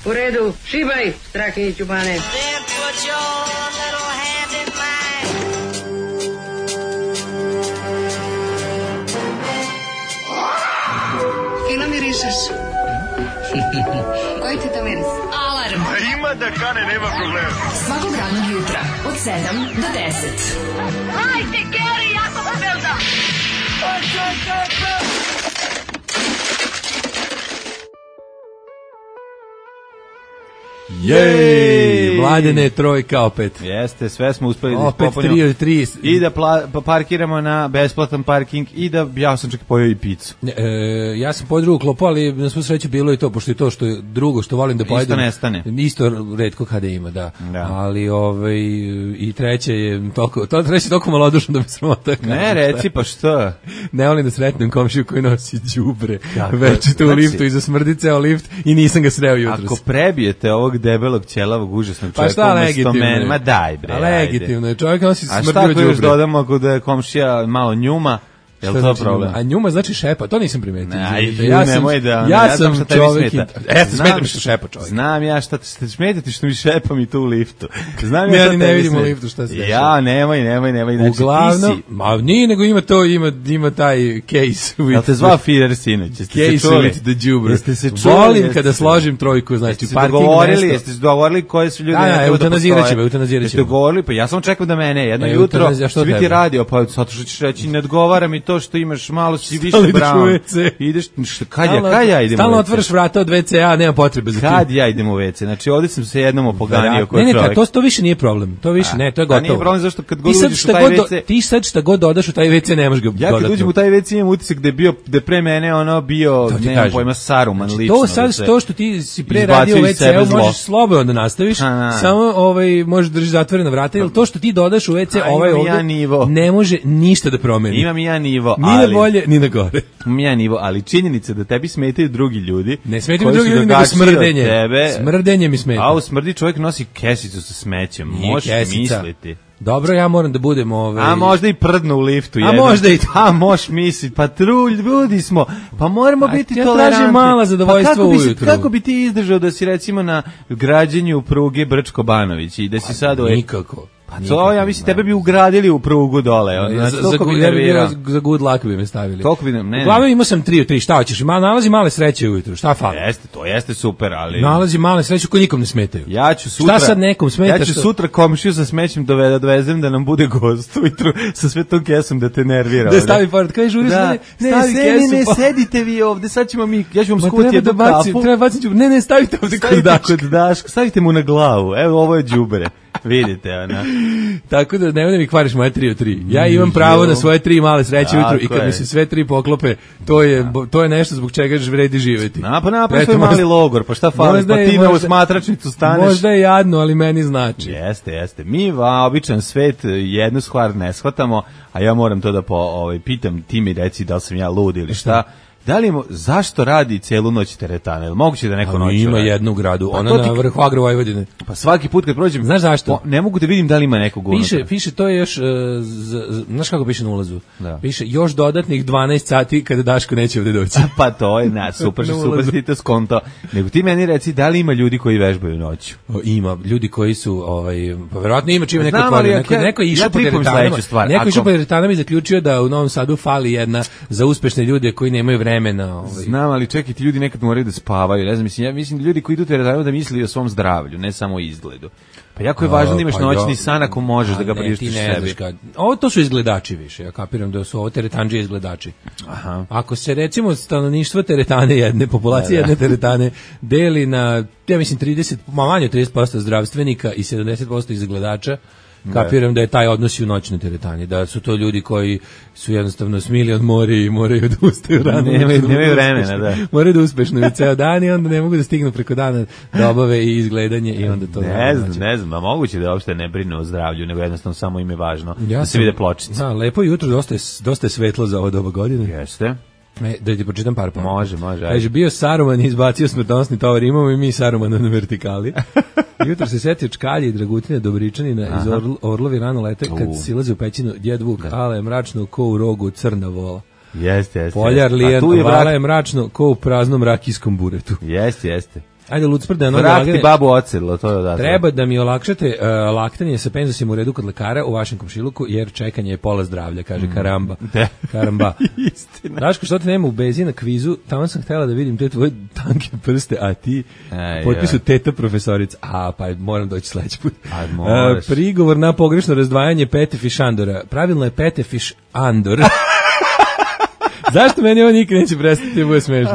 U redu, šibaj, Strahinjiću Bane. Fino mirišeš. Koji ti to miris? Alarm. A ima da kane, nema problema. Svakog radnog jutra od 7 do 10. Hajde, Geri, jako se velda. Jej, Mladene, trojka opet. Jeste, sve smo uspeli da opet ispopunimo. 3 od 3. I da parkiramo na besplatan parking i da ja sam čak pojeo i picu. Ja sam pojeo drugu klopu, ali na svu sreću bilo i to, pošto je to što je drugo što volim da pojedem. Isto nestane. Isto retko kada ima, da. Ali i treće je toliko malodušno da mi sramota. Ne, reci pa što? Ne volim da sretnem komšiju koji nosi đubre večito u liftu i zasmrdi ceo lift i nisam ga sreo jutros. Ako prebijete ovog debelog, ćelavog, užasnog čovjeka, pa šta legitimno? Ma daj bre. Legitimno je, čovjek nosi smrdio đubre. A šta ako još dodamo ako da je komšija malo njuma? Jel to znači problem? A njuma znači šepa, to nisam primetio. Ja sam čovjek. Smeta mi što šepa čovjek. Znam ja šta te smetati što mi šepa mi tu u liftu. Znam ja ne vidim u liftu šta se dešava. Ja, nemoj. Znači, uglavnom, ma nije, nego ima taj case. Jel te zvao Firer sinoć? Case with the đubre. Volim kada složim trojku, znači parking mesto. Jeste se dogovorili koji su ljudi na eutanaziraće. Jeste dogovorili, pa ja sam čekao da mene jedno jutro svi ti radio, pa zato što ćeš reći ne odgovara mi to što imaš malo si više brown. Ideš, kad ja idem u WC? Stalno otvoriš vrata od WC-a, nema potrebe za tim. Kad ja idem u WC? Znači, ovdje sam se jednom opoganio kod čovjek. Ne, to više nije problem. To više ne, to je gotovo. Nije problem zašto kad god uđeš u taj WC... Ti sad šta god dodaš u taj WC, nemaš ga dodatno. Ja kad uđem u taj WC imam utisak da je pre mene bio, nemam pojma, Saruman lično. To sad, to što ti si pre radio u WC-u, možeš slobodno da nastaviš, samo možeš držiš zatvorena vrata, jer to što ti dodaš u WC, ovaj ovdje, ne može ništa da promeni. Imam ja nivo, ni na bolje, ni na gore. Ja nivo, ali činjenica da tebi smetaju drugi ljudi. Ne smetaju drugi ljudi, nego smrdenje. Smrdenje mi smeta. A u smrdi čovjek nosi kesicu sa smećem. Možeš misliti. Dobro, ja moram da budem A možda i prdno u liftu. A možda i to. A možeš misliti, pa ljudi smo, pa moramo biti tolerantni. Ja tražim mala zadovoljstva ujutru. Kako bi ti izdržao da si recimo na građenju pruge Brčko-Banović i da si sad... Nikako. Pa to, ja mislim, tebe bi ugradili u prugu dole. Za good luck bi me stavili. Toliko bi ne. Uglavnom imao sam 3 od 3, šta hoćeš? Nalazi male sreće ujutru, šta fali? Jeste, to jeste super, ali... Nalazi male sreće koji nikom ne smetaju. Ja ću sutra... Šta sad nekom smeta? Ja ću sutra komšiju sa smećem dovezem da nam bude gost ujutru sa sve tom kesom da te nervira. Da stavi pored, kaj žuriš, ne, sedite vi ovde, sad ćemo mi, ja ću vam skuti jednu kafu. Treba baciti, ne, stavite ovde kod Daška. Stavite mu na glavu, evo, ovo je đubre. Vidite, ona. Tako da ne mi kvariš moje 3 od 3. Ja imam pravo na svoje 3 male sreće ujutru i kad mi se sve 3 poklope, to je nešto zbog čega vredi živjeti. Pa napravi svoj mali logor, pa šta fali, pa ti na smatračnicu staneš. Možda je jadno, ali meni znači. Jeste. Mi običan svet jednu stvar ne shvatamo, a ja moram to da pitam, ti mi reci da li sam ja lud ili šta. Da li zašto radi celu noć teretana? Jel moguće da neko noć ima jednu gradu, ona na vrhu Agro Vojvodine. Pa svaki put kad prođem, znaš zašto? Ne mogu da vidim da li ima nekog unutra. Piše to je još, znaš kako piše na ulazu? Piše još dodatnih 12 sati kada Daško neće ovde doći. Pa to je, super si to skonto. Nego ti meni reci, da li ima ljudi koji vežbaju noću? Ima, ljudi koji su, pa verovatno ima čime neko kvari. Neko je išao po teretanama. Neko je išao po teretanama i zaključio da u Novom Sadu fali jedna za uspešne ljude koji nemaju vremena. Znam, ali čekajte, ljudi nekad moraju da spavaju. Ne znam, mislim da ljudi koji idu teretanu da misli o svom zdravlju, ne samo o izgledu. Pa jako je važno da imaš noćni san ako možeš da ga priuštiš sebi. To su izgledači više, ja kapiram da su ovo teretandžije izgledači. Aha. Ako se recimo stanovništvo teretane jedne, populacije jedne teretane deli na, ja mislim, 30, manje od 30% zdravstvenika i 70% izgledača, kapiram da je taj odnos u noćnoj teretani, da su to ljudi koji su jednostavno smili od mori i moraju da ustaju rano. Nemaju vremena, da. Moraju da uspešno i ceo dan i onda ne mogu da stignu preko dana da obave i izgledanje i onda to... Ne znam, a moguće da uopšte ne brinu o zdravlju, nego jednostavno samo im je važno da se vide pločice. Da, lepo jutro, dosta je svetlo za ovo doba godine. Jeste. Da ti pročitam par pa. Može. Kaže, bio Saruman i izbacio smrtonosni tovar, imamo i mi Sarumana na vertikali. Jutro se setio Čkalje i Dragutine Dobričanina iz Orlovi rano lete kad silaze u pećinu Djed Vuk, ale je mračno ko u rogu crna vola. Jeste. Poljar lijen, vala je mračno ko u praznom rakijskom buretu. Jeste. Ajde, Lucprde, Vratiti babu ocedlo, to je odatle. Treba da mi olakšate laktanje sa penzosim u redu kod lekara u vašem komšiluku, jer čekanje je pola zdravlja, kaže Karamba. Karamba. Istina. Daško, što te nema u bezi na kvizu, tamo sam htjela da vidim te tvoje tanke prste, a ti potpisu teta profesorica. Pa moram doći sledeći put. Prigovor na pogrešno razdvajanje Petefiš Andora. Pravilno je Petefiš Andor. Zašto meni ovo nikad neće prestati, bude smešno?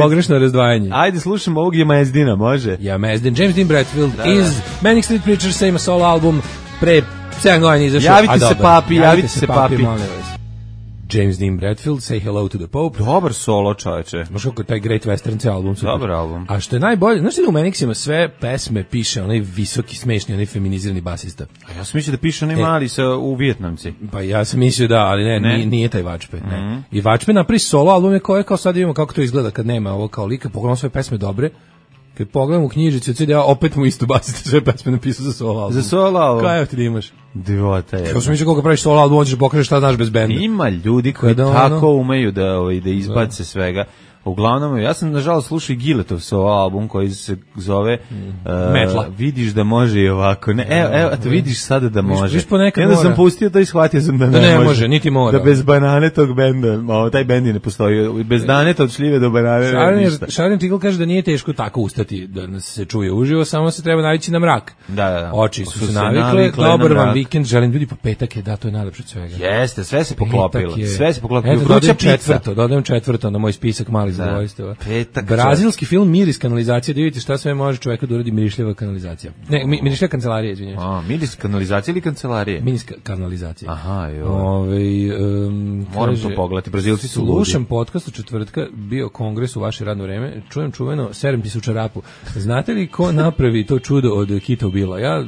Pogrešno razdvajanje. Ajde, slušamo ovog Jamezdina, može? Jamezdin, James Dean Bradfield iz Manic Street Preachers, ima solo album, pre 7 godina izašao. Javite se papi. James Dean Bradfield, Say Hello to the Pope. Dobar solo, čoveče. Možda kako taj Great Western album. Super. Dobar album. A što je najbolje, znaš da u Manixima sve pesme piše onaj visoki, smešni, onaj feminizirani basista. A ja sam mislio da piše onaj mali u Vijetnamci. Pa ja sam mislio da, ali nije taj Vačpe. Ne. I Vačpe napravi solo albume koje kao sad vidimo kako to izgleda kad nema ovo kao lika, pogledamo sve pesme dobre. Kad pogledam u knjižicu od CD-a, opet mu isto basiste sve pesme napisao za solo album. Za solo album? Kaj ti da imaš? Divota je. Kao sam mislio kako praviš solo album, hoćeš pokažeš šta znaš bez benda. Ima ljudi koji tako umeju da izbace svega. Uglavnom, ja sam nažalost slušao i Giletov solo album koji se zove Metla. Vidiš da može i ovako. Ne, evo, vidiš sada da može. Onda sam pustio to i shvatio sam da ne može. Niti mora. Da bez banane tog benda, taj bend ne postoji. Bez daneta od šljive do banane. Šarin Tigl kaže da nije teško tako ustati da nas se čuje uživo, samo se treba navići na mrak. Da. Oči su se navikle, dobar vam vikend, želim ljudi po petak je, da, to je najlepše od svega. Jeste, sve se poklopilo. Eto, dodajem četvrto na moj spisak malih zadovoljstava. Brazilski film Miris kanalizacija, da vidite šta sve može čoveka da uradi mirišljava kanalizacija. Ne, mirišljava kancelarija, izvinjavam. Miris kanalizacija ili kancelarije? Miris kanalizacija. Aha, moram to pogledati, Brazilci su ludi. Slušam podcast u četvrtka, bio kongres u vaše radno vreme, čujem čuveno, serem ti se u čarapu. Znate li ko napravi to čudo od Kita Ubila? Ja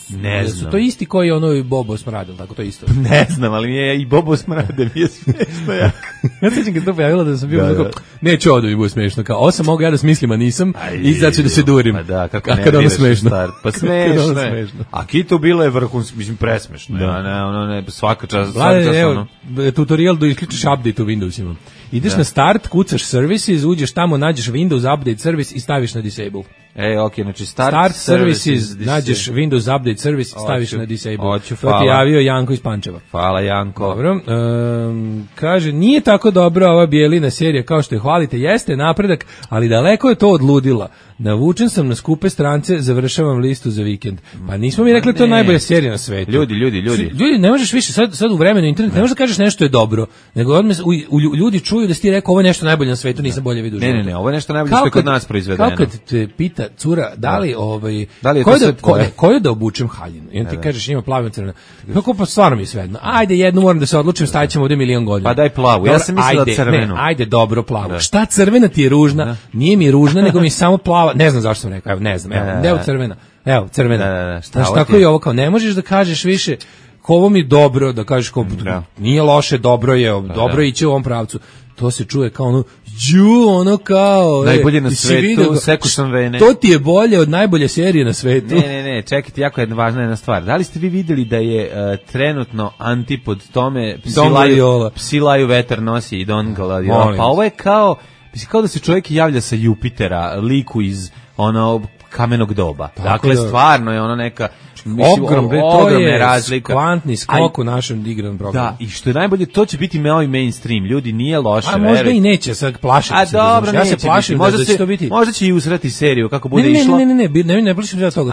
ne znam. Su to isti koji ono Bobo Smrad, tako to isto? Ne znam, ali mi je i Bobo Smrade mi je smešno jako. Ja sećam kad to pojavilo da sam bio tako, neće ovo da mi bude smešno, kao osam mogu ja da smislim, a nisam, i sad ću da se durim. Pa da, kako ne viraš smešno. Pa smešno je. A Kito bilo je vrhunski, mislim, presmešno. Ne, svaka čast. Evo, tutorial da isključiš update u Windowsima. Ideš na start, kucaš services, uđeš tamo, nađeš Windows Update Service i staviš na disable. Znači start services, nađeš Windows Update Service i staviš na disable. To ti javio Janko iz Pančeva. Hvala Janko. Dobro. Kaže, nije tako dobra ova bijelina serija kao što je hvalite, jeste napredak, ali daleko je to od ludila. Navučen sam na skupe strance, završavam listu za vikend. Pa nismo mi rekli to je najbolja serija na svetu. Ljudi, ne možeš više, sad u vremenu internet, ne možeš da kažeš nešto je dobro, nego odmah ljudi čuju da si ti rekao ovo je nešto najbolje na svetu, nisam bolje vidio. Ne, ovo je nešto najbolje što je kod nas proizvedeno. Kao kad te pita cura, da li je to sve tvoje? Koju da obučem haljinu? I on ti kažeš ima plavu i crvenu. Kako pa stvarno mi je svejedno. Ajde, jednu moram da se odlučim, stavit ćemo ovdje milion godina. Pa daj plavu, ja sam mislila crvenu. Ajde, dobro, plavu. Šta crvena ti je ružna? Nije mi ružna, nego mi samo plava. Ne znam zašto sam rekao, ne znam. Evo crvena. Evo crvena. Znaš, tako i ovo kao, ne možeš da kažeš više ko ovo mi dobro, da kažeš ko nije loše, dobro je, dobro iće u ovom pravcu. To se čuje kao ono kao najbolje na svetu, seku sam vene. To ti je bolje od najbolje serije na svetu. Ne, čekajte, jako je važna jedna stvar. Da li ste vi vidjeli da je trenutno antipod tome Psilaju vetar nosi i Don Gladiola? Pa ovo je kao da se čovjek javlja sa Jupitera, liku iz kamenog doba. Dakle, stvarno je ono neka ogromne razlike. Kvantni skok u našem igranom programu. Da, i što je najbolje, to će biti ovaj mainstream. Ljudi, nije loše. A možda i neće, sad plašiti se. Dobro, ja se plašim da će to biti. Možda će i usrati seriju, kako bude išlo. Ne plašim se toga.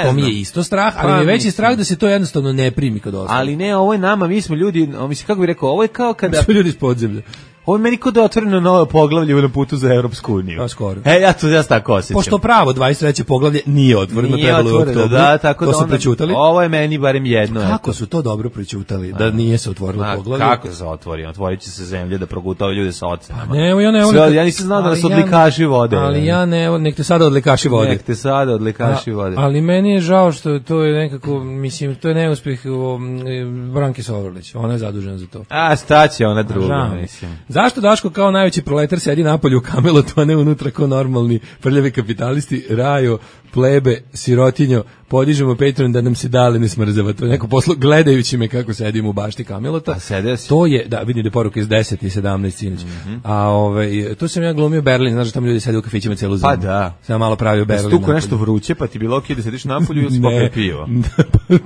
To mi je isto strah, ali mi je veći strah da se to jednostavno ne primi kod ostalo. Ali ne, ovo je nama, mi smo ljudi, kako bih rekao, ovo je kao kada... Smo ljudi iz podzemlja. Ovo je meni kod da je otvoreno novo poglavlje na putu za Evropsku uniju. Pa skoro. Ja se tako osjećam. Pošto pravo 23. poglavlje nije otvoreno, trebalo je u oktobru. Da, tako to da su prećutali. Ovo je meni barem jedno. Kako su to dobro prećutali, da nije se otvorilo poglavlje? Kako se otvori? Otvorit će se zemlje da progutao ljude sa ocenama. Pa ja nisam znao da nas odlikaši vode. Ali nek te sada odlikaši vode. Ali meni je žao što to je nekako, mislim, to je neuspjeh Branke Sovrlić. Ona je zadužena za to. A šta će ona druga, mislim. Zašto Daško kao najveći proletar sedi napolju u Kamelotu, a ne unutra kao normalni prljavi kapitalisti? Rajo, plebe, sirotinjo, podižemo Patreon da nam se dale ne smrzava. To je neko poslo gledajući me kako sedim u bašti Kamelota. A sede si? To je, da, vidim da je poruka iz 10 i 17 sinoć. A tu sam ja glumio Berlin, znaš da tamo ljudi sede u kafićima celu zimu. Pa da. Sam malo pravio Berlin. Stuko nešto vruće, pa ti bilo okej da sediš napolju ili si popio pivo?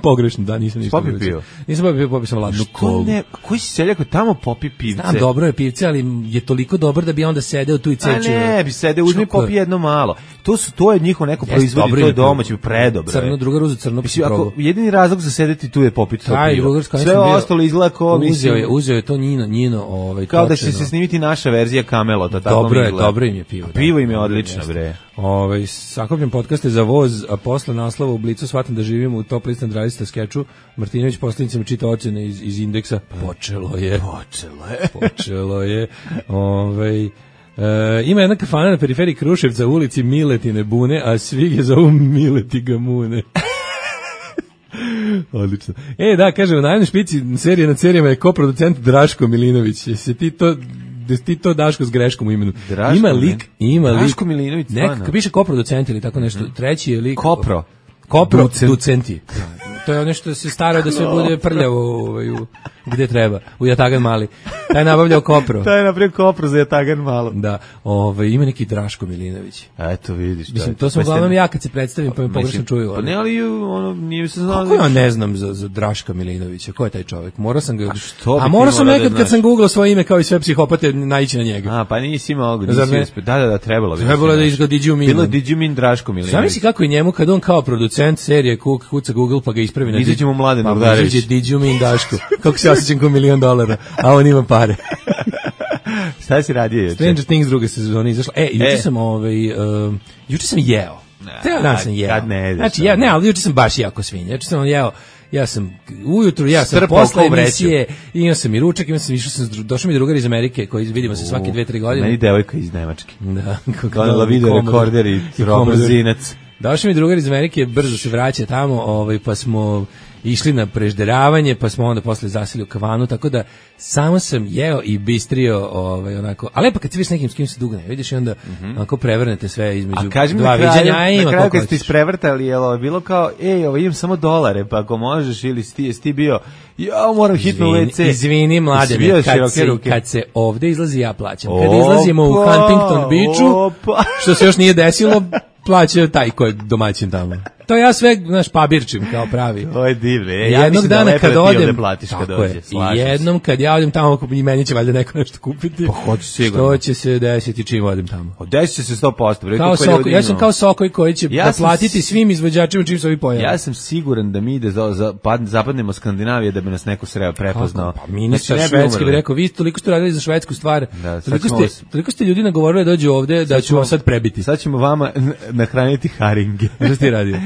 Pogrešno, da, nisam ništa. Popio pivo? Nisam popio pivo, popio sam ladnu kolu. Koji si seljak tamo popi pivce? Znam, dobro je pivce, ali je toliko dobro da bi onda sedeo tu i cečio. A ne, bi sedeo, uzmi popi jedno malo. To je njihovo neko proizvodi, to je domaće, predobro. Crno, drugar uze crno, mislim, ako jedini razlog za sedeti tu je popiti to pivo. Sve ostalo izgleda kao uzeo je to Njino kao da će se snimiti naša verzija Kamelota, tako mi izgleda. Dobro im je pivo. Pivo im je odlično, bre. Sakupljen podcaste za voz, a posle naslova u Blicu shvatam da živimo u top list nadradista skeču. Martinović poslednicama čita ocene iz indeksa. Počelo je. Ima jedna kafana na periferiji Kruševca u ulici Miletine Bune, a svi je zovu Mileti Gamune. Odlično. Da, kaže, u najavnoj špici serije nad serijama je koproducent Draško Milinović. Jesi ti to Daško s greškom u imenu? Ima lik. Draško Milinović, stvarno. Kad piše koproducent ili tako nešto, treći je lik. Koproducenti. To je ono što se starao da sve bude prljavo gde treba, u Jatagan Mali. Taj je nabavljao kopro. Taj je napravio kopro za Jatagan Malo. Da, ima neki Draško Milinović. Eto, vidiš. Mislim, to sam uglavnom ja kad se predstavim, pa me pogrešno čuju. Pa ne, ali nije se znao. Kako ja ne znam za Draška Milinovića? Ko je taj čovjek? Morao sam ga... A morao sam nekad kad sam googlao svoje ime kao i sve psihopate naići na njega. Pa nisi imao, nisi uspio. Da, trebalo bi. Trebalo da izgleda Digjumin. Bilo Digjumin Draško Milinović. Zamisli kako je njemu kad on kao producent serije kuca Google pa ga ispravi na Digjumin. Izađemo Mladen Urdarević. Pa Digjumin Daško. Kako se osjećam kao $1.000.000, a on ima pare. Šta si radio juče? Stranger Things druga sezona izašla. Juče sam jeo. Dan sam jeo. Kad ne jedeš. Znači, ali juče sam baš jako svinja. Juče sam jeo. Ja sam ujutru, posle emisije, imao sam i ručak, došao mi drugar iz Amerike koji vidimo se svake 2-3 godine. Meni devojka iz Nemačke. Da. Kao video rekorder i robozinac. Došao mi drugar iz Amerike, brzo se vraća tamo, pa smo išli na prežderavanje, pa smo onda posle zaseli u kavanu, tako da samo sam jeo i bistrio, onako, a lepo kad se vidiš nekim s kim se dugo ne vidiš i onda onako prevrnete sve između dva viđanja. Na kraju kad ste isprevrtali, je bilo kao, imam samo $1, pa ako možeš, ili ti bio, moram hitno u WC. Izvini, mladene, kad se ovde izlazi, ja plaćam. Kad izlazimo u Huntington Beachu, što se još nije desilo, plaća taj ko je domaćin tamo. To ja sve, pabirčim kao pravi. To je divno. Jednog dana kad odem, i jednom kad ja odem tamo, i meni će valjda neko nešto kupiti. Pa hoću sigurno. Što će se desiti čim odem tamo? Desit će se 100%. Ja sam kao Sokoj koji će platiti svim izvođačima čim se ovi pojave. Ja sam siguran da mi ide zapadnemo Skandinavije da bi nas neko sreo prepoznao. Pa ministar švedski bi rekao, vi toliko ste radili za švedsku stvar, toliko ste ljudi nagovorili da dođu ovde da ću vam sad prebiti. Sad ćemo vama nahraniti haringe. Što ti radio?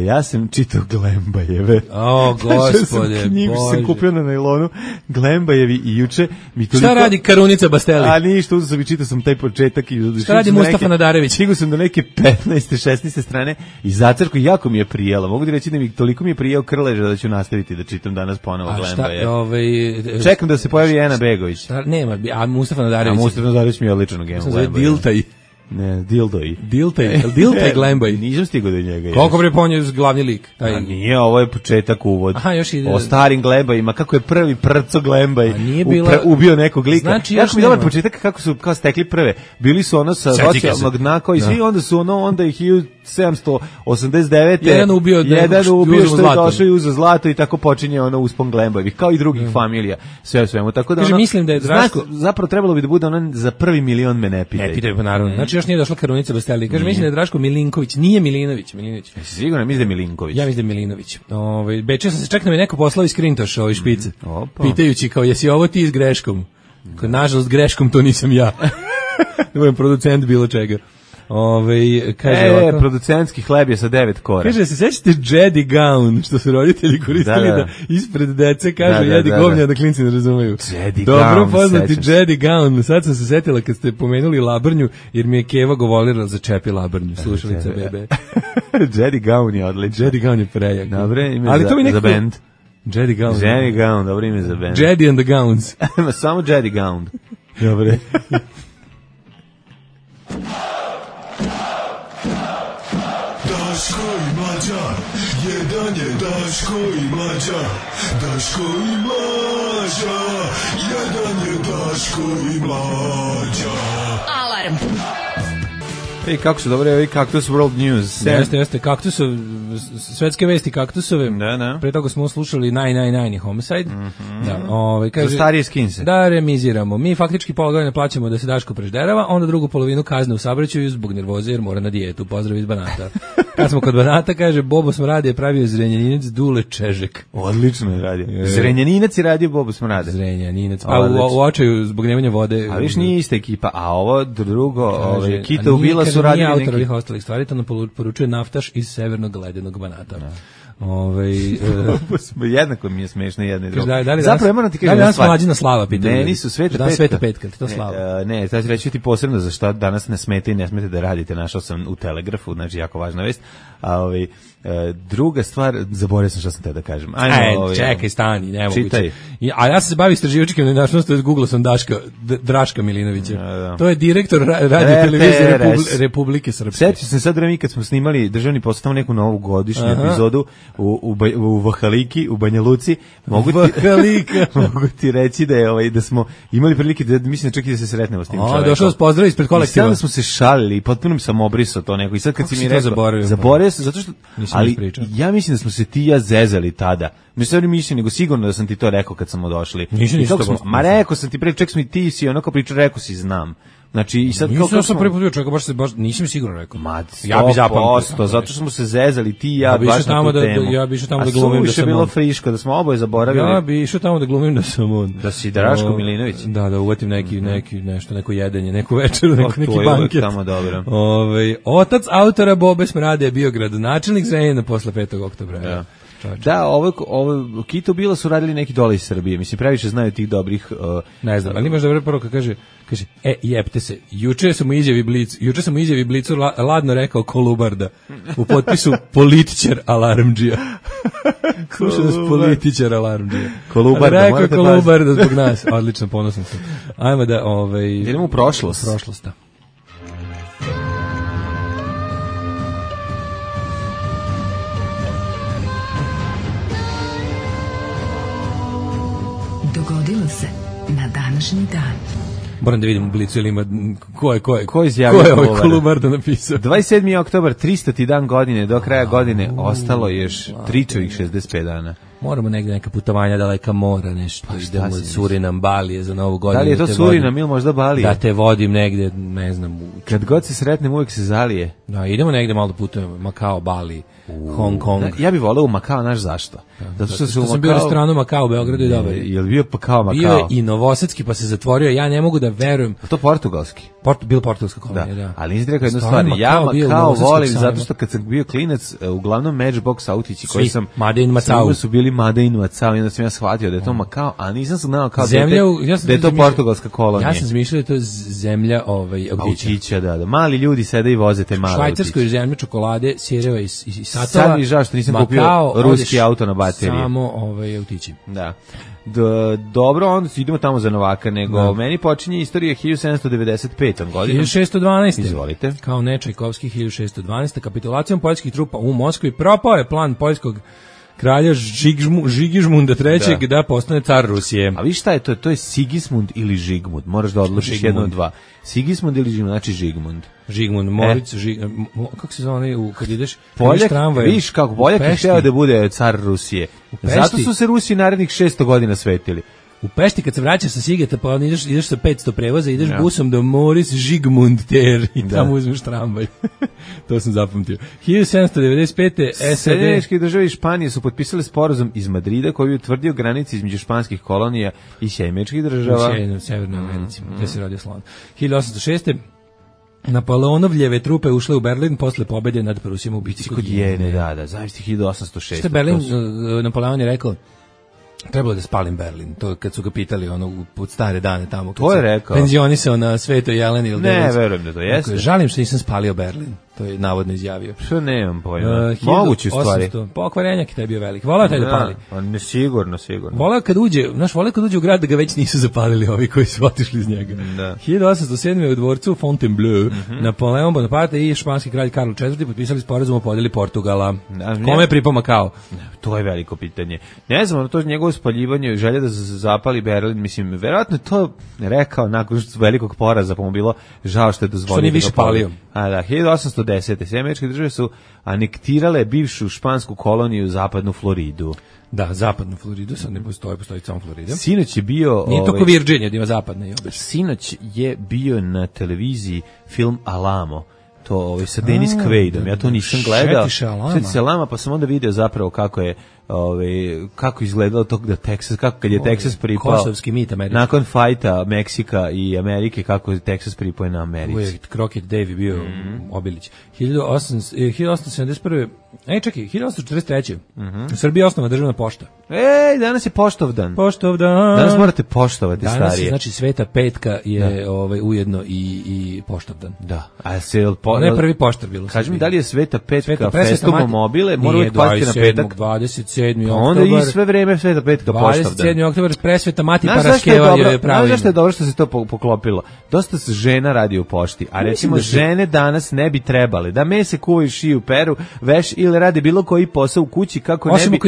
Ja sam čitao Glembajeve. O, gospode, knjigu sam kupio na najlonu, Glembajevi, i juče mi toliko... Šta radi Karunica Basteli? A ništa, uzeo sam i čitao sam taj početak. Šta radi Mustafa Nadarević? Stigao sam do neke 15. 16. strane i zacrko jako mi je prijelo. Mogu ti reći da mi toliko mi je prijelo krleža da ću nastaviti da čitam danas ponovo Glembajeve. Čekam da se pojavi Ena Begović. Nema, a Mustafa Nadarević? A Mustafa Nadarević mi je odličan u Glembajeve. Diltaj. Ne, Diltaj Glembaj. Nisam stigao do njega. Koliko bre ponje glavni lik? A nije, ovo je početak, uvod. Aha, još ide. O starim Glembajima, kako je prvi Prco Glembaj ubio nekog lika. Znači, jako mi dobar početak kako su kao stekli prve. Bili su ono sa socijalnog dna koji svi, onda su onda ih 1789. Jedan ubio što je došao i uzeo zlato i tako počinje ono uspon Glembajevih, kao i drugih familija. Sve u svemu. Tako da mislim da je Draško zapravo trebalo bi da bude ono za prvi milion me ne pitaj. Ne pitaj, pa naravno. Znači još nije došla Karunica Basteli. Kaže, mislim da je Draško Milinković, nije Milinović. Sigurno, mislim da je Milinković. Ja mislim da je Milinović. Bečeo sam se, čak nam je neko poslao iz Krintoša, ovoj špice. Pitajući kao, jesi ovo ti s greškom? Nažalost, greškom to nisam ja. Da budem producent bilo čega. Kaže producentski hleb je sa 9 kora. Kaže, se sećate Jedi Gown, što su roditelji koristili da ispred dece kažu jedi govnja da klinci ne razumeju. Dobro poznati Jedi Gown. Sad sam se setila kad ste pomenuli Labrnju, jer mi je Keva govorila za Čepi Labrnju, slušalica bebe. Jedi Gown je odličan. Jedi Gown je prejak. Dobre, ime za band. Jedi Gown, dobro ime za band. Jedi and the Gowns. Samo Jedi Gown. Dobre. Daško i Mlađa, jedan je Daško i Mlađa, Daško i Mlađa, jedan je Daško i Mlađa. Alarm. Ej, kako su dobre ovi Cactus World News. Jeste, kaktusov, svetske vesti kaktusove. Da. Pre toga smo slušali Nine Homicide. Da, kaže, za starije skinse. Da remiziramo. Mi faktički pola godine plaćamo da se Daško prežderava, onda drugu polovinu kazne u saobraćaju zbog nervoze jer mora na dijetu. Pozdrav iz Banata. Kad smo kod Banata, kaže, Bobo Smrade je pravio Zrenjaninac Dule Čežek. Odlično je radio. Zrenjaninac je radio Bobo Smrade. Zrenjaninac. Pa u očaju zbog nemanja vode. A viš nije ista ekipa, a ovo drugo, Kita ubila su radili neki... autor ovih ostalih stvari, to nam poručuje naftaš iz severnog ledenog Banata. Jednako mi je smešno jedno i drugo. Zapravo ja moram ti kažem danas Mlađina Slava pitanje. Ne, nisu Sveta Petka, to Slava. Ne, znači reći ti posebno za šta danas ne smete i ne smete da radite. Našao sam u Telegrafu, znači jako važna vest. A druga stvar, zaboravio sam šta sam te da kažem. Čekaj, stani, nemoguće. Čitaj. A ja se bavim istraživačkim nenačnostima, Google sam Draška Milinovića. Da. To je direktor radio televizije Republike Srpske. Sjetio se sad mi kad smo snimali državni posao tamo neku novu godišnju epizodu u Vahaliki, u Banja Luci. Mogu ti reći da smo imali prilike da mislim čak i da se sretnemo s tim čovekom. Došao s pozdrav ispred kolektiva. I sad smo se šalili i potpuno sam obrisao to neko. I sad kad si mi rekao, zaboravio sam zato što ali ja mislim da smo se ti i ja zezali tada. Mislim nego sigurno da sam ti to rekao kad smo došli. Ma rekao sam ti pre, ček smo i ti si onako pričao, rekao si znam. Znači i sad kako sam prvi put bio čovjek baš nisam sigurno rekao. Ja bi zapamtio zato što smo se zezali ti i ja baš na tu temu. Ja bi išao tamo da glumim da sam bilo friško da smo oboje zaboravili. Ja bi išao tamo da glumim da sam on. Da si Draško Milinović. Da uvatim neko jedenje, neku večeru, neki banket. Tamo dobro. Otac autora Bobe Smrade je bio gradonačelnik Zrenjanina posle 5. oktobra. Da, ovo Kito Bila su radili neki dole iz Srbije. Mislim, previše znaju tih dobrih... ne znam, ali imaš dobro poruka, kaže, jebte se, juče sam u izjavi Blicu ladno rekao Kolubarda, u potpisu političar alarmdžija. Slušaj nas političar alarmdžija. Kolubarda, rekao Kolubarda zbog nas. Odlično, ponosan sam. Ajmo da... idemo u prošlost. Da. Dogodilo se na današnji dan. Moram da vidim u Blicu ili ima ko izjavio ovaj Kolubarda napisao. 27. oktobar, 300. dan godine, do kraja godine ostalo još tričovih 65 dana. Moramo negde neka putovanja daleka mora, nešto. Idemo Surinam, Balije za Novu godinu. Da li je to Surinam ili možda Balije? Da te vodim negde, ne znam. Kad god se sretnem uvijek se zalije. Da, idemo negde malo da putujemo, Makao, Bali, Hong Kong. Ja bih voleo u Makao, znaš zašto? Zato što sam bio u restoranu Makao u Beogradu i dobar. Je li bio Makao? Bio je i novosadski pa se zatvorio, ja ne mogu da verujem. To portugalski? Bilo portugalska kolonija, da. Ali nisi rekao jednu stvar, ja Makao volim zato što kad sam bio klinac, uglavnom Matchbox autići koji sam... su bili Made in Macao i onda sam ja shvatio da je to Makao, a nisam znao kao da je to portugalska kolonija. Ja sam zmišljao da je to zemlja autića. Da. Mali ljudi sede i voze te male autiće. Švajcarskoj zemlja čokolade, sireva i satova. Sad mi žao što nisam kupio ruski auto na baterije. Samo autići. Da. Dobro, onda idemo tamo za Novaka, nego meni počinje istorija 1795. godinom. 1612. Izvolite. Kao Nečajkovski 1612. Kapitulacijom poljskih trupa u Moskvi propao je plan poljskog kralja Žigižmunda III. Da postane car Rusije. A vi šta je to? To je Sigismund ili Žigmund? Moraš da odlučiš jedno od dva. Sigismund ili Žigmund? Znači Žigmund. Moritz, kako se zove kad ideš tramvaj? Viš kako Poljak je hteo da bude car Rusije. Zato su se Rusi narednih 600 godina svetili. U Pešti kad se vraćaš sa Sigeta, pa ideš sa 500 prevoza, ideš busom do Moritz Žigmund ter i tamo uzmeš tramvaj. To sam zapamtio. 1795. Sjedinjeničke države i Španije su potpisali sporazum iz Madrida koji je utvrdio granice između španskih kolonija i Sjedinjeničkih država. U Severnoj Americi, gde se rodio slon. 1806. Napoleonovljeve trupe ušle u Berlin posle pobede nad Prusijom u bitci kod Jene. Da, zavisli 1806. Što Berlin, Napoleon je rekao, trebalo da spalim Berlin. To kad su ga pitali pod stare dane tamo. To je rekao. Penzionisao na Svetoj Jeleni. Ne, verujem da to jeste. Žalim što nisam spalio Berlin. To je navodno izjavio. Što nemam pojma. Moguće stvari. Pokvarenjak je taj bio velik. Volao taj da pali. Ne, sigurno. Volao kad uđe u grad da ga već nisu zapalili ovi koji su otišli iz njega. Da. 1807. u dvorcu Fontainebleau Napoleon Bonaparte i španski kralj Karl IV potpisali sporazum o podjeli Portugala. Kome je pripao Makao? To je veliko pitanje. Ne znam, to njegovo spaljivanje, želja da zapali Berlin, mislim, verovatno je to rekao nakon velikog poraza, pa mu bilo žao što je dozvolio. Što nije više palio. A da, 1810. Sve američke države su anektirale bivšu špansku koloniju zapadnu Floridu. Da, zapadnu Floridu, sad ne postoji samo Florida. Sinoć je bio... Nije to ko Virginia, da ima zapadna i obično. Sinoć je bio na televiziji film Alamo, to sa Dennis Quaidom, ja to nisam gledao. Šetiše Alama, pa sam onda video zapravo kako je kako izgledalo to da Texas, kako kad je Texas pripao kosovski mit Amerike. Nakon fajta Meksika i Amerike, kako je Texas pripao na Americi. Crockett Davy bio Obilić. 1871. Čekaj, 1843. U Srbiji je osnovana državna pošta. Danas je poštovdan. Poštovdan. Danas morate poštovati starije. Danas znači Sveta Petka je ujedno i poštovdan. Da. Ono je prvi poštar bilo. Kaži mi, da li je Sveta Petka festumo mobile? Mora uvijek pasti na petak. 27. oktobar. Onda i sve vreme Sveta Petka poštovdan. 27. oktobar Presveta Mati Paraskeva je pravilno. Znaš zašto je dobro što se to poklopilo? Dosta se žena radi u pošti, a recimo žene danas ne bi trebale da mese kuvaju, šiju, peru, veš ili radi bilo koji posao u kući kako ne bi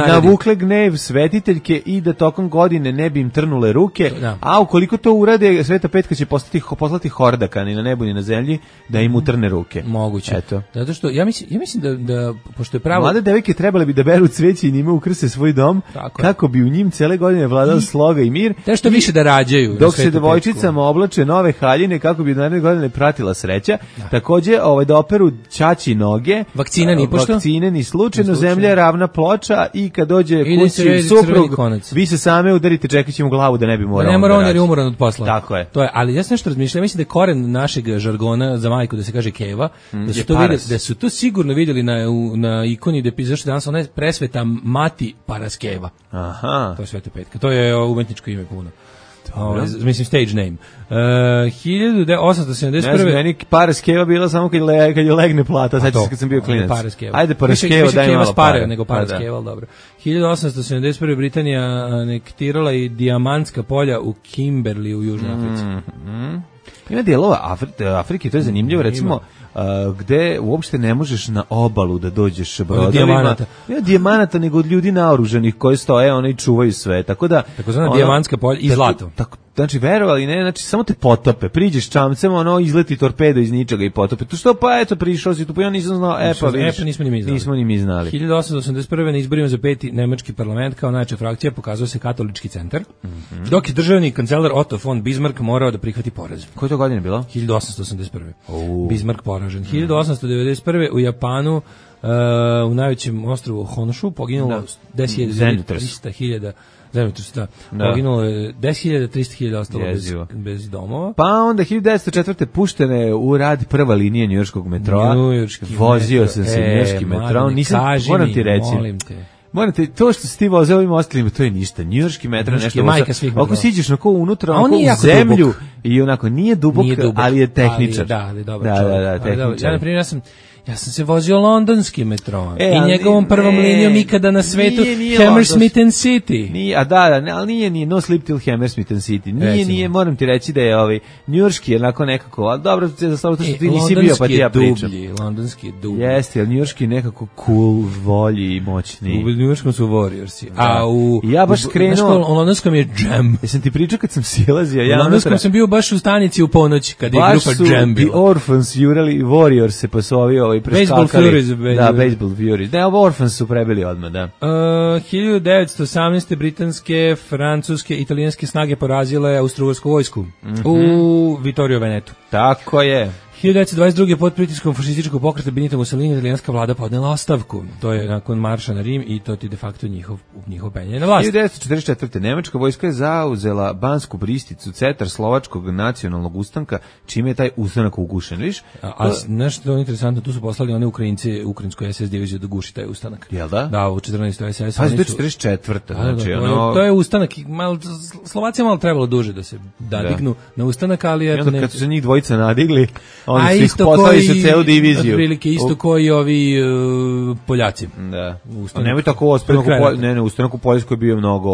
navukle gnev svetiteljke i da tokom godine ne bi im trnule ruke, a ukoliko to urade, Sveta Petka će poslati hordaka ni na nebu ni na zemlji da im utrne ruke. Moguće. Eto. Zato što ja mislim da pošto je pravo... Mlade devojke trebale bi da beru cveće i njime ukrase svoj dom, kako bi u njim cele godine vladao sloga i mir. Te što više da rađaju. Dok se devojčicama oblače nove haljine kako bi naredne godine pratila sreća. Takođe da operu ćaći noge. Vakcina ni pošto. Vakcine ni slučajno, zemlja je ravna ploča i kad dođe kući suprug, vi se same udarite čekajući mu glavu da ne bi morao. Ne mora on jer je umoran od posla. Tako je. To je, ali ja sam nešto razmišljao, mislim da je koren našeg žargona za majku da se kaže keva, da su to sigurno vidjeli na ikoni da piše danas ona je Presveta Mati Paraskeva. Aha. To je Sveta Petka. To je umetničko ime puno. Mislim stage name. 1871. Ne znam, meni Paraskeva bila samo kad je legne plata, sad kad sam bio klinac. Ajde Paraskeva, daj malo pare. Nego Paraskeva, ali dobro. 1871. Britanija anektirala i dijamantska polja u Kimberley u Južnoj Africi. Ima dijelova Afrike, to je zanimljivo, recimo gde uopšte ne možeš na obalu da dođeš brodovima. Ne dijamanata, nego od ljudi naoružanih koji stoje, oni čuvaju sve. Tako da takozvana dijamantska polja i zlato. Znači, verovali ne, znači samo te potope, priđeš čamcem, izleti torpedo iz ničega i potope. To što, pa eto, prišao si tu, pa ja nisam znao, nismo ni mi znali. 1881. na izborima za 5. nemački parlament kao najjača frakcija pokazao se katolički centar, dok je državni kancelar Otto von Bismarck morao da prihvati poraz. Koje to godine bilo? 1881. Bismarck poražen. 1891. u Japanu, u najvećem ostrovu Honshu, poginulo 10.300.000 zemljotresa, poginulo je 10.300.000 ostalo bez domova. Pa onda 1904. puštena je u rad prva linija njujorškog metroa. Vozio sam se njujorški metro. Moram ti reći. Morate, to što si ti vozio ovim ostalima, to je ništa. Njujorški metro je nešto. Ako siđeš na unutra, onako u zemlju dubok. I onako nije dubok, ali je tehničar. Da, tehničar. Ja, na primjer, ja sam se vozio londonskim metrom i njegovom prvom linijom ikada na svetu Hammersmith and City. Nije, ali nije No Sleep Till Hammersmith and City. Nije, moram ti reći da je njujorški onako nekako, ali dobro, za slavo to što ti nisi bio, pa ti ja pričam. Londonski je dublji. Jeste, ali njujorški je nekako cool, volji i moćni. U njujorškom su Warriorsi. A ja baš krenuo... U londonskom je Jam. Jesam ti pričao kad sam silazio? U londonskom sam bio baš u stanici u ponoć, kad je grupa Jam bila. The Orphans jurali Warriors se posovio i Baseball Furies. Da, Baseball Furies. Ne, Orphans su prebili odmah, da. 1918. britanske, francuske, italijanske snage porazile austrougarsku vojsku u Vittorio Venetu. Tako je. 1922. pod pritiskom fašističkog pokreta Benito Mussolini italijanska vlada podnela ostavku. To je nakon marša na Rim i to ti de facto njihov penjanje na vlast. 1944. Nemačka vojska je zauzela Bansku Bristicu, cetar slovačkog nacionalnog ustanka, čime je taj ustanak ugušen, viš? A nešto interesantno, tu su poslali one Ukrajince, ukrajinskoj SS diviziju da guši taj ustanak. Jel da? Da, u 14. SS. Pa to je 44. Znači, to je ustanak, Slovacija malo trebalo duže da se nadignu na ustanak, ali eto ne. Kad su se njih dvojica nadigli, Onda su ih poslali su celu diviziju. Otprilike isto koji ovi Poljaci. Da. A nemoj tako Ustanak u Poljskoj je bio mnogo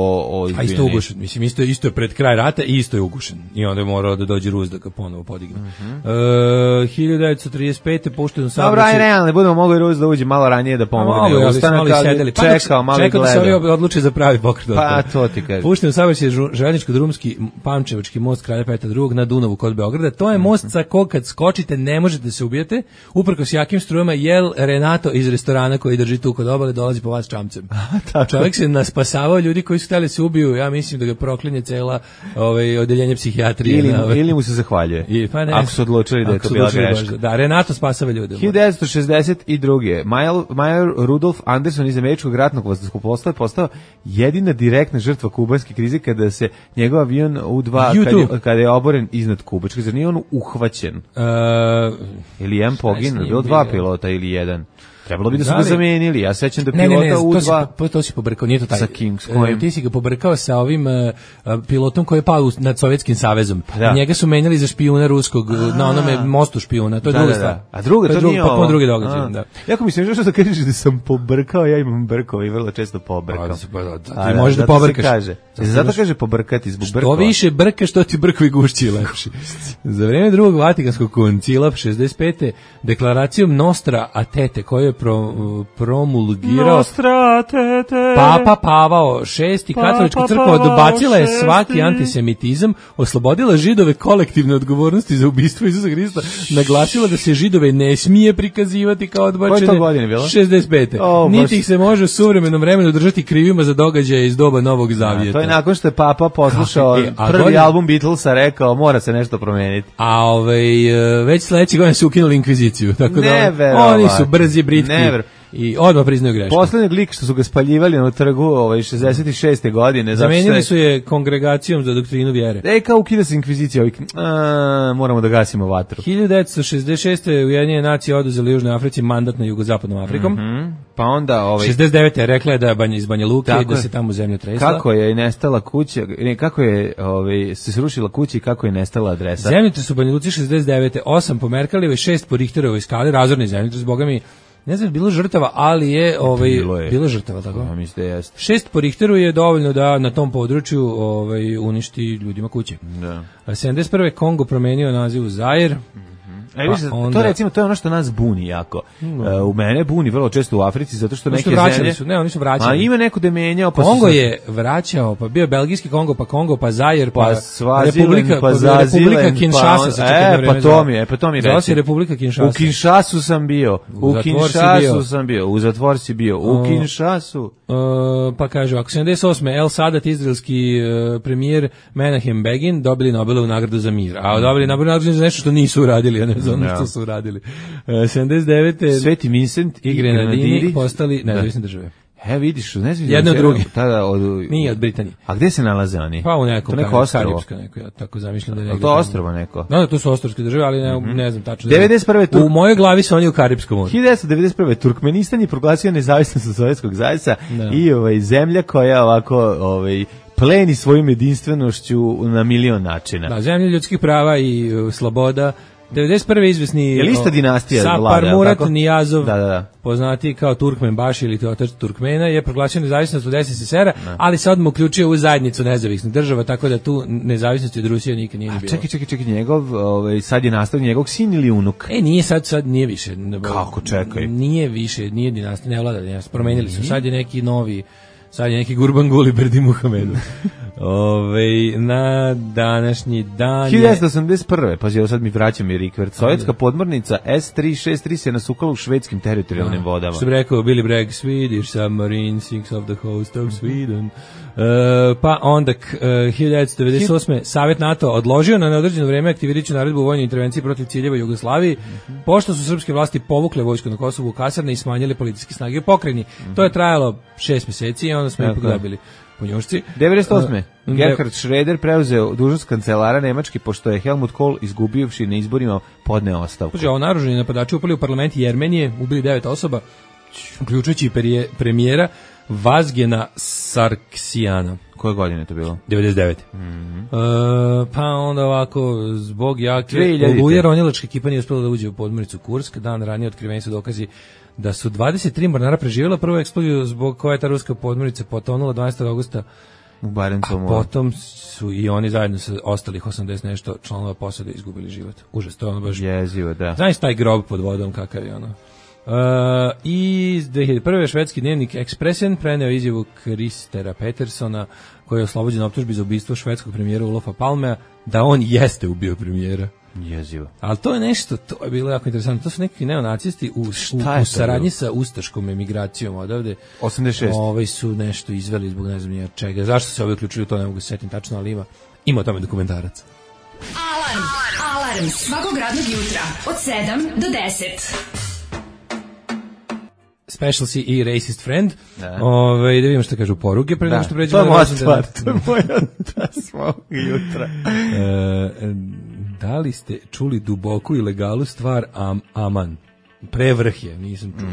a isto ugušen. Mislim, isto je pred kraj rata i isto je ugušen. I onda je morao da dođe Rus da ga ponovo podigne. 1935. pušten u saobraćaj. Dobro, aj realno, ne budemo mogli Rus da uđe malo ranije da pomogne. Ustanak, ali čekao, malo gledao. Da se ovi odluči za pravi pokret. Pa, to ti kažem. Pušten u saobraćaj željezničko-drumski Pančevački most Kralja Petra II na Dunavu kod Beograda. To je most sa kog kad skočite ne možete da se ubijete. Uprkos jakim strujama jel Renato iz restorana koji drži tu kod obale dolazi po vas čamcem. Čovjek se naspasavao ljudi koji su htjeli se ubiju. Ja mislim da ga proklinje cela odeljenje psihijatrije. Ili mu se zahvaljuje. Ako su odlučili da je to bila greška. Da, Renato spasava ljude. 1962. Major Rudolf Anderson iz američkog ratnog vazduhoplovstva je postao jedina direktna žrtva kubanske krize kada se njegov avion U-2 kada je oboren iznad Kubačke. Zar nije on uhvaćen? Ili jedan poginuo, bilo dva pilota ili jedan. Trebalo bi da su ga zamenili. Ja sećam da pilota U-2... To si pobrkao, nije to taj. Sa kim, s kojim? Ti si ga pobrkao sa ovim pilotom koji je pao nad Sovjetskim savezom. Da. Njega su menjali za špijuna ruskog, na onome mostu špijuna. To je druga stvar. A druga, to nije ovo? Potpuno drugi događaj, da. Jako mislim, što kažeš da sam pobrkao, ja imam brkao i vrlo često pobrkao. Ti možeš da pobrkaš. Zato kaže pobrkati zbog brkova. Što više brkaš, što ti brkovi gušći lepši. Za vreme drugog Vatikanskog koncila 65. deklaracijom Nostra Aetate koju je promulgirao Papa Pavao VI. Katolička crkva odbacila je svaki antisemitizam, oslobodila Židove kolektivne odgovornosti za ubistvo Isusa Hrista, naglasila da se Židove ne smije prikazivati kao odbačene. Koje to godine bilo? 65. Niti ih se može u suvremenom vremenu držati krivima za događaje iz doba Novog Zavjeta. To je nakon što je Papa poslušao prvi album Beatlesa, rekao mora se nešto promeniti. A već sledeće godine su ukinuli inkviziciju, tako da oni su brzi, britki. I odmah priznaju grešku. Poslednji lik što su ga spaljivali na trgu 66. godine. Zamenili su je kongregacijom za doktrinu vjere. Kao ukida se inkvizicija, moramo da gasimo vatru. 1966. Ujedinjene nacije oduzeli Južnoj Africi mandat nad jugozapadnom Afrikom. Pa onda 69. rekla je da je iz Banja Luke i da se tamo zemlja tresla. Kako je nestala kuća, kako je se srušila kuća i kako je nestala adresa. Zemljotres u Banja Luci 69. 8 po Merkalijevoj, 6 po Richterovoj skali, razorni zemljotres, boga mi. Ne znam, bilo žrtava, ali je bilo žrtava, tako? Ja mislim da jeste. 6 po Richteru je dovoljno da na tom području uništi ljudima kuće. Da. 71. Kongo promenio naziv u Zair. To recimo, to je ono što nas buni jako. U mene buni vrlo često u Africi, zato što neke zemlje... Oni su vraćali. A ima neko da je menjao, pa Kongo je vraćao, pa bio belgijski Kongo, pa Zair, pa Svazilen, pa Zazilen, Republika Kinshasa se čeka vreme. Pa to mi reći. Republika Kinshasa. U Kinshasu sam bio. U zatvor si bio. U Kinshasu. Pa kaže, ako 78. El Sadat, izraelski premijer Menahem Begin, dobili Nobelovu nagradu za mir. A dobili Nobelovu nagradu za nešto što nisu uradili, ne znam što su uradili. 79. Sveti Vincent i Grenadini postali nezavisne države. Vidiš, ne znam. Jedno od druge. Nije od Britanije. A gde se nalaze oni? Pa u nekom Karibska neko, ja tako zamišljam da je negdje. To ostrvo neko? Da, to su ostrvske države, ali ne znam tačno. 91. U mojoj glavi su oni u Karibskom moru. 1991. Turkmenistan je proglasio nezavisnost od Sovjetskog zajca i zemlja koja ovako pleni svojom jedinstvenošću na milion načina. Da, zemlja ljudskih prava i sloboda. 91. izvesni je lista dinastija Sapar Murat Nijazov, poznati kao Turkmenbaši ili otac Turkmena, je proglasio nezavisnost od SSSR-a, ali se odmah uključio u zajednicu nezavisnih država, tako da tu nezavisnosti od Rusije nikad nije bilo. Čekaj, njegov, sad je nastavljen njegov sin ili unuk? Nije sad nije više. Kako, čekaj? Nije više, nije dinastija, ne vlada dinastija, promenili su, sad je neki novi, sad je neki Gurbanguly Berdi Muhamedu. Na današnji dan 1981. Pa sad mi vraćam i rikvert. Sovjetska podmornica S-363 se nasukala u švedskim teritorijalnim vodama. Što bi rekao Billy Bragg, Swedish submarine sinks off the coast of Sweden. Pa onda 1998. Savjet NATO odložio na neodređeno vreme aktivirajući naredbu o vojnoj intervenciji protiv ciljeva Jugoslaviji, pošto su srpske vlasti povukle vojsku na Kosovu u kasarne i smanjile policijske snage u pokrajini. To je trajalo 6 mjeseci i onda smo ipak dobili punjušci. 98. Gerhard Schröder preuzeo dužnost kancelara Nemačke pošto je Helmut Kohl izgubivši na izborima podneo ostavku. Naoružani napadači upali u parlament Jermenije, ubili 9 osoba, uključujući premijera Vazgena Sarksijana. Koje godine je to bilo? 99. Pa onda ovako, zbog jake 2000. oluje ronilačka ekipa nije uspela da uđe u podmornicu Kursk. Dan ranije otkriveni su dokazi da su 23 mornara preživjela prvu eksploziju zbog koje je ta ruska podmornica potonula 12. augusta. U Barencovom A potom su i oni zajedno sa ostalih 80 nešto članova posade izgubili život. Užas, to je ono baš... Jezivo, da. Znaš taj grob pod vodom, kakav je ono. I 2001. švedski dnevnik Expressen preneo izjavu Kristera Petersona, koji je oslobođen optužbi za ubistvo švedskog premijera Olofa Palmea, da on jeste ubio premijera. Jezivo. Ali to je nešto, to je bilo jako interesantno. To su neki neonacisti u saradnji sa ustaškom emigracijom odavde. 86. Su nešto izveli zbog ne znam nije čega. Zašto se ovi uključili, to ne mogu se setiti tačno, ali ima o tome dokumentarac. Alarm svakog radnog jutra od 7 do 10. Specialcy i Racist Friend. Da vidimo što kažu poruke pre nego što pređemo. To je moja stvar, to je moja svakog jutra. Da li ste čuli duboku i legalu stvar Aman? Prevrh je, nisam čuo.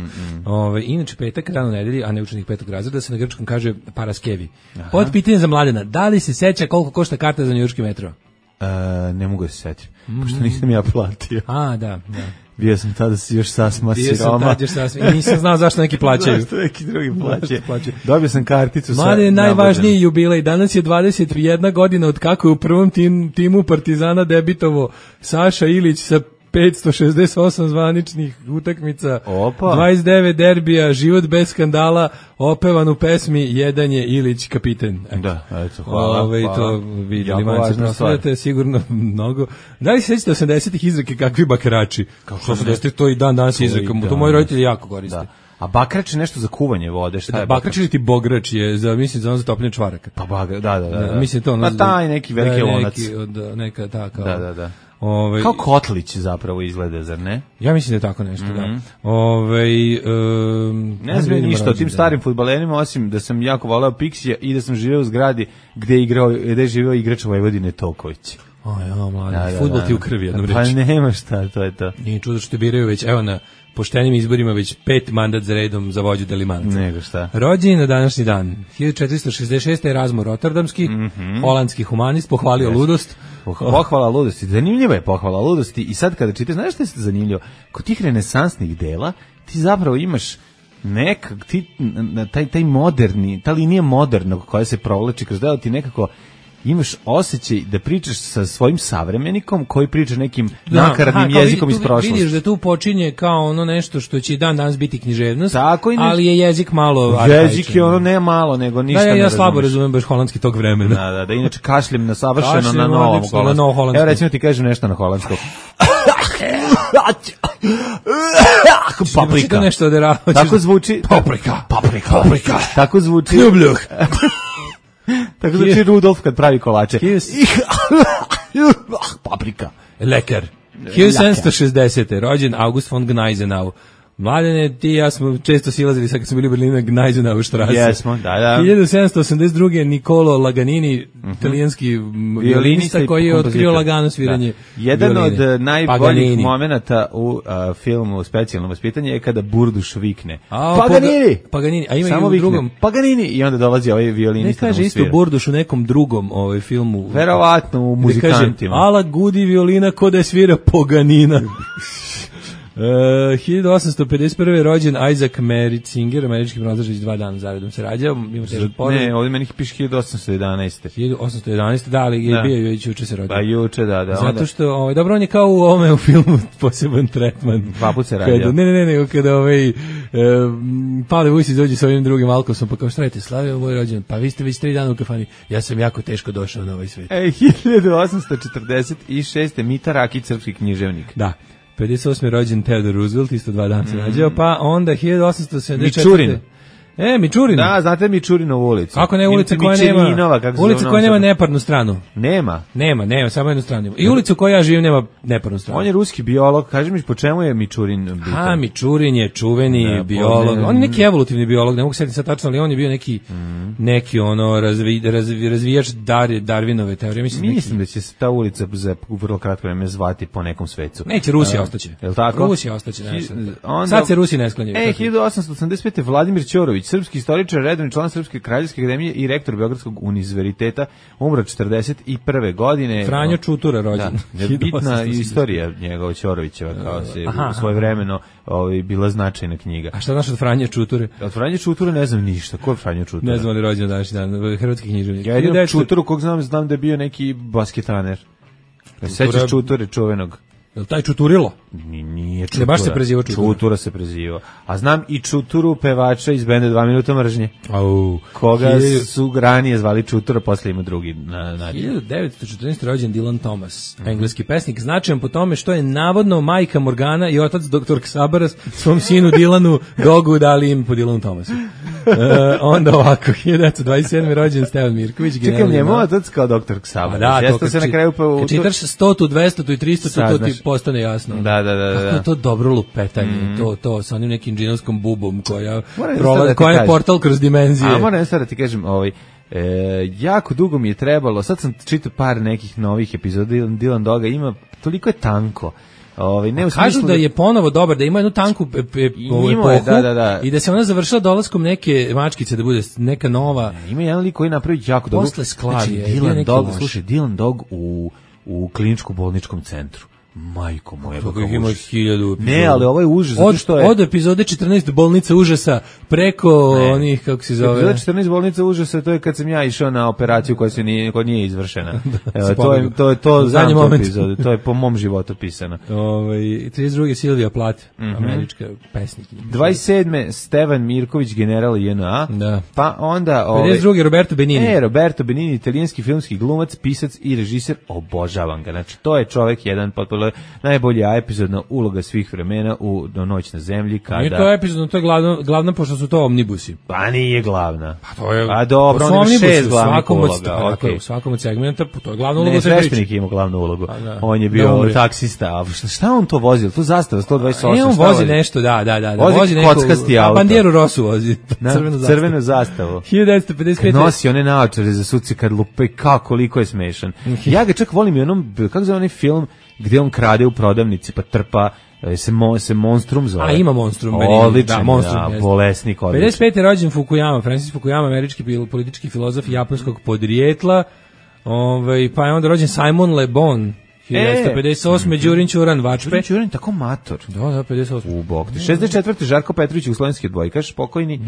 Inače, petak, rano nedelji, a ne učenik petog razreda, se na grčkom kaže paraskevi. Pod pitanje za Mladena, da li se seća koliko košta karta za njujorški metro? Ne mogu da se setim, pošto nisam ja platio. Da. Bio sam tada još sasma siroma. I nisam znao zašto neki plaćaju. Zašto neki drugi plaćaju. Dobio sam karticu. Mladen je najvažniji jubilej. Danas je 21 godina od kako je u prvom timu Partizana debitovo Saša Ilić sa 568 zvaničnih utakmica, 29 derbija, život bez skandala, opevan u pesmi Jedan je Ilić kapiten. Da, eto, hvala. To vidjeli manci proslavljate sigurno mnogo. Da li se sećate 80-ih izreke kakvi bakrači? Kao što 80-ih to i danas izrekam. To moji roditelji jako koriste. Da. A bakrač je nešto za kuvanje vode, šta je? Bakrač ili ti bograč je za topljenje čvaraka. Pa da. Mislim to ono. Pa taj neki veliki lonac. Neka taka. Da. Kao kotlić zapravo izgleda, zar ne? Ja mislim da je tako nešto, da. Ne znam ništa o tim starim fudbalerima, osim da sam jako voleo Pixija i da sam živeo u zgradi gde je živeo igrač Vojvodine Toković. Mladi, fudbal ti u krvi, jednom reći. Pa nema šta, to je to. Nije čudo što te biraju već, evo na poštenim izborima već 5 mandat za redom za vođu Delimanca. Nego šta. Rođen na današnji dan. 1466. Erasmo Rotterdamski, holandski humanist, pohvalio ludost. Pohvala ludosti. Zanimljiva je pohvala ludosti i sad kada čitaš, znaš što je zanimljivo? Kod tih renesansnih dela ti zapravo imaš taj moderni, ta linija modernog koja se provlači kroz delo, ti nekako imaš osjećaj da pričaš sa svojim savremenikom koji priča nekim nakaradnim jezikom iz prošlosti. Vidiš da tu počinje kao ono nešto što će dan danas biti književnost, ali je jezik malo arhaičan. Jezik je ono ne malo, nego ništa ne ja slabo razumem baš holandski tog vremena. Da, inače kašljem na savršeno na novom holandskom. Evo recimo ti kažem nešto na holandskom. Paprika. Tako zvuči. Paprika. Tako zvuči. Ljubljuh. Tako znači Rudolf kad pravi kolače. Paprika. Lekar. 1760. rođen August von Gneisenau. Mladene, ti i ja smo često silazili sad kad smo bili u Berlinu Gneisenau štrase. Jesmo, da. 1782. Niccolo Laganini, italijanski violinista koji je otkrio lagano sviranje jedan od najboljih momenata u filmu Specijalno vaspitanje je kada Burduš vikne. Paganini. A ima i u drugom. Paganini. I onda dolazi ovaj violinista. Ne kaže isto Burduš u nekom drugom filmu. Verovatno u Muzikantima. Ala gudi violina ko da je svira Paganina. 1851. rođen Isaac Merzinger, američki pronalazač, 2 dana zaredom se rađao. Ne, ovdje meni piše 1811. 1811, da, ali je bio već juče se rodio. Pa juče, da. Zato što, dobro, on je kao u filmu poseban tretman. 2 put se rađao. Ne, kada Pavle Vujsić dođe sa ovim drugim alkosom, pa kao šta radite, slavio moj rođen, pa vi ste već 3 dana u kafani, ja sam jako teško došao na ovaj svijet. 1846. Mita Rakić, srpski književnik. Da. 58. rođen Theodore Roosevelt, isto 2 dana se rađao, pa onda 1874. Mičurin. Mičurin. Da, znate Mičurinovu ulicu. Kako ne, ulica koja nema neparnu stranu. Nema, samo jednu stranu. I ulicu u kojoj ja živim nema neparnu stranu. On je ruski biolog, kaži mi po čemu je Mičurin bitan? Mičurin je čuveni biolog. On je neki evolutivni biolog, ne mogu setiti sad tačno, ali on je bio neki neki ono razvijač Darwinove teorije. Mislim da će se ta ulica za vrlo kratko vreme zvati po nekom svecu. Neće, Rusija ostaće. Je li tako? Rusija ostaće. Sad se Rusi ne sklanjaju. 1885. Vladimir Ćorović, srpski istoričar, redovni član Srpske kraljevske akademije i rektor Beogradskog univerziteta, umro 41. godine. Franjo Čutura rođen. Da, bitna istorija njegova Ćorovićeva, kao se svojevremeno bila značajna knjiga. A šta znaš od Franje Čuture? Od Franje Čuture ne znam ništa. Ko je Franjo Čutura? Ne znam ali rođen današnji dan. Hrvatski književnik. Ja jedino Čuturu kog znam da je bio neki basketaner. Sećaš Čuture čuvenog? Je li taj Čuturilo? Nije Čutura. Ne, baš se preziva Čutura. Čutura se preziva. A znam i Čuturu, pevača iz benda 2 minuta mržnje. Koga su ranije zvali Čutura, posle ima drugi nadje. 1914. rođen Dylan Thomas, engleski pesnik, značajan po tome što je navodno majka Morgana i otac dr. Ksabaras svom sinu Dylanu Dogu dali im po Dylanu Thomasu. Onda ovako, 1927. rođen Stevan Mirković. Čekaj, njemu otac kao dr. Ksabaras. Da, to se na kraju kad čitaš 100, 200 i 300, to ti postane jasno. Da. Kako je to dobro lupetanje, to sa onim nekim džinovskom bubom koja je portal kroz dimenzije. A moram sad da ti kažem, jako dugo mi je trebalo, sad sam čitao par nekih novih epizoda Dylan Doga, ima, toliko je tanko. Kažu da je ponovo dobar, da ima jednu tanku epohu i da se ona završila dolaskom neke mačkice, da bude neka nova. Ima jedan lik koji napravi jako dobro. Posle sklavi. Dylan Dog u kliničkom bolničkom centru. Majko moja, kako ima 1000. Ne, ali ovo je užas, zato što je od epizode 14 bolnica užasa preko onih, kako se zove. Epizode 14 bolnica užasa, to je kad sam ja išao na operaciju koja nije izvršena. To znam tu epizodu, to je po mom životu pisano. 32. Silvija Plath, američka pesnik. 27. Stevan Mirković, general JNA. Da. Pa onda 52. Roberto Benigni. Roberto Benigni, italijanski filmski glumac, pisac i režiser, obožavam ga. Znači, to je čovjek jedan potpuno najbolja epizodna uloga svih vremena u Noć na zemlji kada... Nije to epizodno, to je glavna pošto su to omnibusi. Pa nije glavna. Pa to je... A dobro, on ima 6 glavnih uloga. U svakom od segmenta, to je glavna uloga. Ne, sveštenik ima glavnu ulogu. On je bio taksista. A šta on to vozio? To zastava 128. On vozi nešto, da. Vozi kockasti auto. Bandijeru Rosu vozi. Crvenu zastavu. 1955. Nosi one naočare za suci kad lupe, koliko je smešan. Ja ga čak volim i onom, kako zove onaj film gdje on krade u prodavnici pa trpa se Monstrum zove. A ima Monstrum. Odličan, bolesnik, odličan. 55. rođen Fukuyama, Francis Fukuyama, američki politički filozof japanskog podrijetla. Pa je onda rođen Simon Le Bon, 1958. Đurin Ćuran Vačpe. Đurin Ćuran tako mator. Da, 58. U bok. 64. Žarko Petrović, jugoslovenski odbojkaš, pokojni.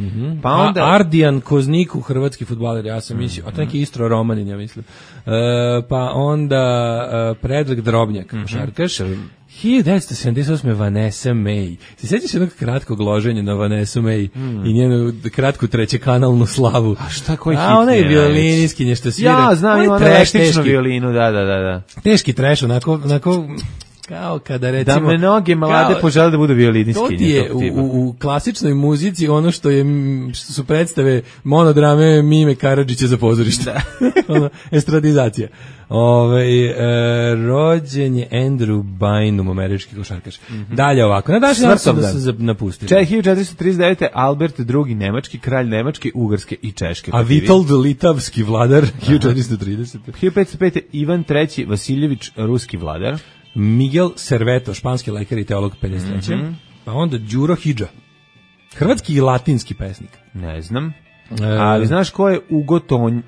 Pa onda Ardijan Kozniku, hrvatski fudbaler, ja sam mislio, a to neki Istro Romanin, ja mislim. Pa onda Predrag Drobnjak, košarkaš. 1978. Vanessa May. Se sjećaš jednog kratkog loženja na Vanessu May i njenu kratku trećekanalnu slavu? A šta, koji hit? A ona je violiniskinje što svira. Ja znam, ima električnu violinu, da. Teški treš, onako kao kada recimo... Da mnoge mlade požele da budu violiniskinje. To ti je u klasičnoj muzici ono što su predstave monodrame Mime Karadžića za pozorište. Estradizacija. Rođen je Andrew Bynum, američki košarkaš. Dalje ovako. Na današnji dan su se napustili. 1439. Albert II. Nemački, kralj Nemačke, Ugarske i Češke. A Vitold Litavski vladar, 1430. 1505. Ivan III. Vasiljević, ruski vladar. Miguel Serveto, španski lekar i teolog, 53. Pa onda Đuro Hidža, hrvatski i latinski pesnik. Ne znam. Ali znaš ko je Ugo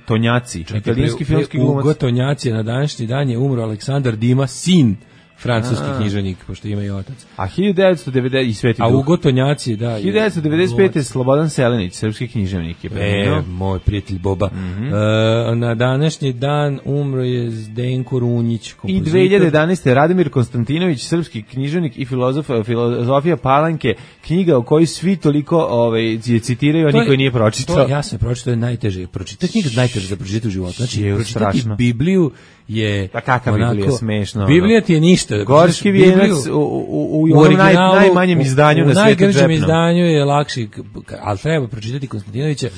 Tonjaci, italijanski filmski glumac? Ugo Tonjaci, na današnji dan je umro Aleksandar Dima, sin francuski književnik, pošto ima i otac. A 1990 i Sveti Duh. A Ugo Tonjaci, da. 1995. Slobodan Selenić, srpski književnik je preminuo. Moj prijatelj Boba. Na današnji dan umro je Zdenko Runjić, kompozitor. I 2011. Radimir Konstantinović, srpski književnik i filozofija Palanke, knjiga o kojoj svi toliko je citiraju, a niko je nije pročitao. Ja sam pročitao, je najteže pročitati. To je knjiga najteže za pročitati u životu. Znači, pročitati Bibliju je pa kakva Biblija, smešno. Biblija ti je ništa ništa. Gorski vijenac u najmanjem izdanju na svetu. U najgrđem izdanju je lakši, ali treba pročitati Konstantinovića,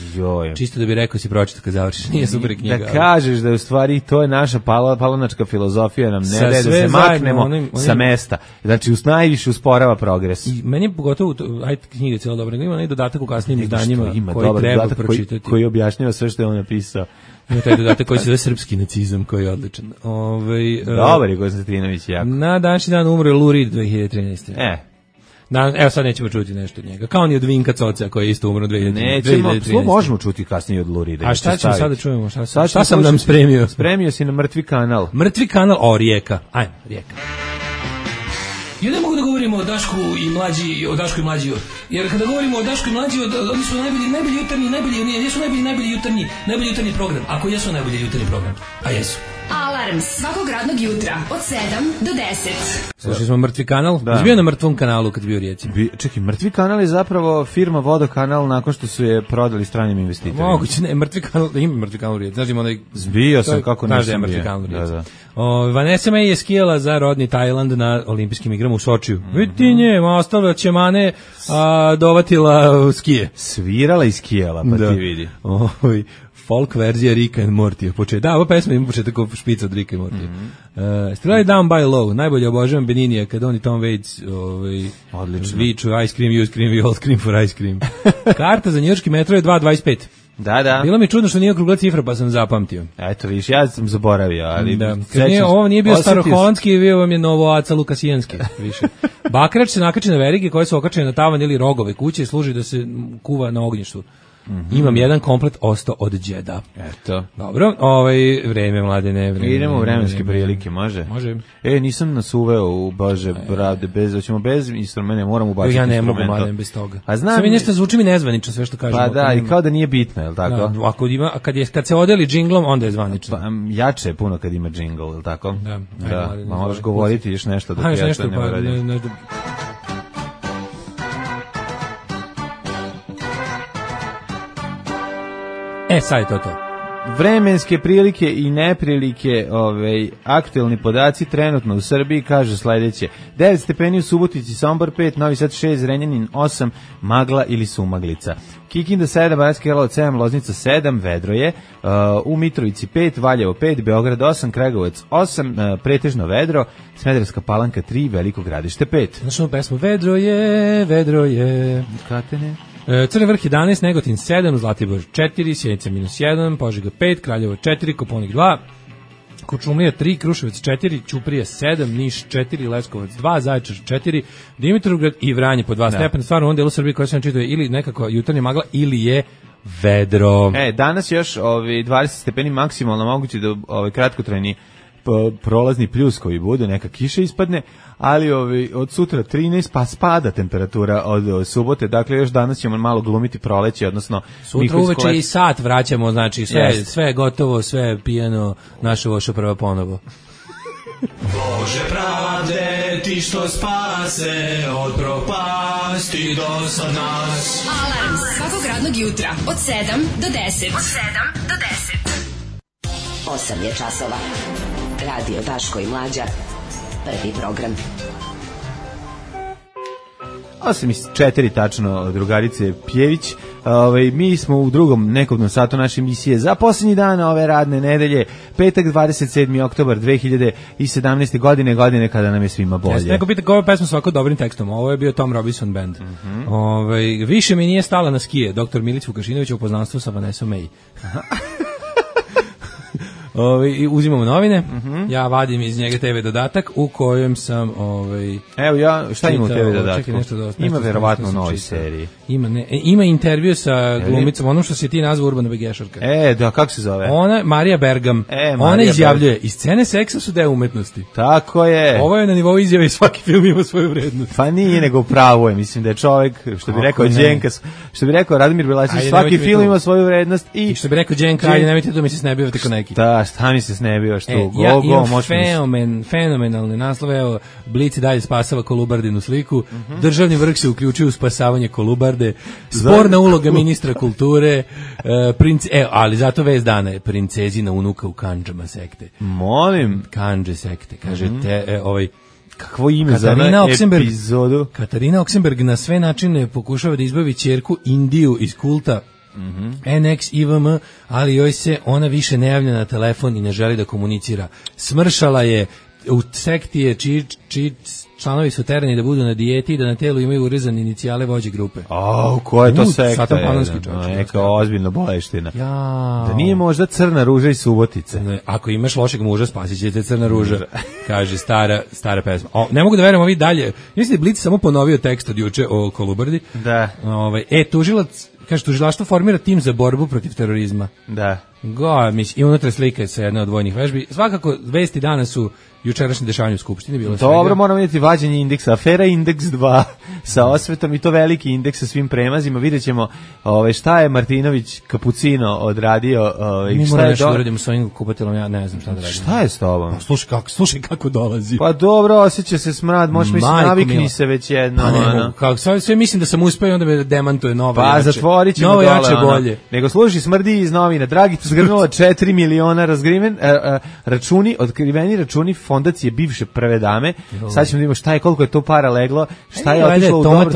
čisto da bi rekao si pročita kad završiš, nije super knjiga. Da kažeš da je u stvari to je naša palanačka filozofija, nam ne daje da se maknemo sa mesta. Znači, najviše usporava progres. I meni je pogotovo, ajde knjiga je cijela dobra, ima onaj dodatak u kasnijim izdanjima koji treba pročitati. Koji objašnjava sve što je on napisao. Ima taj dodatak koji se zove srpski nacizam, koji je odličan. Dobar je Konstantinović jako. Na današnji dan umre Lou Reed 2013. Evo sad nećemo čuti nešto od njega. Kao ni od Vinka Coca koji je isto umro 2013. Možemo čuti kasnije od Lou Reeda. A šta ćemo sada čujemo? Šta sam nam spremio? Spremio si na Mrtvi kanal. Mrtvi kanal, Rijeka. Ajmo, Rijeka. Ja ne mogu da govorimo o Dašku i Mlađi, jer kada govorimo o Dašku i Mlađi, oni su najbolji jutarnji program, ako jesu najbolji jutarnji program, a jesu. Alarm svakog radnog jutra od 7 do 10. Slušali smo Mrtvi kanal. Da. Bio na Mrtvom kanalu kad bio u Rijeci. Čekaj, Mrtvi kanal je zapravo firma Vodokanal nakon što su je prodali stranim investitorima. Moguće, ne, Mrtvi kanal, ima Mrtvi kanal u Rijeci. Znaš, ima onaj... Zbio sam kako nisam bio. Mrtvi kanal u Rijeci. Vanessa May je skijala za rodni Tajland na olimpijskim igrama u Sočiju. Vidite nje, ostala Ćemane dovatila skije. Svirala i skijala, pa ti vidi. Folk verzija Ricka and Morty. Da, ova pesma ima početak kao špica od Ricka and Morty. Strelaj Down by Low, najbolje obožavam Beninija kad on i Tom Waits viču ice cream, you scream, we all scream for ice cream. Karta za njujorški metro je 2,25. Da. Bilo mi čudno što nije okrugla cifra, pa sam zapamtio. Eto, viš, ja sam zaboravio, ali... Da. Ovo nije bio staroholandski, bio vam je novoaca lukasijanski, više. Bakrač se nakači na verige koje su okačene na tavan ili rogove kuće i služi da se kuva na ognjištu. Imam jedan komplet ostao od đeda. Eto. Dobro, vreme, Mladene, vreme. Idemo u vremenske prilike, može? Može. Nisam nas uveo u Bože, brade, bez instrumenta, moram ubaciti instrumenta. Ja ne mogu, Mladen, bez toga. A znam... Sve mi nešto zvuči mi nezvanično, sve što kažemo. Pa da, i kao da nije bitno, je li tako? Da, kad se odeli džinglom, onda je zvanično. Pa, jače je puno kad ima džingl, je li tako? Da. Možeš govoriti još nešto dok ja to ne uradim. Sad je to. Vremenske prilike i neprilike, aktuelni podaci trenutno u Srbiji kažu sledeće: 9 stepeni u Subotici, Sombor 5, Novi Sad 6, Zrenjanin 8, magla ili sumaglica. Kikinda 7, Banatski Karlovac 7, Loznica 7, vedro je, u Mitrovici 5, Valjevo 5, Beograd 8, Kragujevac 8, pretežno vedro, Smederevska Palanka 3, Veliko Gradište 5. Znaš ono pesmu, vedro je. Katene. Crni vrh 11, Negotin 7, Zlatibor 4, Sjenica -1, Požega 5, Kraljevo 4, Koponik 2, Kuršumlija 3, Kruševac 4, Ćuprija 7, Niš 4, Leskovac 2, Zaječar 4, Dimitrovgrad i Vranje po 2 stepena. Stvarno, u ovom delu Srbije koja se čitao ili nekako jutarnja magla ili je vedro. Danas još 20 stepeni maksimalno moguće da kratkotrajni prolazni pljus koji bude, neka kiša ispadne, ali od sutra 13 pa spada temperatura od subote, dakle još danas ćemo malo glumiti proleće, odnosno sutra uveče i sat vraćamo, znači sve je gotovo, sve je pijano, naša voša prva ponovo. Bože pravde, ti što spase od propasti do sad nas. Alarm svakog radnog jutra od 7 do 10. 8 je časova. Radio Daško i Mlađa. Prvi program. 8:04 tačno, drugarice Pjević. Mi smo u drugom nekovnom satu naše emisije za posljednji dan ove radne nedelje, petak 27. oktobar 2017. godine kada nam je svima bolje. Neko pita koju pesmu s ovako dobrim tekstom, ovo je bio Tom Robinson Band. Više mi nije stala na skije, dr. Milić Vukašinović u poznanstvu sa Vanessa May. Uzimamo novine, ja vadim iz njega TV dodatak u kojem sam evo ja, šta ima u TV dodatku? Ima verovatno u novoj seriji. Ima intervju sa glumicom, onom što si ti nazvao Urbana Begešarka. Da, kako se zove? Ona, Marija Bergam, ona izjavljuje, iz scene seksa su deo umetnosti. Tako je. Ovo je na nivou izjave i svaki film ima svoju vrednost. Pa nije, nego pravo je, mislim da je čovjek, što bi rekao Đenkas, što bi rekao Radomir Belašić, svaki film ima svoju vrednost i što bi rekao Đenka, ajde nemojte to mi se snebivati ko neki. Šta mi se snebio, što ja imam fenomenalne naslove, evo, Blic i dalje spasava Kolubardinu sliku, državni vrh se uključuje u spasavanje Kolubarde, sporna uloga ministra kulture, ali zato vez dana je princezina unuka u kandžama sekte. Molim. Kandže sekte, kaže, Kakvo ime za epizodu? Katarina Oksenberg na sve načine pokušava da izbavi ćerku Indiju iz kulta NX IVM, ali joj se ona više ne javlja na telefon i ne želi da komunicira. Smršala je, u sekti je članovi su terani da budu na dijeti i da na telu imaju urezane inicijale vođe grupe. Koja je to sekta? Satan Panonski čovječ. Neka ozbiljna boleština. Ja. Da nije možda Crna ruža i Subotice. Ne, ako imaš lošeg muža, spasit će te Crna ruža, kaže stara pesma. Ne mogu da verujem ovi dalje. Mislim da je Blic samo ponovio tekst od juče o Kolubardi. Da. Tužilac, kaže, tužilaštvo formira tim za borbu protiv terorizma. Da. I unutra slika sa jedne od vojnih vežbi. Svakako, vesti dana su jučerašnje dešavanje u Skupštini. Bilo dobro, moramo vidjeti vađenje indeksa. Afera Indeks 2 sa osvetom i to veliki indeks sa svim premazima. Vidjet ćemo šta je Martinović Kapucino odradio. Mi moramo nešto da uradimo s ovim kupatelom, ja ne znam šta da radim. Šta je s tobom? Slušaj kako dolazi. Pa dobro, osjeća se smrad, možeš mi se navikni se već jedno. Sve mislim da sam uspeo, onda me demantuje nova pa, jače. Zatvorit ćemo novo dole. Jače bolje. Nego služi smrdi iz novina. Dragica zgrnula 4 miliona računi, otkriveni računi fondacije bivše prve dame. Sad ćemo da vidimo šta je, koliko je to para leglo, šta je otišlo u dobro.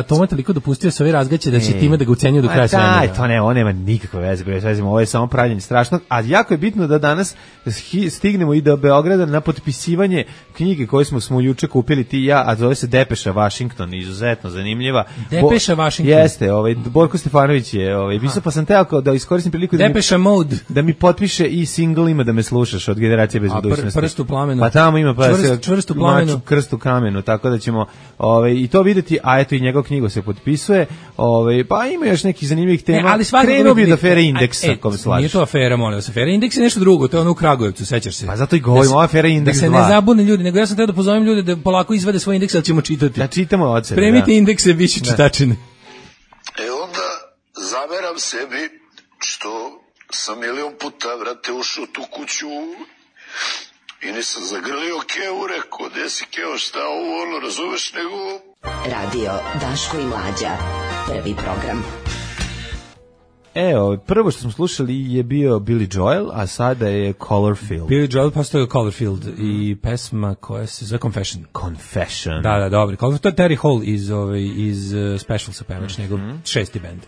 Toma toliko dopustio se ove razgaće da će time da ga ucenjuju do kraja svemira. To ne, on nema nikakve veze, ovo je samo pravljenje strašnog, a jako je bitno da danas stignemo i do Beograda na potpisivanje knjige koju smo juče kupili ti i ja, a zove se Depeša Washington, izuzetno zanimljiva. Depeša Washington. Jeste, Borko Stefanović je pisao, pa sam teo da iskoristim priliku da mi potpiše i single Ima da me slušaš od Generacije bez budućnosti. Prst u plamenu. Pa tamo ima čvrst u plamenu. Krst u kamenu, tako da ćemo i to videti, a eto i njegov knjigu se potpisuje. Pa ima još nekih zanimljivih tema. Krenuo bi od afere Indeksa, ako me slažeš. Nije to afera, molim vas. Afera Indeks je nešto drugo, to je ono u Kragujevcu, sećaš se. Pa zato i govorimo o afera Indeks 2. Da se ne zabune ljudi, nego ja sam teo da pozovem ljude da polako izvade svoj indeks, ali ćemo čitati. Da čitamo od sebe. Spremite indekse, bit će čitačine. Onda zameram sebi što sam milion puta, vrate, ušao tu kuću i nisam zagrlio Keo, rekao, gde si Keo, šta ovo, razumeš, nego... Radio Daško i Mlađa, prvi program. Prvo što smo slušali je bio Billy Joel, a sada je Colorfield. Billy Joel postao Colorfield i pesma koja se zove Confession. Da, dobro. To je Terry Hall iz Specialsa pevač, njegov šesti band.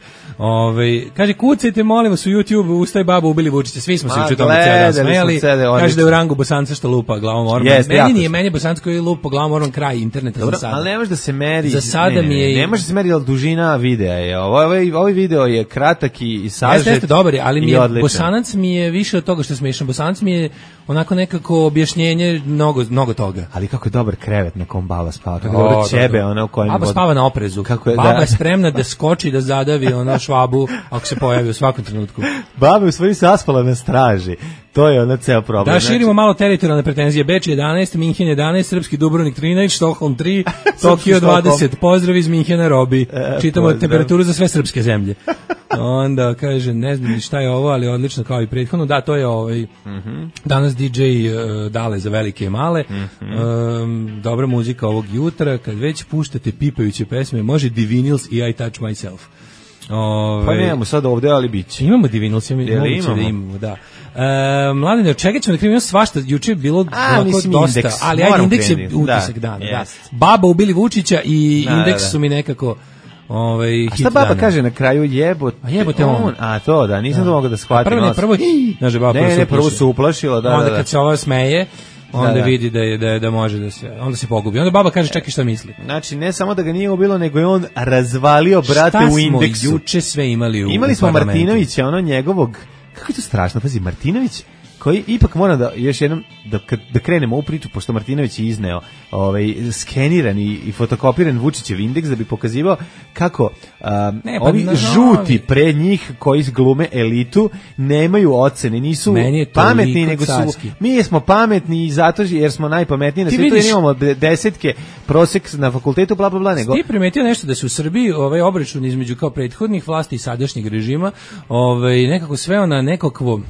Kaže, kucajte, molim vas, u YouTube, Ustaj baba, ubili Vučića. Svi smo se u tome cijel dan smejali. Kaže da je u rangu Bosanca što lupa glavom orman. Meni je Bosanca koji lupa glavom orman kraj interneta. Dobro, za sada. Ali ne može da se meri. Za sada mi je... Ne može da se meri, ali dužina videa je. Ovaj video je kratak i sažet. Jeste dobar, ali mi je Bosanac mi je više od toga što je smiješan. Bosanac mi je onako nekako objašnjenje mnogo toga. Ali kako je dobar krevet na kom baba spava. Kako je dobro ćebe, ona u kojem... Baba spava na oprezu. Baba je spremna da skoči, da zadavi švabu ako se pojavi u svakom trenutku. Baba je u stvari saspala na straži. To je ona ceo problem. Da, širimo malo teritorijalne pretenzije. Beč 11, Minhen 11, Srpski Dubrovnik 13, Stockholm 3, Tokio 20. Pozdrav iz Minhena, Robi. Čitamo temperaturu za sve srpske zemlje. Onda kaže, ne znam šta je ovo, ali odlično kao i prethodno. Da, to je danas DJ Dale za velike i male. Dobra muzika ovog jutra. Kad već puštate pipajuće pesme, može Divinils i I Touch Myself. Pa nemamo sad ovde, ali biće. Imamo Divinils, imamo, da. Mladine, od čega ćemo da krivimo svašta, juče je bilo dosta, indeks. Ali ajde, indeks je utisak dana. Da. Baba ubili Vučića i indeks su mi nekako a šta baba kaže na kraju, jebote? A jebote on. A to, da, nisam to mogao da shvatim. Prvo su uplašila, onda kad se ova smeje, onda vidi da može da se, onda se pogubi. Onda baba kaže, čekaj šta misli. Znači, ne samo da ga nije ubilo, nego je on razvalio brate u indeksu. Šta smo juče sve imali u Imali smo Martinovića, ono njegovog, kako je to strašno, pazi, Martinović, koji ipak mora da još jednom da krenemo u priču, pošto Martinović je izneo skeniran i fotokopiran Vučićev indeks da bi pokazivao kako ovi žuti pred njih koji glume elitu nemaju ocene, nisu pametni, nego su mi smo pametni i zato jer smo najpametniji na svijetu, jer imamo desetke prosek na fakultetu, bla bla bla. Nego ti primetio nešto da se u Srbiji obračun između kao prethodnih vlasti i sadašnjeg režima nekako sveo na nekakvo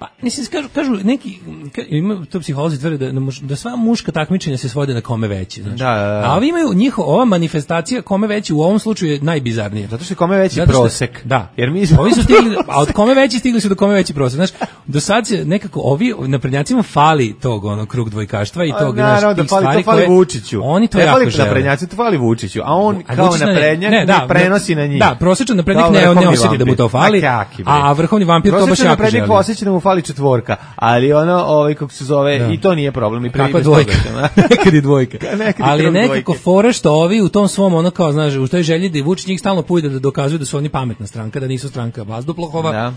Pa, mislim, kažu neki, ima to psiholozi tvrde da sva muška takmičenja se svode na kome veći, znači. Da. A ovi imaju ova manifestacija kome veći u ovom slučaju je najbizarnije. Zato što je kome veći prosek. Da. Jer mi ovi su stigli, a od kome veći stigli su do kome veći prosek. Znaš, do sad se nekako ovi naprednjacima fali tog krug dvojkaštva i tog naravno, stvari to fali Vučiću. Oni to jako žele. Naprednjaci to fali Vučiću, a on kao naprednjak prenosi na njih. Da, prosječan naprednjak ne osjeti da mu to fali, a vrhovni vampir to baš jako želi. Osjeća da mu fali četvorka, ali kako se zove, i to nije problem. I kakva dvojka, nekad i dvojka. Ali nekako fora što ovi u tom svom, kao, znaš, u toj želji da Vučić njih stalno pujde da dokazuju da su oni pametna stranka, da nisu stranka vazduplahova. Da.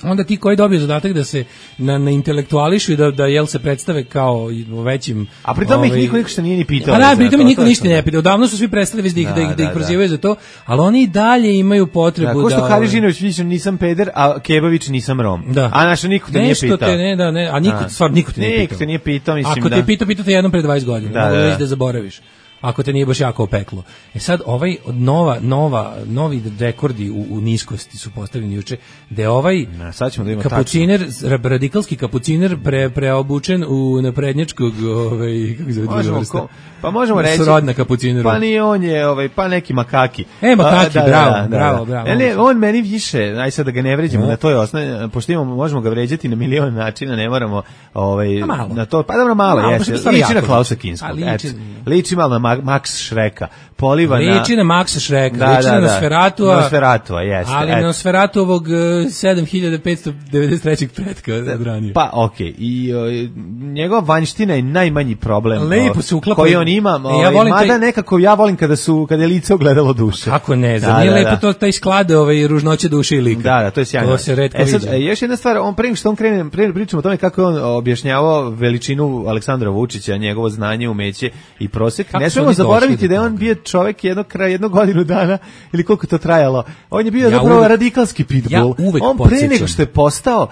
Onda ti koji dobiju zadatak da se na intelektuališu i da jel se predstave kao većim... A pri tome ih niko ništa nije ni pitao. A da, pri tome niko ništa ne pitao. Odavno su svi prestali da ih prozivaju za to, ali oni i dalje imaju potrebu da... Ko što Harižinović više nisam peder, a Kebavić nisam Rom. Da. A naša niko te nije pitao. A niko te nije pitao. Niko te nije pitao, mislim da... Ako te pitao te jednom pre 20 godina. Mogu reći da zaboraviš. Ako te nije baš jako opeklo. Sad novi rekordi u niskosti su postavljeni juče, da je kapuciner, radikalski kapuciner preobučen u naprednjačkog kako se zove vrsta? Pa možemo reći srodna kapucineru. Pa nije on je pa neki makaki. Makaki, bravo. Ne, on meni više, aj sad da ga ne vređamo na toj osnovi, pošto možemo ga vređati na milion načina, ne moramo na to, pa dobro malo jeste. Liči na Klausa Kinskog. Liči malo na Max Šreka. Poliva na... Liči na Maxa Šreka, liči na Nosferatua, jeste. Ali Nosferatuovog 7593. pretka odranio. Pa, okej. I njegova vanjština je najmanji problem. Lepo se uklapa. Koji on ima. Mada nekako ja volim kada je lice ogledalo duše. Kako ne, zar nije lepo to taj sklad ružnoće duše i lika. Da, to je sjajno. To se retko viđa. Još jedna stvar, prije što on krene, pričamo o tome kako je on objašnjavao veličinu Aleksandra Vučića, njegovo znanje, umeće i prosek. Ne smemo zaboraviti da je on bio čovjek jednu godinu dana, ili koliko to trajalo. On je bio zapravo radikalski pitbull. On pre nego što je postao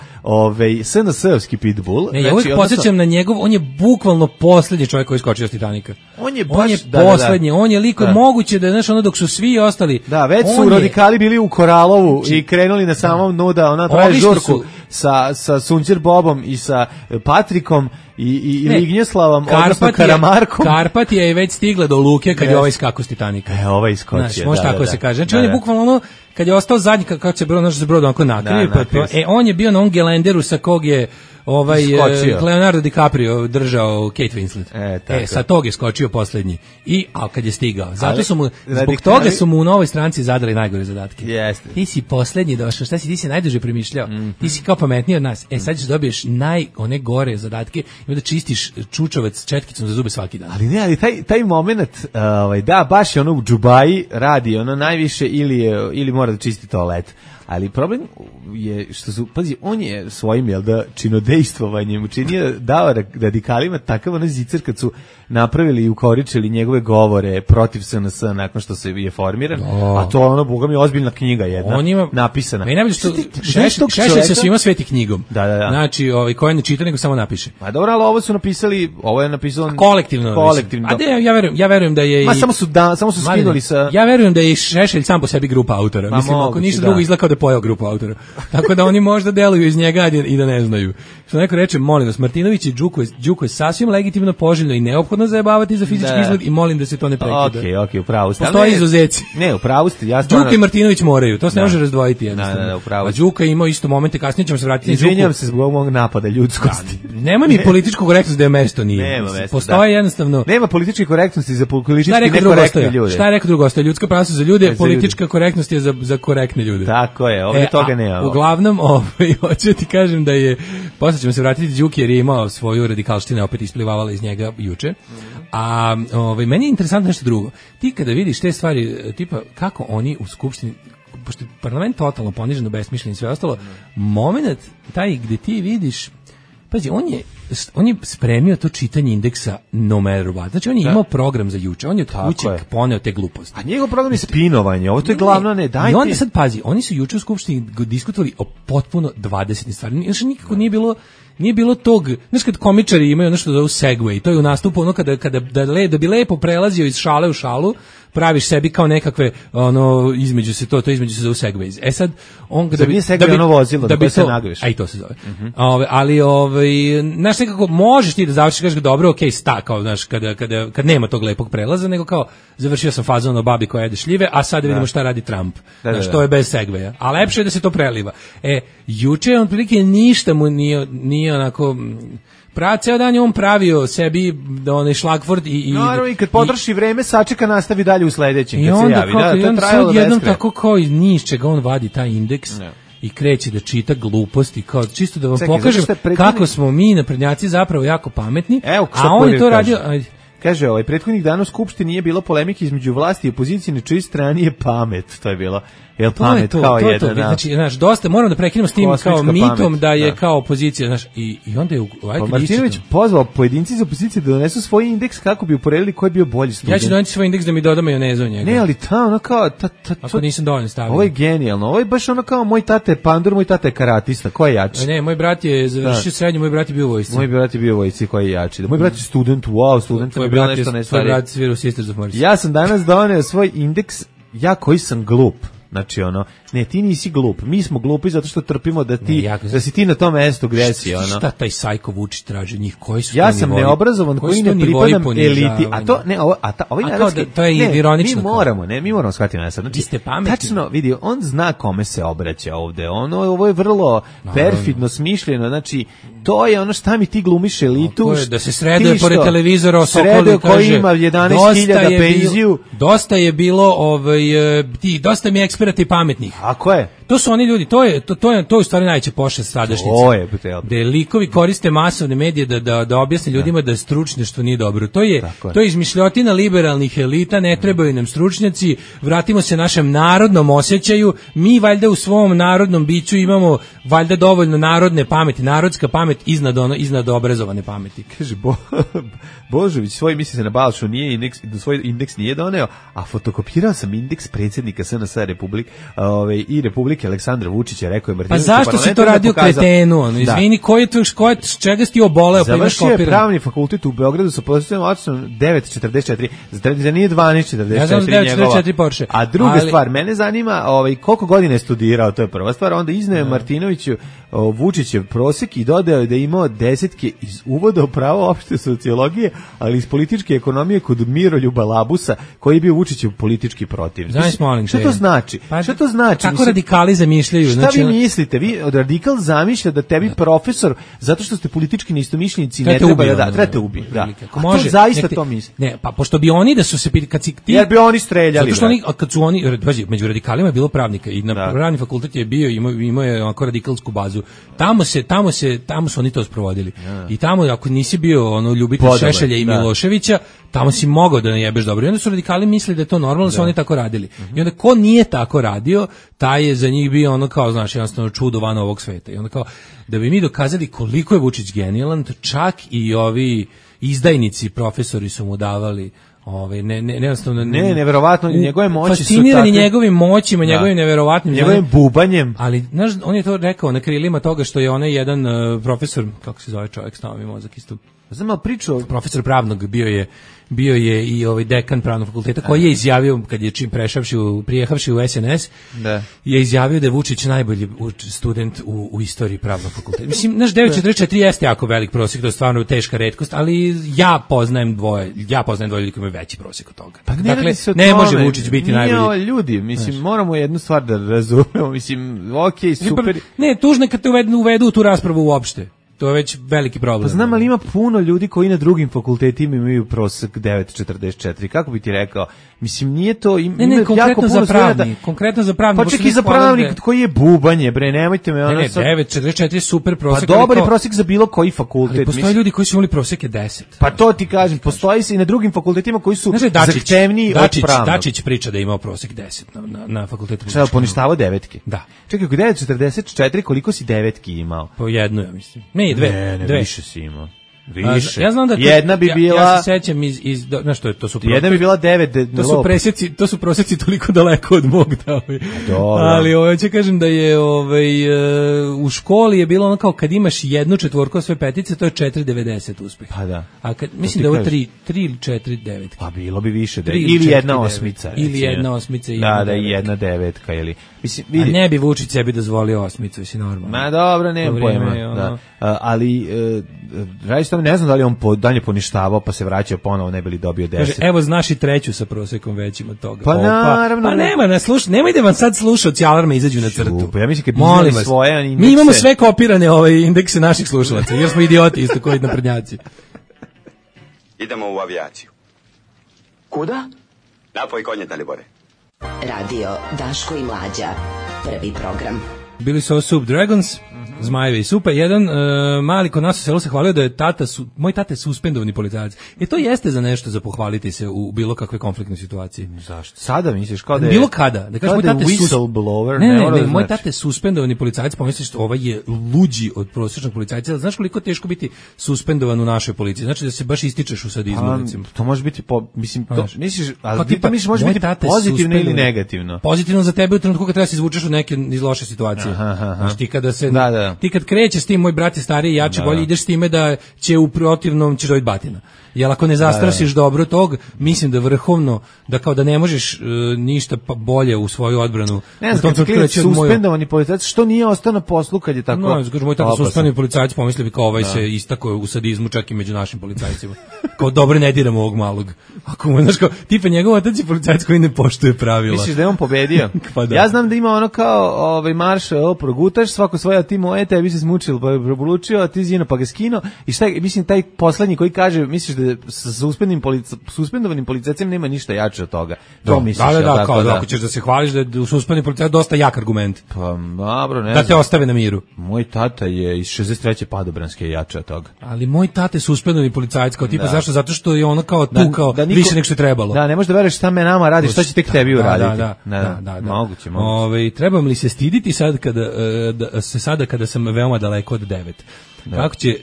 SNS-ovski pitbull. Ja uvek podsjećam na njegov, on je bukvalno poslednji čovjek koji skočio s Titanika. On je poslednji, on je liko moguće da je, dok su svi ostali. Da, već su radikali bili u Koralovu i krenuli na samom dnu da ona traje žurku sa Sunđer Bobom i sa Patrikom i Lignjeslavom, odnosno Karamarkom. Karpatija je već stigla do luke kad je ovaj skako s Titanika. Ovaj skočio. Znači, može tako se kaže. Znači, on je bukvalno kad je ostao zadnji, kako se brod onako nakrio, on je bio na on gelenderu sa kog je Leonardo DiCaprio držao Kate Winslet. Sa tog je skočio poslednji. A kad je stigao. Zbog toga su mu u novoj stranci zadali najgore zadatke. Ti si poslednji došao, ti si najduže premišljao. Ti si kao pametniji od nas. Sad ćeš dobiješ one gore zadatke i onda čistiš čučovac četkicom za zube svaki dan. Ali taj moment, da, baš je ono u džubaji radi ono najviše ili mora da čisti toalet. Ali problem je što on je svojim činodejstvovanjem učinio, dao radikalima takav onaj zicer kad su napravili i ukoričili njegove govore protiv SNS nakon što se je formiran, a to je boga mi ozbiljna knjiga jedna napisana. I najbolje što Šešelj se svima sveti knjigom. Da. Znači, koji ne čita nego samo napiše. Pa dobro, ali ovo je napisalo kolektivno. Ja verujem da je samo su skinuli sa... Ja verujem da je Šešelj sam po sebi grupa autora. Mislim, ako ništa drugo izgleda kao da je pojao grupu autora. Tako da oni možda deluju iz njega i da ne znaju. Što neko reče, molim vas, Martinović i Đuko je sasvim legitimno, poželjno i neophodno zajebavati za fizički izgled i molim da se to ne prekida. Okej, upravo ste. Postoji izuzeci. Ne, upravo ste. Đuka i Martinović moraju, to se ne može razdvojiti jednostavno. Da, upravo. A Đuka ima isto momente, kasnije ćemo se vratiti. Izvinjavam se zbog mog napada ljudskosti. Nema mi političku korektnost da je mesto nije. Postoji jednostavno. Nema političke korektnosti za politički nekorektne ljude. Šta je rekao drugo? Ostaje ljudska prava su za ljude, politička korektnost je za korektne ljude. Tako je, ovdje toga nema. Uglavnom, hoću ti kažem da je, posle ćemo se vratiti Đuki jer je imao svoju radikalštinu, opet isplivavala iz njega juče. A meni je interesantno nešto drugo. Ti kada vidiš te stvari, tipa kako oni u skupštini, pošto je parlament totalno ponižen, besmišljen i sve ostalo, moment taj gde ti vidiš, pazi, on je on je spremio to čitanje indeksa no matter what. Znači on je imao program za juče, on je od kuće poneo te gluposti. A njegov program je spinovanje, ovo to je glavno, ne, dajte. I onda sad pazi, oni su juče u skupštini diskutovali o potpuno 20 stvari. Znači nikako nije bilo tog, znaš kad komičari imaju ono što zove segway, to je u nastupu ono da bi lepo prelazio iz šale u šalu, praviš sebi kao nekakve ono između se to između se zove segways. E sad on da bi ono vozilo da bi se nagriješ. Aj to se zove. Ali znaš nekako možeš ti da završiš kažeš dobro, okej, sta kao znaš kad nema tog lepog prelaza, nego kao završio sam fazon o babi koja jede šljive, a sad vidimo šta radi Trump. Znaš, to je bez segwaya. A lepše je da se to preliva. Juče on prilike ništa mu nije onako ceo dan je on pravio sebi onaj šlagvord i naravno i kad potroši vreme sačeka nastavi dalje u sledećem kad se javi. I on sad jednom tako kao iz ničega on vadi taj indeks i kreće da čita gluposti kao čisto da vam pokažem kako smo mi naprednjaci zapravo jako pametni, a on je to radio. Kaže, prethodnih dana u Skupštini nije bilo polemike između vlasti i opozicije, na čijoj strani je pamet, to je bilo. Jel pamet kao jedan? Znači, znaš, dosta moramo da prekinemo s tim kao mitom da je kao opozicija, znaš, i onda je Martinović pozvao pojedinci iz opozicije da donesu svoj indeks kako bi uporedili ko je bio bolji student. Ja ću doneti svoj indeks da mi doda majonezu u njega. Ne, ali ono kao ako nisam dovoljno stavio. Ovo je genijalno. Ovo je baš ono kao moj tata je pandur, moj tata je karatista, ko je jači? Ne, moj brat je završio srednju, moj brat je bio u vojsci. Moj brat je bio u vojsci, ko je jači? Moj brat je student, student je bio nešto ne stvari. Tvoj brat svira u Sisters of Mercy. Ja sam danas doneo svoj indeks, ja koji sam glup. Znači ne, ti nisi glup, mi smo glupi zato što trpimo da si ti na tom mestu gde si. Šta taj Sajko Vučić traži njih, koji su ja sam neobrazovan koji ne pripadam eliti, a to ne, ovaj narodski, to je ironično. Mi moramo shvatiti nas. Znači, ste pametni. Tačno, vidi, on zna kome se obraća ovde, ovo je vrlo perfidno smišljeno, znači, to je ono šta mi ti glumiš elitu. Da se sreduje pored televizora o Sokolu, koji ima 11.000 penziju. Dosta je bilo, dosta mi je eksperata i pametnih. Ako je? To su oni ljudi, to je u stvari najveća pošast sadašnjice. Da likovi koriste masovne medije da objasne ljudima da stručnjaštvo nije dobro. To je izmišljotina liberalnih elita, ne trebaju nam stručnjaci, vratimo se našem narodnom osjećaju, mi valjda u svom narodnom biću imamo valjda dovoljno narodne pameti, narodska pamet iznad obrazovane pameti. Kaže Božović, misli se na Balšu, svoj indeks nije doneo, a fotokopirao sam indeks predsjednika SNS i Republike Aleksandra Vučića, rekao je Martinović. Pa zašto si to radio kretenu? Izvini, čega si ti oboleo? Završio je pravni fakultet u Beogradu sa pozicijom ocenom 9.44, za nije 12.44 ja znam 9.44 Porsche. A druga stvar, mene zanima koliko godina je studirao, to je prva stvar, onda izneo Martinoviću Vučićev prosek i dodao je da je imao desetke iz uvoda u pravo opšte sociologije, ali iz političke ekonomije kod Miroljuba Labusa, koji je bio Vučićev politički protiv. Šta to znači? Šta to znači? Kako radikali zamišljaju? Šta vi mislite? Vi od radikal zamišlja da tebi profesor, zato što ste politički neistomišljenici, ne treba da trebate ubiti. To zaista to misli. Ne, pa pošto bi oni da su se kad si ti, jer bi oni streljali. Zato što kad su oni, među radikalima je bilo pravnika i na pravni fakultet je bio, imao je onako radikalsku bazu. Tamo su oni to sprovodili. I tamo ako nisi bio ljubitelj Šešelja i Miloševića, tamo si mogao da najebeš dobro. I onda su radikali mislili da je to normalno, da su oni tako radili. I onda ko nije tako radio, taj je za njih bio kao, znaš, jednostavno čudo van ovog sveta. I onda kao, da bi mi dokazali koliko je Vučić genijalan, čak i ovi izdajnici profesori su mu davali neverovatno, njegove moći su fascinirani njegovim moćima, njegovim neverovatnim njegovim bubanjem. Ali znaš, on je to rekao na krilima toga što je onaj jedan profesor, kako se zove čovjek, stava mi mozak isto. Znam, ali profesor pravnog bio je i dekan pravnog fakulteta koji je izjavio kad je prijehavši u SNS, je izjavio da je Vučić najbolji student u istoriji pravnog fakulteta. Mislim, naš 9.44 jeste jako velik prosjek, to je stvarno teška retkost, ali ja poznajem dvoje ljudi koji imaju veći prosjek od toga. Pa dakle, ne može Vučić biti najbolji. Ljudi, mislim, moramo jednu stvar da razumemo, mislim, okej, super. Ne, tužno je kad te uvedu u tu raspravu uopšte. To je već veliki problem. Pa znam, ali ima puno ljudi koji na drugim fakultetima imaju prosek 9.44. Kako bi ti rekao? Mislim, nije to... Ne, konkretno za pravnik. Pa čak i za pravnik koji je bubanje, bre, nemojte me... Ne, 9.44 je super prosek. Pa dobar je prosek za bilo koji fakultet. Ali postoje ljudi koji su imali proseke 10. Pa to ti kažem, postoji se i na drugim fakultetima koji su zahtevniji od pravnog. Dačić priča da je imao prosek 10 na fakultetu. Šta, poništavao devetke? Da. Čekaj, ako 9.44, koliko si devetki imao? Po jednu, ja mislim. Ne, dve. Više si imao. Više. Ja znam da jedna bi bila... Ja se sećam iz znaš što je, to su... Jedna bi bila 9... To su prosjeci toliko daleko od mog da... Ali hoće kažem da je u školi je bilo ono kao kad imaš jednu četvorku sve petice, to je 4,90 uspeh. Pa da. A kad, mislim da je ovo 3 ili 4,9. Pa bilo bi više. Ili jedna osmica. Ili jedna osmica. Da, i jedna devetka. Ili, mislim, a ne bi Vučić sebi dozvolio osmicu, mislim normalno. Ma dobro, nemam pojma. Da. Ali, zaista ne znam da li on dalje poništavao pa se vraćao ponovo, ne bi li dobio 10. Kaže, evo znaš i treću sa prosekom većim od toga. Pa naravno. Pa nema, nemoj da vam sad slušaoci alarma izađu na crtu. Pa ja mislim kad molim vas, svoje indekse. Mi imamo sve kopirane indekse naših slušalaca, jer smo idioti isto koji naprednjaci. Idemo u avijaciju. Kuda? Napoj konje, Dalibore. Radio Daško i Mlađa. Prvi program. Bili su ovo Soup Dragons, Zmajevi i Supe. Jedan mali kod nas u selu se hvalio da je moj tata je suspendovani policajac. To jeste za nešto za pohvaliti se u bilo kakve konfliktnoj situaciji. Zašto? Sada misliš kao da je... Bilo kada. Da kažeš, moj tata je whistleblower. Ne, moj tata je suspendovani policajac, pomisliš ovaj je luđi od prosječnog policajca. Znaš koliko je teško biti suspendovan u našoj policiji? Znači da se baš ističeš u sadizmu, recimo. To može biti, mislim, to misliš, ali ti misliš može biti pozitivno ili negativno? Pozitivno za tebe u trenutku kad treba se izvučeš iz loše situacije. Znaš, ti kad krećeš s tim, moj brat je stariji, jači, bolje, ideš s time da će u protivnom ćeš dobiti batina. Jer ako ne zastrasiš dobro tog, mislim da vrhovno, da kao da ne možeš ništa bolje u svoju odbranu. Ne znam, kad je suspendovani policajac, što nije ostao na poslu kad je tako... No, moj tata suspendovani policajac, pomislio bi kao ovaj se istako u sadizmu čak i među našim policajcima. Kao dobro ne diramo ovog malog. Ako mu, znaš kao, tipa njegov otac je policajac koji ne poštuje pravila. Misliš da je on pobedio? Pa da. Ja znam da ima ono kao marš, progutaš, svako svoje, ti moje, tebi se smučil, pa je probulučio, a ti zino pa ga skino. I šta, mislim, taj poslednji koji kaže, misliš da sa suspendovanim policajcem nema ništa jače od toga. To misliš, da, kao da ako ćeš da se hvališ da je suspendovani policajac dosta jak argument. Pa dobro, ne da te ostave na miru. Moj tata je iz 63. Padobranske jače od toga. Ali moj tata je suspendovani policajac, kao tipa zašto? Zato što je ono kao tu kao više nego što je trebalo. Da, ne možeš da veruješ šta me nama radi, šta će tek tebi uraditi. Da. Moguće. Trebam li se stiditi sad kada sam veoma daleko od 9? Kako će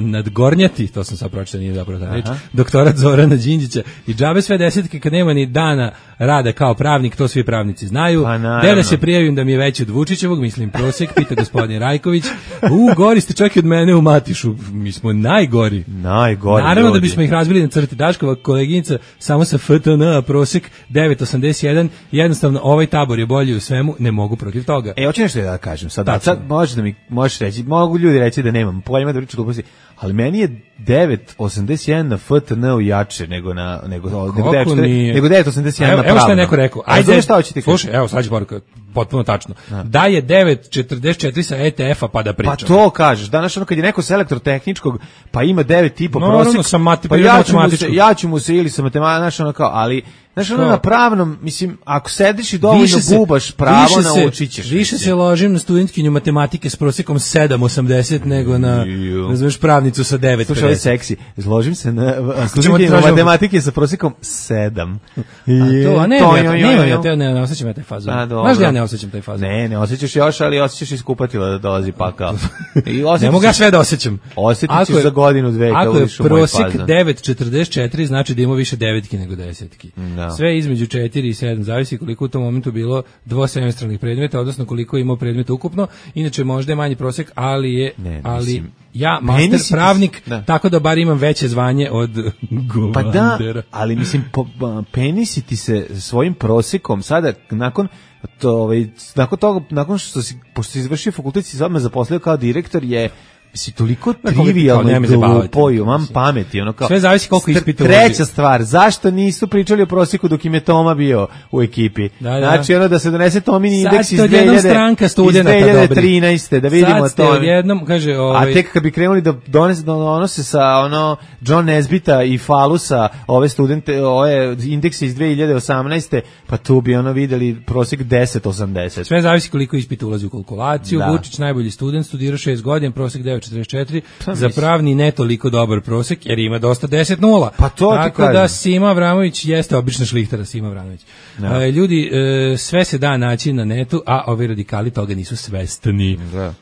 nadgornjati, to sam sad pročitao, nije zapravo ta reč, doktorat Zorana Đinđića i džabe sve desetke kad nema ni dana rada kao pravnik, to svi pravnici znaju. Da se prijavim da mi je veći od Vučićevog, mislim prosek, pita gospodin Rajković. Gori ste čak i od mene u Matišu, mi smo najgori. Naravno da bismo ih razbili na crti. Daškova koleginica samo sa FTN, a prosek 9,81, jednostavno ovaj tabor je bolji u svemu, ne mogu protiv toga. Hoću nešto da kažem, sad možeš reći, mogu ljudi reći da nemam pojma da pričam gluposti, ali meni je 9,81 na FTN-u jače nego 9,81 na pravno. Evo što je neko rekao. Ajde, šta hoćete kažem? Slušaj, evo sad ću poruka, potpuno tačno. Da je 9,44 sa ETF-a pa da pričam. Pa to kažeš, danas ono kad je neko sa elektrotehničkog, pa ima 9,5 prosek, pa ja ću mu se ili sa matematičkom, ali znaš, ono na pravnom, mislim, ako sediš i dovoljno bubaš pravo, naučit ćeš. Više se ložim na studentkinju matematike s prosekom 7,80 nego na, ne znaš, pravnicu sa 9,50. Slušaj, ovaj seksi, zložim se na studentkinju matematike sa prosekom 7. Ne osjećam ja taj fazon. Znaš da ja ne osjećam taj fazon? Ne osjećaš još, ali osjećaš iskupatila da dolazi pakao. Ne mogu ja sve da osjećam. Osjetit ćeš za godinu, dve. Ako je prosek 9,44, znači da ima više devetki nego desetki. Sve između 4 i 7, zavisi koliko u tom momentu bilo dvosemestralnih predmeta, odnosno koliko je imao predmeta ukupno. Inače možda je manji prosek, ali ja master pravnik, tako da bar imam veće zvanje od Govandera. Pa da, ali mislim, penisi ti se svojim prosekom sada nakon što si izvršio fakultet, si odmah zaposlio kao direktor, je toliko trivijalno i glupo i imam pameti. Sve zavisi koliko ispita uloži. Treća stvar, zašto nisu pričali o prosjeku dok im je Toma bio u ekipi? Znači da se donese Tomini indeks iz 2013. Da vidimo to. A tek kad bi krenuli da donose sa John Nesbita i Falusa ove studente, ove indekse iz 2018. pa tu bi videli prosjek 10,80. Sve zavisi koliko ispita ulazi u kalkulaciju. Vučić najbolji student, studirao 6 godina, prosjek 9,44, 2,44, za pravni ne toliko dobar prosek, jer ima dosta 10-0. Pa to ti tako kažem. da Sima Avramović jeste obična šlihtara, Sima Avramović. Ljudi, sve se da naći na netu, a ovi radikali toga nisu svestni.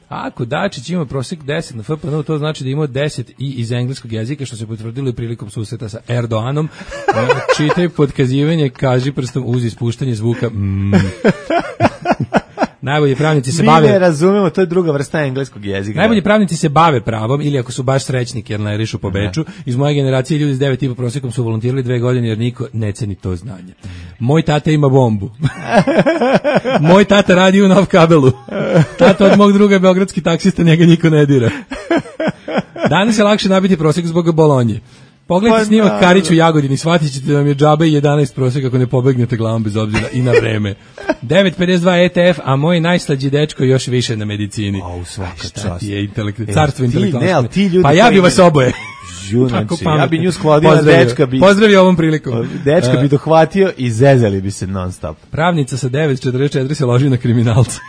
Ako Dačić ima prosek 10 na FPN, to znači da ima 10 i iz engleskog jezika, što se potvrdilo i prilikom susreta sa Erdoganom. Čitaj podkazivanje, kaži prstom uz ispuštanje zvuka Najbolji pravnici se bave... Mi ne razumemo, to je druga vrsta engleskog jezika. Najbolji pravnici se bave pravom, ili ako su baš srećniki jer ne rišu po beču. Iz moje generacije ljudi s 9,5 prosjekom su volontirali 2 godine jer niko ne ceni to znanje. Moj tata ima bombu. Moj tata radi u Nov kabelu. Tata od mog druga je beogradski taksista, njega niko ne dira. Danas je lakše nabiti prosjek zbog Bolonje. Pogledajte snimak Karić u Jagodini, shvatit ćete da vam je džabe 11 prosjek ako ne pobegnete glavom bez obzira i na vreme. 9,52 ETF, a moj najslađi dečko još više na medicini. Svaka čast. Šta ti je carstvo intelektualno? Pa ja bi vas oboje. Ja bi nju sklodio, dečka bi... Pozdravio ovom prilikom. Dečka bi dohvatio i zezali bi se non stop. Pravnica sa 9,44 se loži na kriminalca.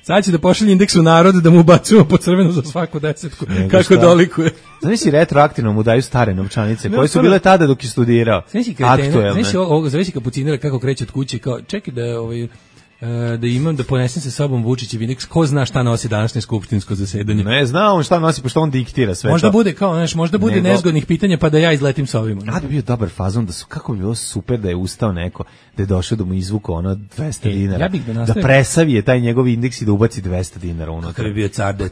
Sad će da pošalje indeks u narod da mu ubacujemo po crvenu za svaku desetku. Kako dolikuje. Znači retroaktivno mu daju stare novčanice koje su bile tada dok je studirao. Zavisi kapucinira kako kreće od kuće. Kao, čekaj da imam, da ponesem sa sobom Vučićev indeks, ko zna šta nosi današnje skupštinsko zasedanje. Ne zna on šta nosi, pošto on diktira sve možda to. Bude kao, možda bude nezgodnih pitanja pa da ja izletim sa ovima. Da bi bio dobar fazon, da su, kako bi bilo super da je ustao neko, da je došao da mu izvuko ono 200 dinara, da presavije taj njegov indeks i da ubaci 200 dinara unutra. Kako bi bio car da je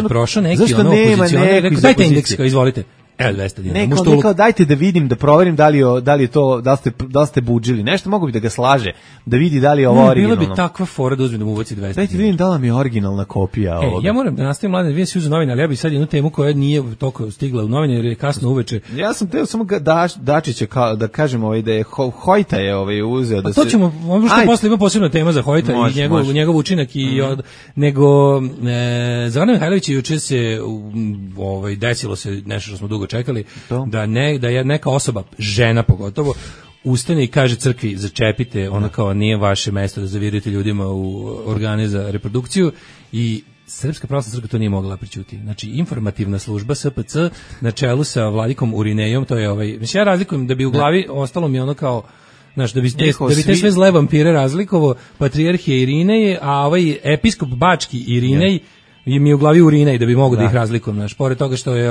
prošao neki ono opozicioner, rekao dajte indeks, izvolite. Evo 200 dinara. Neko dajte da vidim, da proverim da li je to, da li ste budžili. Nešto mogu bi da ga slaže, da vidi da li je ovo originalno. Bila bi takva fora da uzme da mu ubaci 200 dinara. Dajte vidim da li mi je originalna kopija ovoga. Ja moram da nastavim, mladen, vidim se uzu novine, ali ja bih sad jednu temu koja nije toliko stigla u novine jer je kasno uveče. Ja sam teo samo Dačića da kažem da je Hojta je uzeo da se... To ćemo, možda posle ima posebna tema za Hojta i njegov učinak nego Zoran Mihajlović juče se desilo se nešto što smo dugo čekali. Da je neka osoba, žena pogotovo, ustane i kaže crkvi začepite, ono kao nije vaše mesto da zavirite ljudima u organe za reprodukciju i Srpska pravoslavna crkva to nije mogla prećuti. Znači informativna služba SPC na čelu sa vladikom Urinejom, to je mislim ja razlikujem da bi u glavi ostalo mi ono kao znaš, da bi te sve zle vampire razlikovo, patrijarhije Irineje, a episkop bački Irinej i mi u glavi Urinej da bi mogu da ih razlikujem, znaš, pored toga što je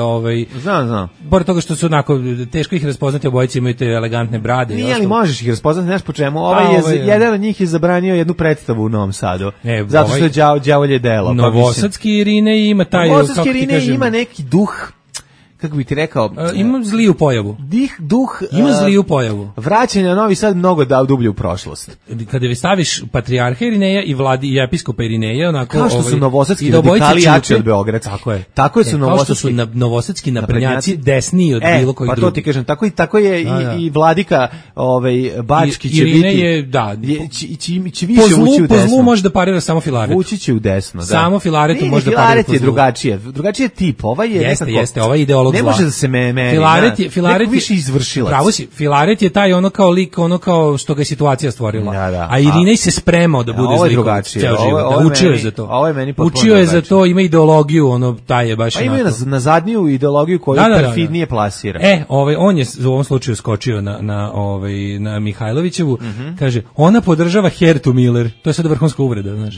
Znam. Pored toga što su onako teško ih raspoznati, obojice imaju te elegantne brade. Nije li možeš ih raspoznati, znaš po čemu? Jedan od njih je zabranio jednu predstavu u Novom Sadu. Zato što je đavolje delo. Novosadski Irinej ima taj, Novosadski Irinej ima neki duh, kako bi ti rekao, ima zliju pojavu. Ima zliju pojavu. Vraćanje na Novi Sad mnogo dublje u prošlost. Kada vi staviš patrijarha Irineja i vladi i episkopa Irineja, onako kao što su novosadski radikali jači od beogradskih. Tako su novosadski naprednjaci desniji od bilo kojih drugih. Pa to ti kažem, tako je i vladika bački će biti. Će više ući u desno. Po zlu može da parira samo Filaretu. Ući će u desno, da. Samo Filaretu može da parira po zlu. Drugačije tip. Jeste, ovaj ideolog ne može da se Filaret više izvršilac. Pravo si, Filaret je taj ono kao lik, ono kao što ga je situacija stvorila. A Irinej se spremao da bude zlik ceo život. Učio je za to. Učio je za to, ima ideologiju, taj je baš. Pa ima na zadnju ideologiju koju perfidnije plasira. On je u ovom slučaju skočio na Mihajlovićevu, kaže, ona podržava Hertu Miller. To je sad vrhunska uvreda, znaš.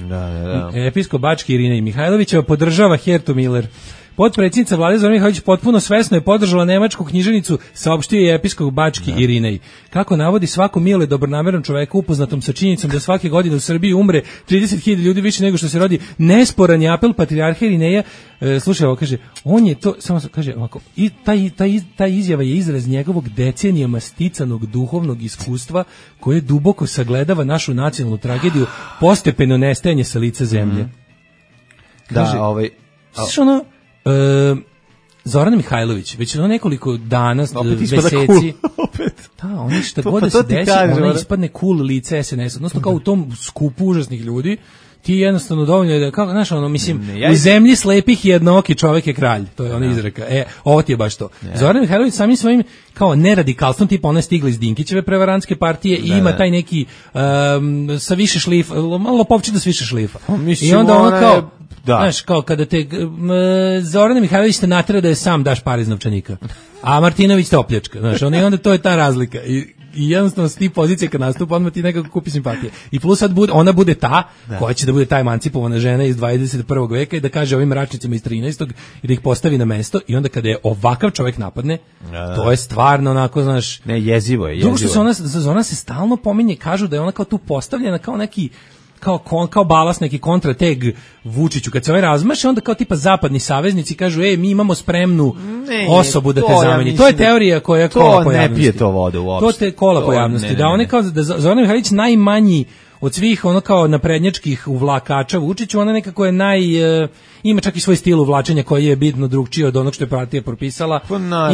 Episkop bački Irinej Mihajlovićeva podržava Hertu Miller. Potpredsjednica vlade Zorana Mihajlović potpuno svesno je podržala nemačku književnicu, saopštio je episkop bački Irinej. Kako navodi, svako milo i dobronameran čovek upoznatom sa činjenicom da svake godine u Srbiji umre 30.000 ljudi više nego što se rodi, nesporan je apel patrijarha Irineja. Slušaj, ovo kaže, on je to, samo kaže ovako, i ta izjava je izraz njegovog decenijama sticanog duhovnog iskustva koje duboko sagledava našu nacionalnu tragediju, postepeno nestajanje sa lica zemlje. Kaže, Zoran Mihajlović, već nekoliko dana, meseci, oni šta god da se desi, ona ispadne cool lice SNS, odnosno kao u tom skupu užasnih ljudi, ti jednostavno dovoljno je da, kako, znaš, u zemlji slepih jednooki čovek je kralj, to je ona izreka, ovo ti je baš to. Zoran Mihajlović samim svojim, kao neradikalstvom, tipa ona je stigla iz Dinkićeve prevarantske partije i ima taj neki, sa više šlifa, malo popovčina s više šlifa. I onda ona kao, Znaš, kao kada te Zorana Mihajlović te natera da je sam daš par iz novčanika, a Martinović te opljačka, znaš, onda to je ta razlika i jednostavno s ti pozicije kad nastupa, odmah ti nekako kupi simpatije. I plus sad ona bude ta, koja će da bude ta emancipovana žena iz 21. veka i da kaže ovim mračnicima iz 13. i da ih postavi na mesto i onda kada je ovakav čovjek napadne, to je stvarno onako, znaš... Ne, jezivo je. Drugo što ona se stalno pominje, kažu da je ona kao tu postavljena kao neki kao balast, neki kontrateg Vučiću. Kad se ovaj razmaše, onda kao tipa zapadni saveznici kažu, mi imamo spremnu osobu da te zameni. To je teorija koja je kola pojavnosti. To ne pije to vodu uopšte. To te kola pojavnosti. Da on je kao, da Zoran Mihajlović najmanji od svih ono kao naprednjačkih uvlakača Vučiću, ona nekako je ima čak i svoj stil uvlačenja koji je bitno drugčiji od onog što je partija propisala.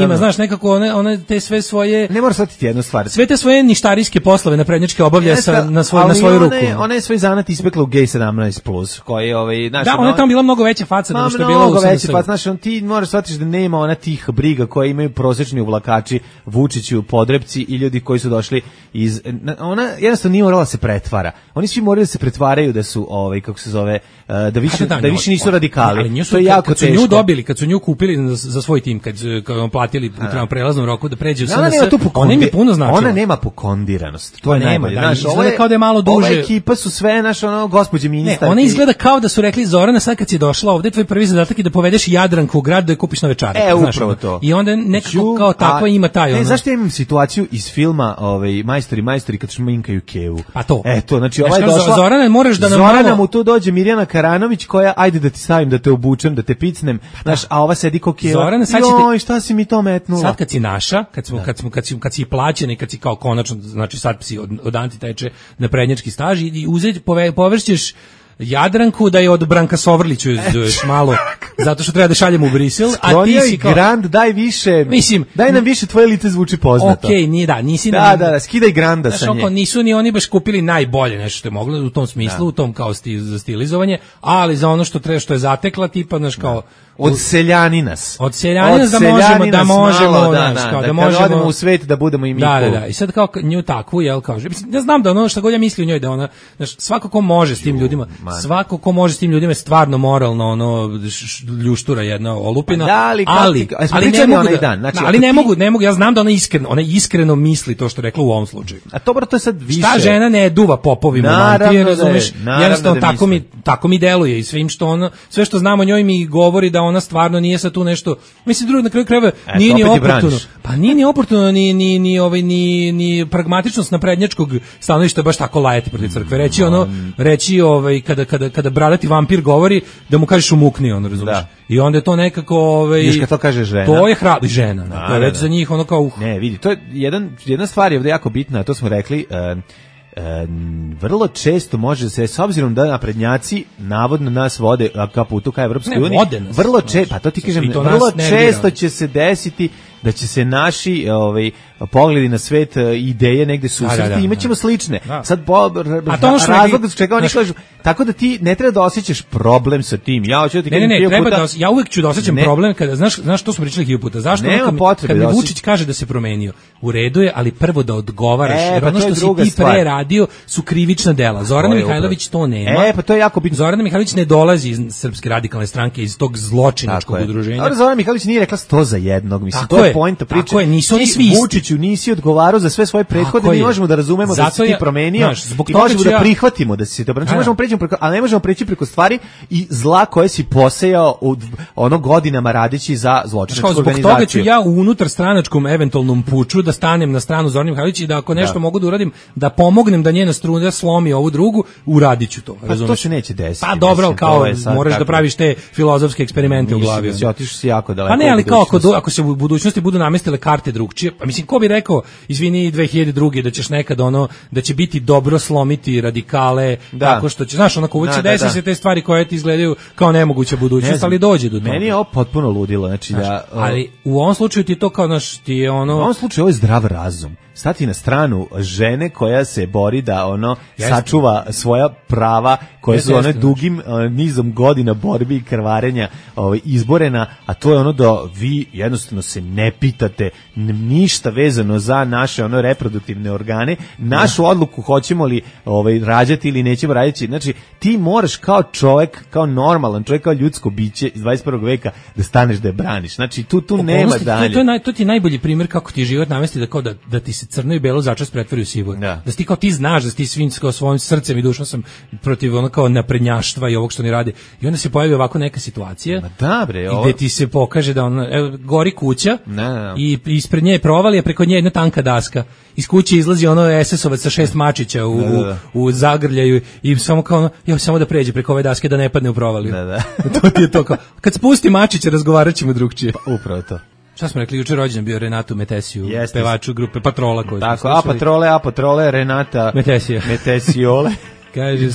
Ima, znaš, nekako one te sve svoje... Ne mora shvatiti jednu stvar. Sve te svoje ništarijske poslove naprednjačke obavlja na svoju ruku. Ona je svoj zanat ispekla u G17+, koji je... Da, ona je tamo bila mnogo veća faca nego što je bila u SNS. Znaš, ti moraš shvatiti da nema ona tih briga koje imaju prosječni uvlakači Vučiću, podrepci i ljudi koji su došli iz... Ona jednostavno nije morala se pretvara. Oni svi morali da se pretvaraju da su, kako se zove, da više nisu radikali. To je jako teško. Kad su nju dobili, kad su nju kupili za svoj tim, kad platili u prelaznom roku da pređe u SNS, ona im je puno značila. Ona nema pokondiranost. To je najbolje. Izgleda kao da je malo duže. Ova ekipa su sve, gospođe ministarke. Ne, ona izgleda kao da su rekli, Zorana, sad kad si došla ovde, tvoj prvi zadatak je da povedeš Jadranku u grad da je kupiš nove čarape. Upravo to. I onda nekako kao takva ima taj ono. Zašto imam situaciju iz filma Majstori kad šminkaju Kevu? Pa to. Eto, znači ova je došla. Zorana, moraš da nam Zorana mu tu dođe Mirjana Karanović koja ajde da ti stavim, da te obučem, da te picnem, znaš, a ova sedi ko Keva. Zorana, sad joj, šta si mi to metnula? Sad kad si naša, kad si plaćen i kad si kao konačno, znači sad si od antiteče na prednjački staž i površćeš Jadranku da je od Branka Sovrliću još malo, zato što treba da šaljemo u Brisel, a ti si kao... Grand, daj više, daj nam više, tvoje lice zvuči poznato. Okej, nisi... Da, skidaj Granda sa nje. Nisu ni oni baš kupili najbolje nešto što je moglo u tom smislu, u tom kao za stilizovanje, ali za ono što je zatekla, tipa, znaš, kao... Od seljaninas da možemo, da odemo u svet da budemo i mi. Da, i sad kao nju takvu, kaže, ja znam da ono što god ja misli o njoj, da ona, znaš, svako ko može s tim ljudima, je stvarno moralno, ljuštura jedna olupina, ali ne mogu, ja znam da ona iskreno misli to što je rekla u ovom slučaju. A to je sad više. Ta žena ne duva popovima, mantije, razumeš, jednostavno tako mi deluje i sve što znamo o njoj mi govori da ona stvarno nije sa tu nešto, mislim, drugo na kraju krajeva nije ni oportuno. Pa nije ni oportuno ni pragmatičnost naprednjačkog stanovišta baš tako lajati protiv crkve. Reći kada bradati vampir govori da mu kažeš umukni, razumiješ. I onda je to nekako kad to kaže žena. To je hrabra žena, to je već za njih ono kao Ne, vidi, to je jedna stvar je ovdje jako bitna, a to smo rekli, vrlo često može se, s obzirom da naprednjaci navodno nas vode ka putu ka Evropskoj uniji, vrlo često, pa to ti kažem, vrlo često će se desiti da će se naši pogledi na svet, ideje negde susreti i imaćemo slične. Sad razlog s čega oni kažu, tako da ti ne treba da osjećaš problem sa tim. Ja hoću da ti kažem ja uvek ću da osjećam problem kada, znaš što smo pričali hiljadu puta, zašto kad mi Vučić kaže da se promenio, u redu je, ali prvo da odgovaraš, jer ono što si ti pre radio su krivična dela. Zorana Mihajlović to nema. Pa to je jako bitno. Zorana Mihajlović ne dolazi iz Srpske radikalne stranke, iz tog zločinačkog udruženja. Zorana Mihajlović nije rekla 100 za jednog, mislim, to je poenta priče. Tako je, nisu oni svi isti. Vučiću nisi odgovarao za sve svoje prethodne, mi možemo da razumemo da si ti promenio i možemo da prihvatimo da si se dobro. Možemo preći preko, ali ne možemo preći preko stvari i zla koje si posejao godinama radeći za zločinačku organizaciju. Zbog toga ću ja u unutarstranačkom eventualnom puču da stanem na stranu Zorane Mihajlović i da ako nešto mogu da uradim, da pomognem da njena struna slomi ovu drugu, uradit ću to. Pa to se neće desiti. Pa dobro, ali kao moraš da praviš te filozofske eksperimente u glavi. Otišao si jako daleko. Pa ne, ali kao ako se u budućnosti budu namestile karte drugčije, pa mislim, ko bi rekao, izvini, 2002. da ćeš nekad da će biti dobro slomiti radikale, tako što će, znaš, onako uvijek će desiti se te stvari koje ti izgledaju kao nemoguća budućnost, ali dođe do toga. Meni je ovo potpuno ludilo, znači ali u ovom slučaju ti to kao, znaš, ti je ono... U ovom slučaju ovo je zdrav razum. stati na stranu žene koja se bori da sačuva svoja prava koje su one dugim nizom godina borbi i krvarenja izborena, a to je ono da vi jednostavno se ne pitate ništa vezano za naše reproduktivne organe, našu odluku hoćemo li rađati ili nećemo raditi. Znači, ti moraš kao čovjek, kao normalan čovjek, kao ljudsko biće iz 21. veka da staneš da je braniš. Znači, tu nema dalje. To ti je najbolji primjer kako ti život navesti da ti se crno i belo začas pretvori u sivo. Da ti kao ti znaš da ti svim svojim srcem i dušom sam protiv kao naprednjaštva i ovog što oni rade. I onda se pojavi ovako neka situacija gde ti se pokaže da gori kuća i ispred nje je provalija, preko nje jedna tanka daska. Iz kuće izlazi SS-ovac sa 6 mačića u zagrljaju i samo kao samo da pređe preko ove daske da ne padne u provaliju. To ti je to kao. Kad spusti mačića razgovarat ćemo drugčije. Pa, upravo to. Šta smo rekli, jučer rođendan bio Renatu Metesiju, pevaču grupe Patrola. Tako, Patrole, Renata Metesiole. Kaže,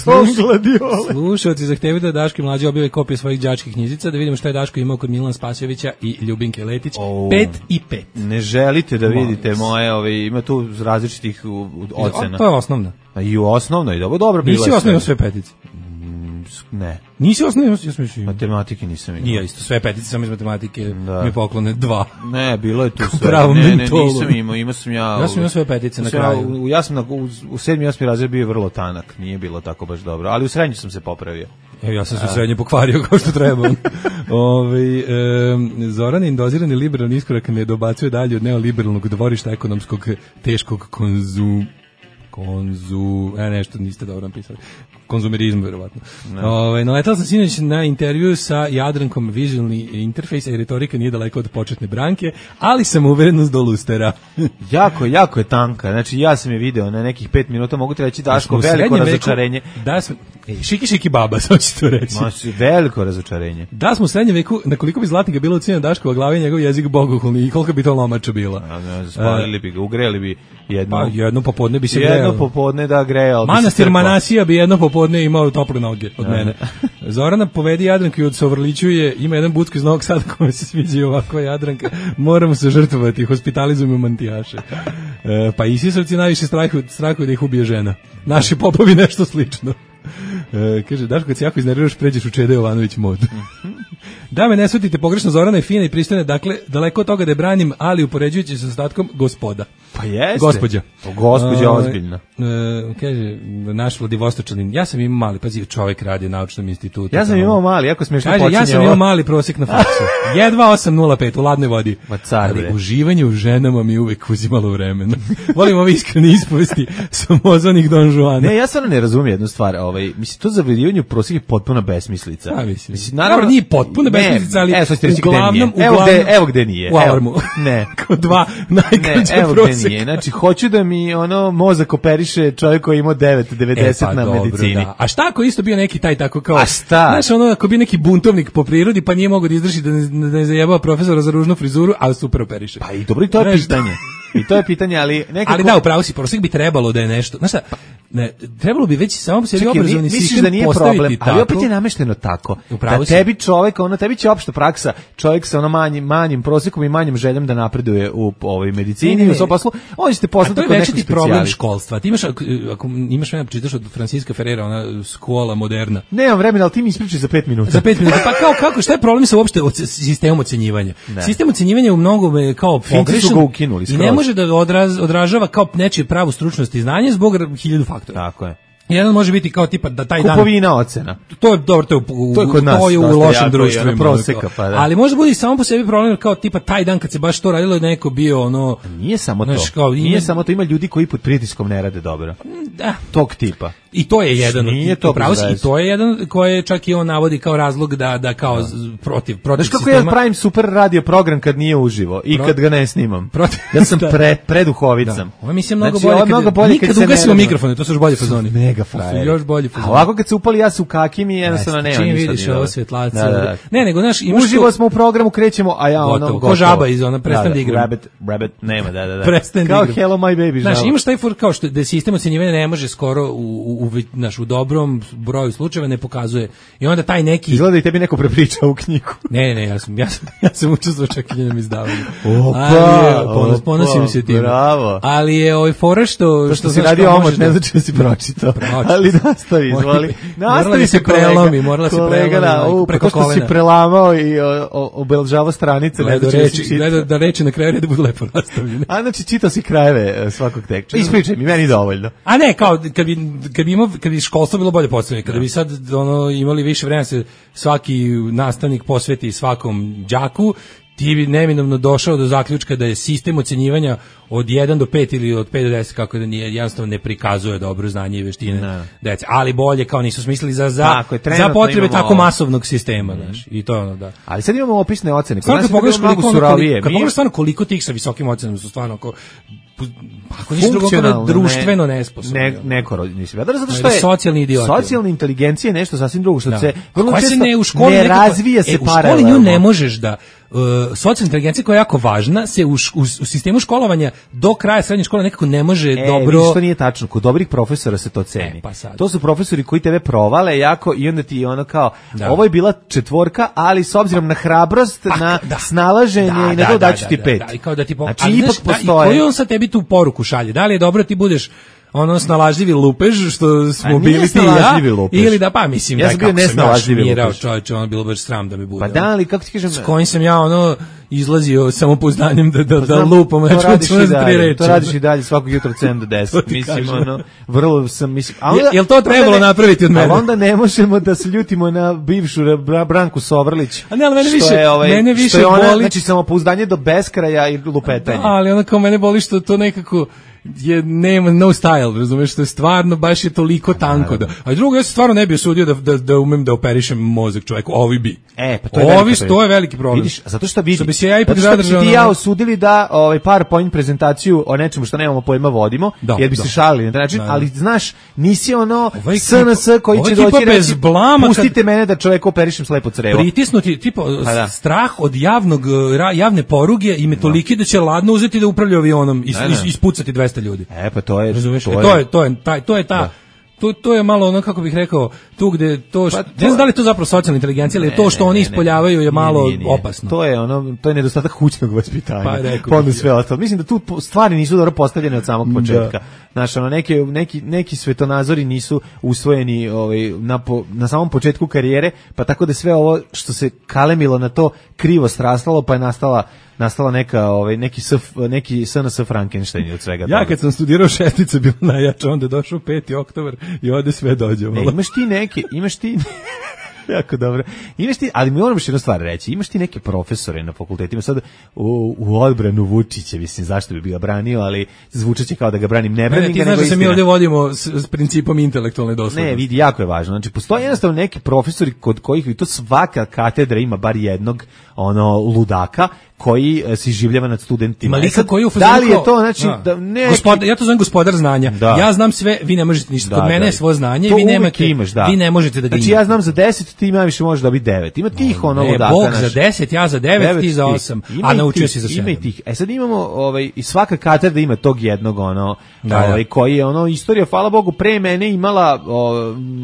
slušalci zahtevaju da Daško i Mlađa objave kopije svojih đačkih knjižica, da vidimo šta je Daško imao kod Milana Spasojevića i Ljubinke Letić. 5 i 5. Ne želite da vidite moje, ima tu različitih ocena. To je osnovno. I u osnovnoj, dobro bilo. Nisi osnovno sve petice? Ne. Nisi osnovno, ja sam mislio. Matematike nisam imao. Nije isto, sve petice, samo iz matematike mi poklone 2. Ne, bilo je tu sve. Ne, nisam imao sam ja. Ja sam imao sve petice na kraju. Ja sam u 7. i 8. razred bio vrlo tanak, nije bilo tako baš dobro, ali u srednji sam se popravio. Evo, ja sam se u srednji pokvario kao što treba. Zoran je indozirani liberalni iskorak ne dobacuje dalje od neoliberalnog dvorišta ekonomskog teškog nešto niste dobro napisali. Konzumerizmu, verovatno. Naletala sam sinoć na intervju sa Jadrankom, vizualni interfejs i retorika nije daleko od početne branke, ali sam uverenost do lustera. jako je tanka. Znači, ja sam je video na nekih 5 minuta, mogu ti reći, Daško, veliko razočarenje. Šiki baba, sad ću to reći. Veliko razočarenje. Da smo u srednjem veku, na koliko bi zlatnika bilo ocenjeno Daškova glava i njegov jezik bogohulni i koliko bi to lomača bila. Spalili bi ga, ugreli bi jedno popodne bi se grejalo. Jedno popodne da grejalo. Manastir Manasija bi jedno popodne imao tople noge od mene. Zorana povedi Jadranku i od Sovrlićuje, ima jedan bucko iz Novog Sada kome se sviđa ovako Jadranka. Moramo se žrtvovati, hospitalizujemo mantijaše. Pa Isisovci najviše strahuju da ih ubije žena. Naši popovi nešto slično. Kaže, Daško, kad se jako iznerviraš, pređeš u Čede Jovanović mod. Da me ne shvatite pogrešno, Zorana je fina i pristojna, dakle, daleko od toga da je branim, ali upoređujući se s ostatkom, gospoda. Pa jeste. Gospođa. Gospođa ozbiljna. Kaže, naš Vladivostočanin, ja sam imao mali, pazi, čovjek radi u naučnom institutu. Ja sam imao mali, jako smiješno počinje. Kaže, ja sam imao mali prosjek na faksu. Jedva 8,05 u ladnoj vodi. Ali uživanje u ženama mi uvek uzimalo vremena. Volim ove iskrene ispovesti samozvanih Don Juana. Ne, ja stvarno ne razumijem jednu stvar. Mislim, to zavrljivanje u prosjek je potpuna besmislica. Mislim, naravno nije potpuna besmislica, ali uglavnom, evo gde nije. U alarmu. Ne. Kod 2 najkraća prosjeka. Nije. Znači, hoću da mi mozak operiše čovjek koji ima 9,90 na medicini. Da. A šta ako isto bio neki taj tako kao... A šta? Znaš, ako bio neki buntovnik po prirodi, pa nije mogao da izdrži da ne zajebao profesora za ružnu frizuru, ali super operiše. Pa i dobro, i to je pitanje. I to je pitanje, ali nekako... Ali da, upravo si, prosjek bi trebalo da je nešto... Znaš šta, trebalo bi već samo po sebi obrazovni sistem da nije problem, tako, ali opet je namešteno tako. Da tebi čovjek, tebi će opšta praksa, čovjek sa manjim prosjekom i manjim željom da napreduje u ovoj medicini i u svom poslu, on ćete poslati kod nekog specijalista. To je problem školstva. Ti imaš, ako imaš vremena čitaš od Francisca Ferrera, ona škola moderna. Nemam vremena, ali ti mi ispričaj za 5 minuta. Za 5 minuta. Pa kako, šta je problem sa uopšte sistemom ocenjivanja? Sistem ocenjivanja u mnogome kao pogrešan i ne može da odražava kao nečije pravu stručnost i znanje zbog 1000 faktora. Tako je. Jedan može biti kao tipa da taj kupovina ocena. To je dobro, to je kod nas, to je u lošem društvu proseka, pa da. Ali može biti samo po sebi problem kao tipa taj dan kad se baš to radilo neko bio nije samo to. Nije samo to, ima ljudi koji pod pritiskom ne rade dobro. Da, tog tipa. I to je jedan i to je jedan koji čak i on navodi kao razlog da kao protiv znaš kako ja pravim super radio program kad nije uživo i kad ga ne snimam. Ja sam preduhovicam. Ovo mislim mnogo bolje kad ugasimo mikrofone, to su još bolje fazoni. mega frajeri. Još bolji A ovako kad se upali ja se u kakim i jednostavno nema čim ništa. vidiš ovo svetlace. Da. Ne, nego znaš, imaš uživo smo u programu, krećemo, a ja ono gotovo. Ko žaba iz ona, prestani da igram. Rabbit, nema, da. Prestani da kao igram. Hello My Baby žaba. Znaš, imaš taj for kao što da sistem ocenjivanja ne može skoro u dobrom broju slučajeva ne pokazuje. I onda taj neki izgleda i tebi neko prepričao u knjigu. Ne, ja sam učestvovao čak i njenom izdavanju. Ponosim se tim. Bravo. Ali je ovaj fora što si radio omot, ne znači da si pročitao. Ali nastavi, izvoli. Morala se prelomi, preko kolena. Si prelamao i obeležavao stranice. Gledao da reči na kraju reda budu lepo nastavljene. A znači čitao si krajeve svakog teksta. Ispričaj mi, meni dovoljno. A ne, kao kad bi školstvo bilo bolje postavljeno, kada bi sad imali više vremena se svaki nastavnik posveti svakom đaku, ti bi neminovno došao do zaključka da je sistem ocenjivanja od 1 do 5 ili od 5 do 10, kako da nije, jednostavno ne prikazuje dobro znanje i veštine dece. Ali bolje, kao nisu smislili za potrebe tako masovnog sistema, znaš. I to ono, da. Ali sad imamo opisne ocene. Kad pogledaš stvarno koliko tih sa visokim ocenama su stvarno ako nisu drugo društveno nesposobni. Zato što je socijalni idioti. Socijalna inteligencija je nešto sasvim drugo, što se vrlo često ne razvija se paralelno. U školi nju ne možeš da socijalna inteligencija koja je jako važna se u sistemu školovanja do kraja srednje škole nekako ne može dobro. Što nije tačno, kod dobrih profesora se to ceni. To su profesori koji tebe provale jako i onda ti ono kao ovo je bila 4, ali s obzirom na hrabrost, na snalaženje i na to daću ti 5. I kao da ti koji on sa tebi tu poruku šalje? Da li je dobro ti budeš snalažljivi lupež što smo bili ti i ja ili da mislim ja sam bio nesnalažljivi lupež, čovječe, ono bilo baš sram da mi bude. Pa da, ali kako ti kažem, s kojim sam ja izlazio samopouzdanjem da lupam, to radiš i dalje svakog jutra od 7 do 10. Mislim, vrlo sam, jel to trebalo napraviti od mene? Ali onda ne možemo da se ljutimo na bivšu Branku Sovrlić. A ne, ali mene više boli. Znači, samopouzdanje do beskraja i lupetanje. Ali onda kao mene boli što to nekako nema no style, razumeš, što je stvarno baš je toliko tanko da. A drugo, ja se stvarno ne bi osudio da umem da operišem mozak čoveku, ovi bi. Pa to je veliki problem. Vidiš, zato što vidi. Što bi se ja ipak zadržao. Ti ja osudili da PowerPoint prezentaciju o nečemu što nemamo pojma vodimo, jer bi se šalili na taj način, ali znaš, nisi SNS koji će doći reći pustite mene da čoveku operišem slepo crevo. Pritisnuti, strah od javne poruge i metoliki da će ladno uzeti da upravlja avionom i ispucati 200 ljudi. Pa to je, razumeš, to je malo kako bih rekao, tu gde to ne znam da li je to zapravo socijalna inteligencija, ali to što oni ispoljavaju je malo opasno. To je nedostatak kućnog vaspitanja. Pa onda sve ostalo. Mislim da tu stvari nisu dobro postavljene od samog početka. Znaš, neki svetonazori nisu usvojeni na samom početku karijere, pa tako da sve ovo što se kalemilo na to krivo srastalo, pa je nastala neki SNS Frankenstein od svega toga. Ja kad sam studirao šestica bila najjača, onda je došao 5. oktobar i ovde sve dođe. Imaš ti jako dobro. Ali mi moram još jednu stvar reći. Imaš ti neke profesore na fakultetima sad u odbranu Vučića, mislim zašto bi ga branio, ali zvučaće kao da ga branim, ne branim ga. Ti znaš da se mi ovdje vodimo s principom intelektualne doslednosti. Ne, vidi, jako je važno. Znači, postoje jednostavno neki profesori kod kojih i to svaka katedra ima bar jednog ludaka koji se iživljava nad studentima. Malika koji u da li je to, znači, ja to zovem gospodar znanja. Ja znam sve, vi ne možete ništa. Kod mene je svoje znanje, vi ne možete da ga imate. Znači, ja znam za 10, ti najviše možeš dobiti 9. Ima tih ludaka. Bog za 10, ja za 9, ti za 8. A naučio si za 7. Ima i tih. Sad imamo, i svaka katedra ima tog jednog, koji je, istorija, hvala Bogu, pre mene imala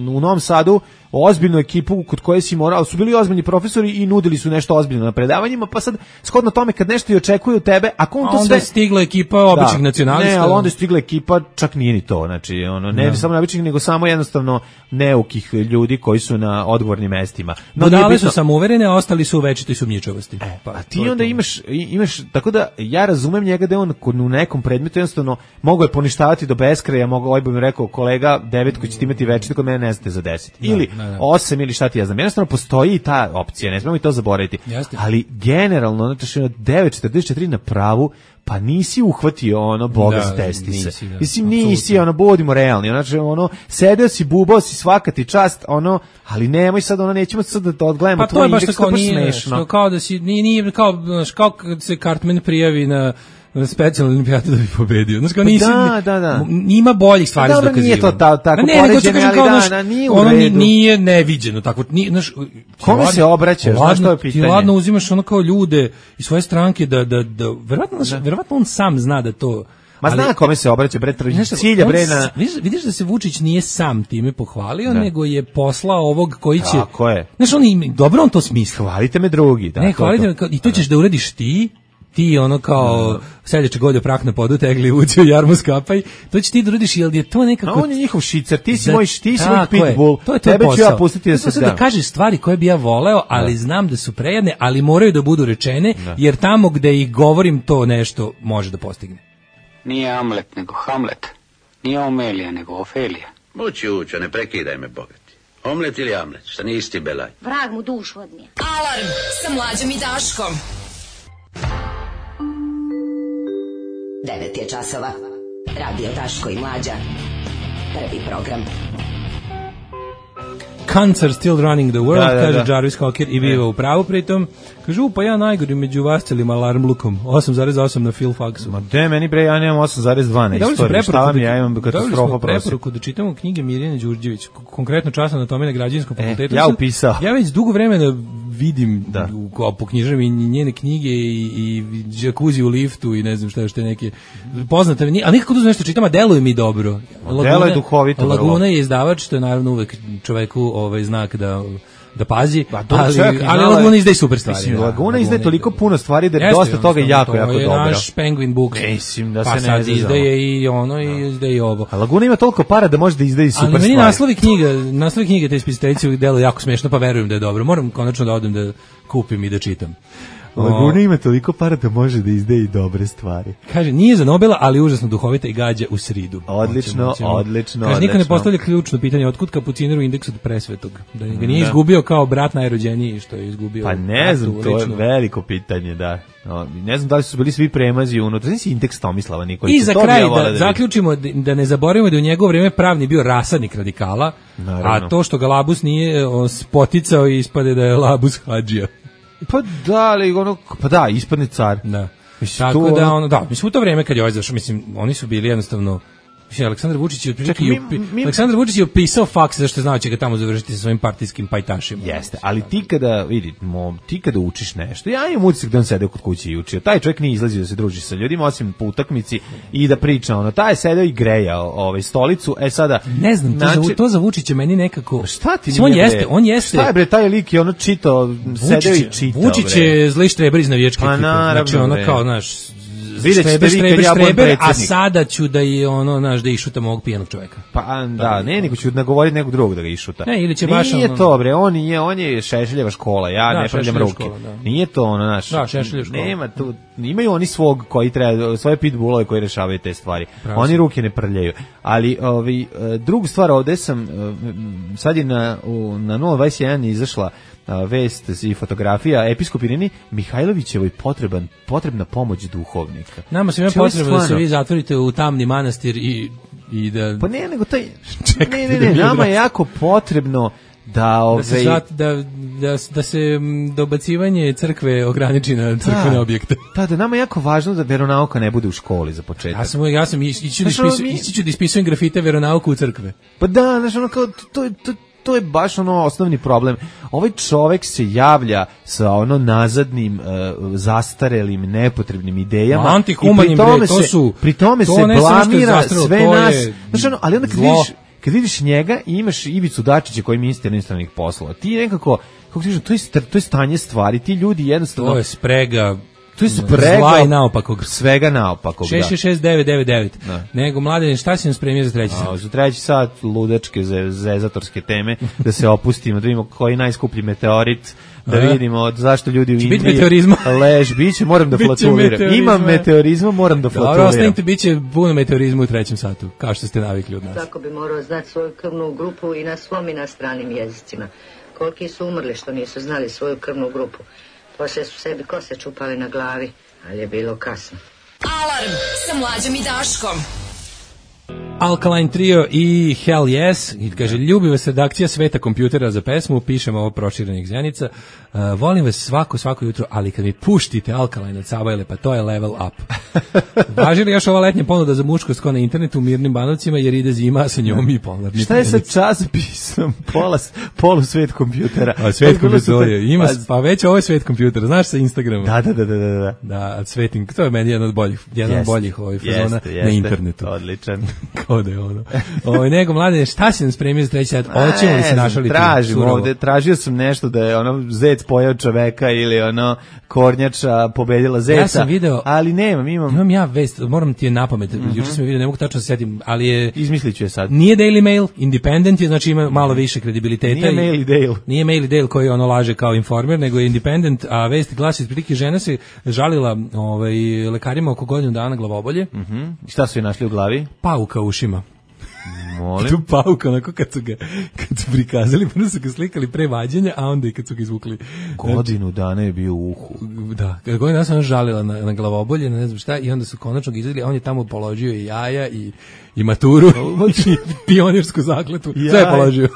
u Novom Sadu ozbiljnu ekipu kod koje si morao, su bili ozbiljni profesori i nudili su nešto ozbiljno na predavanjima, pa sad shodno tome kad nešto i očekuju tebe, ako on to onda sve... je stigla ekipa običnih nacionalista. Ne, ali onda je stigla ekipa, čak nije ni to, znači, ne samo običnih, nego samo jednostavno neukih ljudi koji su na odgovornim mestima. Budale su samouverene, a ostali su u večitoj sumnjičavosti. A ti onda imaš, tako da ja razumem njega da on u nekom predmetu jednostavno mogo je poništavati do beskraja, ovaj bi mi rekao kolega 9 koji ćete imati večito, kod mene ne znate za 10. Ili 8 ili šta ti ja znam. Jednostavno postoji i ta opcija, ne smemo i to zaboraviti. Ali generalno, znači 9.44 na pravu, pa nisi uhvatio Boga s testise. Mislim, nisi, budimo realni. Znači, sedeo si, bubao si, svaka ti čast, ali nemoj sad, nećemo sad da odgledamo tvoj indeks, to je baš smešno. Kao da si, nije, kao kad se Cartman prijavi na specijalnu olimpijadu da bi pobedio. Znaš, kao Da. Ima boljih stvari za dokazivanje. Nije to tako poređenje, ali nije u ono redu. nije neviđeno. Tako, znaš, kome se obraćaš? Znaš, to je pitanje. Ti ladno uzimaš ono kao ljude iz svoje stranke da verovatno on sam zna da to... Ma zna kome se obraća, bre, cilja, bre, na... Vidiš da se Vučić nije sam time pohvalio, nego je poslao ovog koji će... Tako je. Znaš, dobro on to smisli. Hvalite me drugi. Da, ne, hvalite me, i to ćeš da uradiš ti ono kao seljače goljo prah na podu, tegli uđe u jarmu skapaj, to će ti da uradiš, jer je to nekako... A on je njihov šicer, ti si moj pitbull, tebe ću ja pustiti da se da kažeš stvari koje bi ja voleo, ali znam da su prejedne, ali moraju da budu rečene, jer tamo gde ih govorim to nešto može da postigne. Nije Amlet, nego Hamlet. Nije Omelija, nego Ofelija. Mući učo, ne prekidaj me, bogati. Omlet ili Amlet, šta nisi ti belaj? Vrag mu dušu odnije. Alarm sa Mlađom i Daškom. 9 je časova. Radio Daško i Mlađa. Prvi program. Cunts are still running the world, kaže Jarvis Cocker i biva u pravu pritom. Kažu, pa ja najgori među vascelim alarm lukom. 8,8 na Phil Faxu. Ma de, meni bre, ja nemam 8,2 na istoriju. Šta vam ja imam katastrofa prosim. Preporuku da čitamo knjige Mirjane Đurđević, konkretno čas anatomije na Građevinskom fakultetu. Ja upisao. Ja već dugo vremena vidim po knjižama i njene knjige i džakuzi u liftu i ne znam šta neke poznate, ali nikako da nešto čitam, a deluje mi dobro. Delo je duhovito. Laguna je izdavač, to je naravno uvek čoveku znak da pazi, ali Laguna izdaje super stvari. Laguna izdaje toliko puno stvari da je dosta toga jako dobro. To je naš Penguin Book. Mislim da pa se sad izdaje i ono i izdaje i ovo. A Laguna ima toliko para da može da izdaje super stvari. Ali meni naslovi knjige te spisateljice delo jako smešno, pa verujem da je dobro. Moram konačno da odem da kupim i da čitam. Laguna ima toliko para da može da izdaje i dobre stvari. Kaže, nije za Nobela, ali užasno duhovita i gađa u sridu. Odlično. Kaže, niko ne postavlja ključno pitanje, otkud kapuciner u indeksu od presvetog? Da ga nije izgubio kao brat najrođeniji što je izgubio. Pa ne znam, to je veliko pitanje, da. Ne znam da li su bili svi premazi unutra. Znači indeks Tomislava Nikolića. I za kraj da zaključimo da ne zaboravimo da u njegovo vrijeme pravni bio rasadnik radikala, a to što ga Labus nije spoticao i ispade da je Labus hadžija. Pa da, ali ispadne car. Da. Mislim, tako da, mislim, u to vrijeme kad je zašao, mislim, oni su bili jednostavno, mislim, Aleksandar Vučić je opisao faks zašto znao će ga tamo završiti sa svojim partijskim pajtašima. Jeste, ali ti kada učiš nešto, ja imam utisak da on sedeo kod kuće i učio. Taj čovjek nije izlazio da se druži sa ljudima, osim po utakmici i da priča, taj je sedeo i grejao stolicu, sada... Ne znam, to za Vučića meni nekako... Šta ti on jeste... Šta je bre, taj lik je čitao, sedeo i čitao. Vučić je zli štreber iz navijačke ekipe. Znači, kao, znaš... Štreber, a sada ću da je da išutam ovog pijanog čovjeka. Pa da, nego ću nagovoriti nekog drugog da ga išuta. Ne, ili će baš nije to bre, on je Šešeljeva škola, ja ne pravljam ruke. Nije to naš. Da, Šešeljeva škola. Nema tu, imaju oni svog koji treba, svoje pitbullove koji rešavaju te stvari. Oni ruke ne prljaju. Ali drugu stvar, ovde sam sad je na 021 izašla vest i fotografija episkop Ireni Mihajlovićevoj potrebna pomoć duhovnika. Nama se ima potrebno da se vi zatvorite u tamni manastir i da... Pa ne, nego taj... Ne, nama je jako potrebno da se dobacivanje crkve ograniči na crkvene objekte. Da, nama je jako važno da veronauka ne bude u školi za početak. Ja sam ići ću da ispisujem grafite veronauku u crkve. Pa da, znaš, kao, to je baš osnovni problem. Ovaj čovek se javlja sa nazadnim, zastarelim, nepotrebnim idejama. Antihumanim, pri tome se blamira sve nas. Znaš, ali onda kad vidiš njega i imaš Ivicu Dačića koji je ministar inostranih poslova, ti nekako, kako ti kažem, to je stanje stvari, ti ljudi jednostavno... To je sprega... To je sprega zla i naopakog. Svega naopakog, 666-999. Nego, Mladen, šta si nam spremio za treći sat? Za treći sat ludačke, zezatorske teme, da se opustimo, da vidimo koji je najskuplji meteorit, da vidimo zašto ljudi u Indiji biće, moram da flatuliram. Imam meteorizma, moram da flatuliram. Dobro, ostanite, bit će puno meteorizma u trećem satu, kao što ste navikli od nas. Svako bi morao znati svoju krvnu grupu i na svom i na stranim jezicima. Koliki su umrli što nisu znali svoju krvnu grupu. Poslije su sebi kose čupali na glavi, ali je bilo kasno. Alarm sa Mlađom i Daškom. Alkaline Trio i Hell Yes, i kaže, ljubi vas redakcija Sveta kompjutera za pesmu, pišemo ovo proširenih Zenica, volim vas svako jutro, ali kad mi puštite Alkaline od Sabajle, pa to je level up. Važi li još ova letnja ponuda za muškost ko na internetu u Mirnim Banovcima, jer ide zima sa njom i polarni. Šta je sa časopisom polu Svet kompjutera? A Svet kompjutera ima, pa već ovo je Svet kompjutera, znaš, sa Instagrama. Da. Da, Sveting, to je meni jedan od boljih fazona na internetu. Odličan. Kao da je ono. Nego, Mladene, šta si nam spremio za treći sad? Hoćemo li se našaliti? Tražim ovde, tražio sam nešto da je ono zec pojao čoveka ili ono kornjača pobedila zeca. Ja sam video, ali imam ja vest, moram ti je napamet. Juče sam je video, ne mogu tačno se setim, ali je izmisliću je sad. Nije Daily Mail, Independent je, znači ima malo više kredibiliteta. Nije Mail i Dale. Nije Mail i Dale koji ono laže kao Informer, nego je Independent, a vest glasi otprilike žena se žalila lekarima oko godinu dana glavobolje. Šta su je našli u glavi? Pauka u ušima. Molim. Tu pauka, onako kad su prikazali, prvo su ga slikali pre vađenja, a onda i kad su ga izvukli. Godinu dana je bio u uhu. Da, godinu dana sam žalila na glavobolje, na ne znam šta, i onda su konačno ga izvedili, a on je tamo položio i jaja i maturu, i pionirsku zakletu, sve je položio.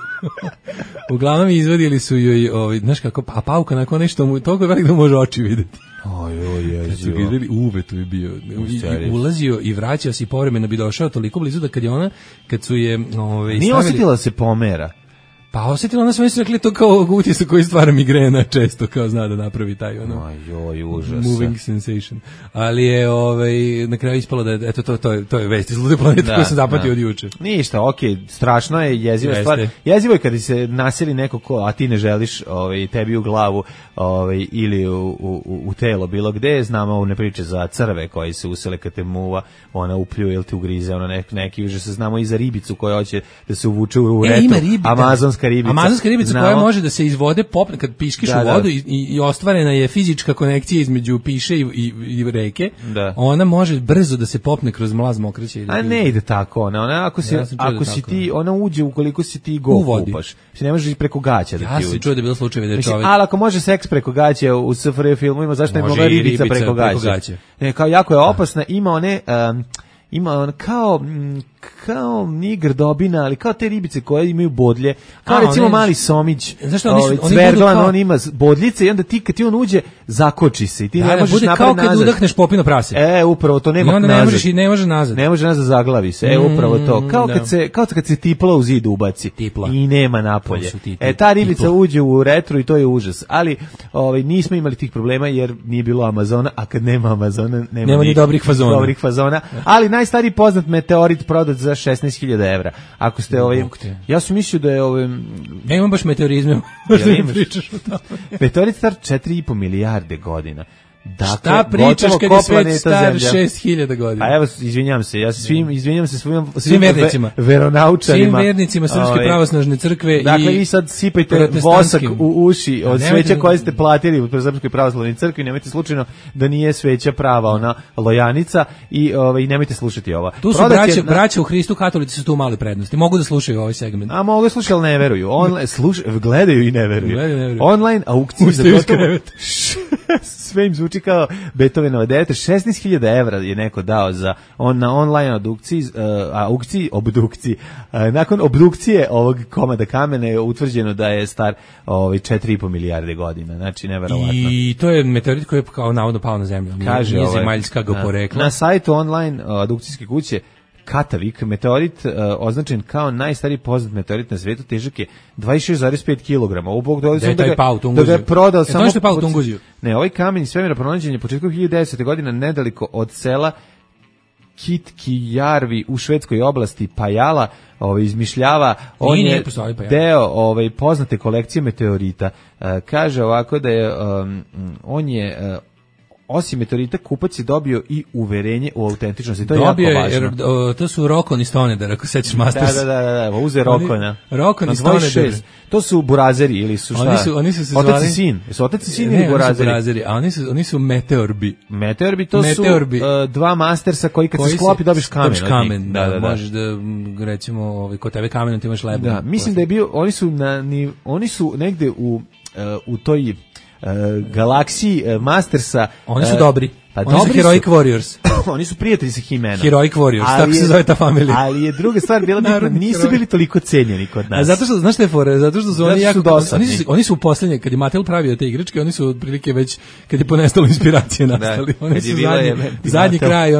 Uglavnom izvadili su joj, znaš kako, a pauka nakon nešto, toliko je velik da može oči videti. Kad su ga izveli, uvetu je bio. I ulazio i vraćao se i povremeno bi došao toliko blizu da kad su je stavili... Nije osjetila se pomera. Pa osjetila, ona smo su rekli to kao utisak koji stvara migrena često, kao zna da napravi taj ono užas. Moving sensation. Ali je na kraju ispalo da je, eto to je vest iz lude planete koju sam zapatio od juče. Ništa, strašno je, jeziva stvar. Jezivo je kad se naseli neko a ti ne želiš tebi u glavu ili u telo bilo gde. Znamo ovo ne priče za crve koji se usele kad te muva, ona upljuje ili te ugrize, neki užas. Znamo i za ribicu koja hoće da se uvuče u retru. Amazonska ribica koja može da se iz vode popne kad piškiš u vodu i ostvarena je fizička konekcija između piše i reke. Ona može brzo da se popne kroz mlaz mokreće. A ne ide tako ona ako si ti, ona uđe ukoliko si ti go kupaš. Ne možeš preko gaća da ti uđe. Ja sam čuo da je bilo slučajeve da je čovjek... Ali ako može seks preko gaća u SFRJ filmovima, zašto ne mogla ribica preko gaća? Kao jako je opasna, ima on kao nije grdobina, ali kao te ribice koje imaju bodlje, kao recimo mali somić, cverglan, on ima bodljice i onda ti kad ti on uđe, zakoči se i ti ne možeš napred nazad. Kao kad udahneš popino prase. Upravo to nema nazad. I onda ne može nazad. Ne može nazad, zaglavi se. Upravo to. Kao kad se tipla u zid ubaci. I nema napolje. Ta ribica uđe u retro i to je užas. Ali nismo imali tih problema jer nije bilo Amazona, a kad nema Amazona nema ni dobrih fazona. Ali najstariji poznat meteorit prodat za 16.000 evra. Ako ste ja sam mislio da je ja imam baš meteorizme. Pričaš o tome. Meteorit star 4,5 milijarde godina. Dakle, šta pričaš kad je svet star 6.000 godina? A evo, izvinjam se izvinjam se svim vernicima, veronaučarima. Svim vernicima Srpske pravoslavne crkve. Dakle, vi sad sipajte vosak u uši od sveća koje ste platili u Srpskoj pravoslavnoj crkvi, nemojte slučajno da nije sveća prava, ona lojanica i nemojte slušati ovo. Tu su braća u Hristu, katolici su tu male prednosti. Mogu da slušaju ovaj segment. A mogu da slušaju, ali ne veruju. Gledaju i ne veruju. Online aukcije za gotovo. Sve im zvuči kao Beethovenova 9. 16.000 evra je neko dao na online obdukciji. Nakon obdukcije ovog komada kamena je utvrđeno da je star 4,5 milijarde godina. Znači, neverovatno. I to je meteorit koji je kao navodno pao na zemlju. Nije zemaljska ga porekla. Na sajtu online adukcijske kuće Katavik, meteorit označen kao najstariji poznat meteorit na svetu, težak je 26,5 kg. Da ga je prodao samo... To je pao u Tunguziju. Ne, ovaj kamen iz svemira pronađen je početkom 1910. godine nedaliko od sela Kitkijarvi u švedskoj oblasti Pajala, izmišljava, on je deo poznate kolekcije meteorita. Kaže ovako da je on je osim meteorita kupac je dobio i uverenje u autentičnosti. To je jako važno. To su Rokon i Stonedar, ako sećaš Masters. Da, uze Rokona. Rokon i Stonedar. To su burazeri ili su šta? Oni su se zvali... Otac i sin. Jesu otac i sin ili burazeri? A oni su meteorbi. Meteorbi, to su dva Mastersa koji kad se sklopi dobiš kamen. Da, možeš da, recimo, kod tebe kamenom ti imaš lebom. Da, mislim da je bio, oni su negde u toj Galaxy Mastersa. Oni su dobri. Pa oni su Heroic Warriors. Oni su prijatelji sa He-Manom. Heroic Warriors, tako se zove ta familija. Ali je druga stvar bila bitna, nisu bili toliko cenjeni kod nas. A zato što, znaš šta je fora? Zato što su oni jako dosadni. Oni su u poslednje, kad je Mattel pravio te igračke, oni su otprilike već, kad je ponestalo inspiracije nastali. Oni su zadnji kraj,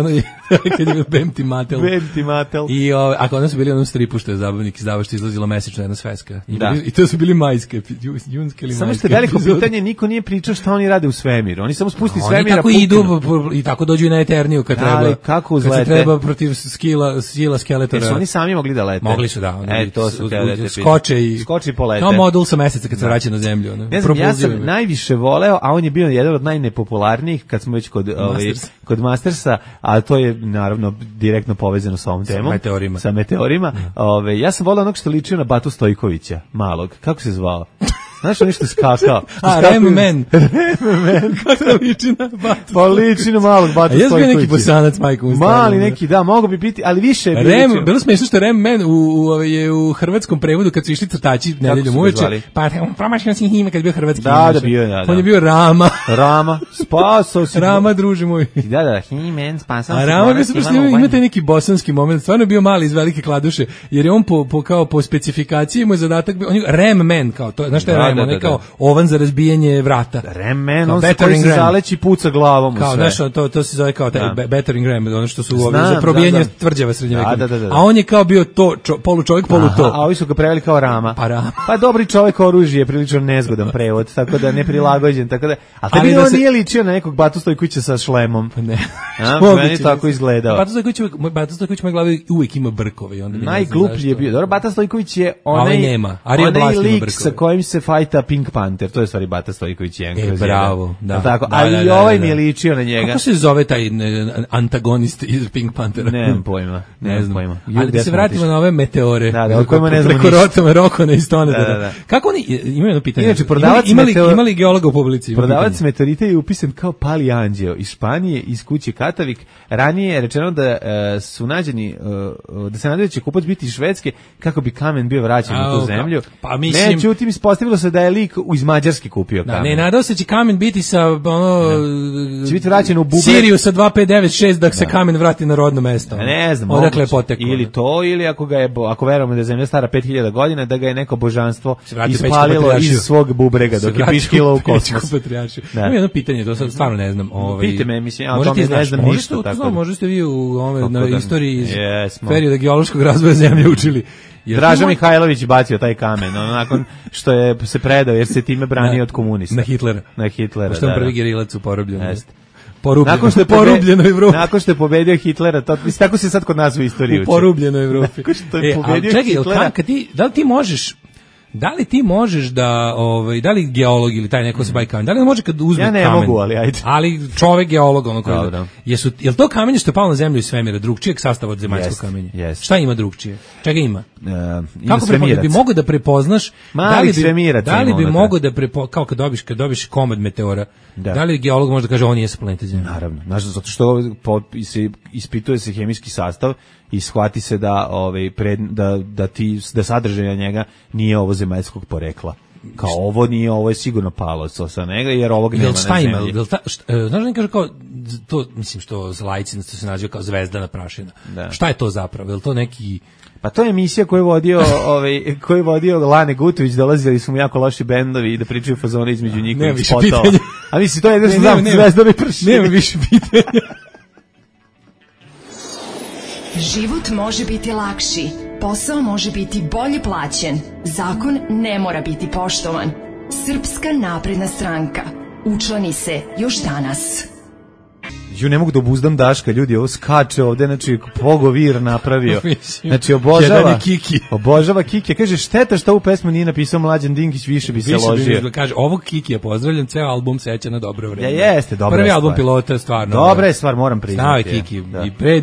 kad je Bemti Mattel. Bemti Mattel. I ako oni su bili onom stripu što je zabavnik izdavao, što izlazila mesečno jedna sveska. I to su bili majske, junske ili majske. Samo što je veliko pitanje, niko nije pričao šta oni rade u svemiru. Oni samo spusti svemira. Tako idu i tako dođu i na Eterniju kad treba. Kako kad se treba protiv sila skeletora. Jer su oni sami mogli da lete. Mogli su, da. To su skoče i polete. Kao modul sa meseca kad se vraća na zemlju. Ne znam, ja sam najviše voleo, a on je bio jedan od najnepopularnijih kad smo već kod Mastersa, a to je naravno direktno povezano sa ovom temom. Sa meteorima. Ja sam voleo onog što ličio na Batu Stojkovića, malog. Kako se zvao? Znaš on što je skakao? Rem-man. Kako liči na Batu? Pa liči na malog Batu Stojkovića. A jes bio neki bosanac, majko? Mali neki, da, mogo bi biti, ali više je bilo. Bilo smiješno što Rem-man u hrvatskom prevodu kad su išli crtači nedeljom uveče, pa promašio si ime kad je bio hrvatski. Da, bio je, da. On je bio Rama. Rama, spasao si. Rama, druže moj. Da, He-Man, spasao si. A Rama bio se imate neki bosanski moment, stvarno je bio mali iz velike kladuše, jer je on po specifikaciji mu je zadatak, on je Rem-man, kao to, znaš šta je Rem, on je kao ovan za razbijanje vrata. Rem-man, on se zaleći puca glavom u sve. Kao, znaš, to se zove kao battering ram, ono što su za probijanje tvrđava srednjovjekovne. A on je kao bio to, polu čovjek, polu to. A ovi su ga preveli kao Rama. Pa Rama. Pa dobri čovjek oružje je prilično nezgodan prevod, tako da neprilagođen, tako da. A tebi on nije ličio na nekog Batu Stojkovića sa šlemom. Ne. Meni tako izgledao. Bata Stojković moj glavi uvijek ima brkove. Najgluplji je bio. Dobro, Bata Stojković je onaj lik sa kojim se fajta Pink Panther. To je stvari Bata Stojković jedan. Bravo. Da. Tako, ali i ovaj mi je ličio na njega. Kako se zove taj antagonist iz Pink Panthera? Nemam pojma. Ne znam pojma. Ali da se vratimo na ove meteore. Da, o kojima ne znamo ništa. Preko Rokona i Stoneda. Kako oni, imaju jedno pitanje. Inače, imali geologa u publici? Prodavac meteorita je upisan kao Pali Anđeo iz Španije, iz kuće Katavik. Ranije je rečeno da su nađeni, da se nadaju da će kupac biti iz Švedske kako bi kamen bio vraćen u tu zemlju. Pa mislim... Međutim, ispostavilo se da je lik iz Mađarske kupio kamen. Ne, nadao se će kamen biti sa će biti vraćen u bubre. Siriju sa 2596 da se kamen vrati na rodno mesto. Ne znam, odakle je poteklo. Ili to, ili ako verujemo da je zemlja stara 5000 godina, da ga je neko božanstvo ispalilo iz svog bubrega dok je piškilo u kosmos. Imam jedno pitanje, to sad stvarno ne znam. Pite me, mislim, a o tome ne znam ništa. Možda ste vi na istoriji iz perioda geološkog razvoja zemlje učili. Draža Mihajlović bacio taj kamen, nakon što je se predao jer se time branio od komunista. Na Hitlera. Što je prvi gerilac u porobljenu. Nakon što je pobedio Hitlera, tako se sad kod nas u istoriji uči. U porubljenoj Evropi. Nakon što je pobedio Hitlera. Da li ti možeš da da li geolog ili taj neko se bavi kamen, da li može kad uzme kamen? Ja ne mogu, ali ajde. Ali čovek geolog jel to kamenje što je palo na zemlju iz svemira drugčijeg sastava od zemaljskog kamenja? Yes. Šta ima drugčije? Čega ima? Kako bi mogao da prepoznaš da li bi mogao da kao kad dobiš komad meteora, da li geolog može da kaže on nije sa planete Zemlje? Naravno, zato što ispituje se hemijski sastav i shvati se da da sadržaj njega nije ovo zemaljskog porekla. Kao ovo nije, ovo je sigurno palo sa njega, jer ovog nema na zemlji. Znaš da kaže kao, to mislim što laici se naziva kao zvezdana prašina. Šta je to zapravo? Je li to neki... Pa to je emisija koju je vodio Lane Gutović, dolazili su mu jako loši bendovi i da pričaju fazone između njihovih spotova. A mislim, to je jedno što znam, zvezdani prašina. Nema više pitanja. Život može biti lakši, posao može biti bolje plaćen, zakon ne mora biti poštovan. Srpska napredna stranka. Učlani se još danas. Ne mogu da obuzdam Daška, ljudi, ovo skače ovde, znači pogovir napravio. Znači obožava Kiki. Kaže, šteta što ovu pesmu nije napisao Mlađan Dinkić, više bi se ložio. Kaže, ovog Kikija pozdravljam, ceo album seća na dobro vreme. Jeste, dobra Prvi album Pilota, stvarno. Dobra je stvar, moram priznati. Znao je Kiki i pre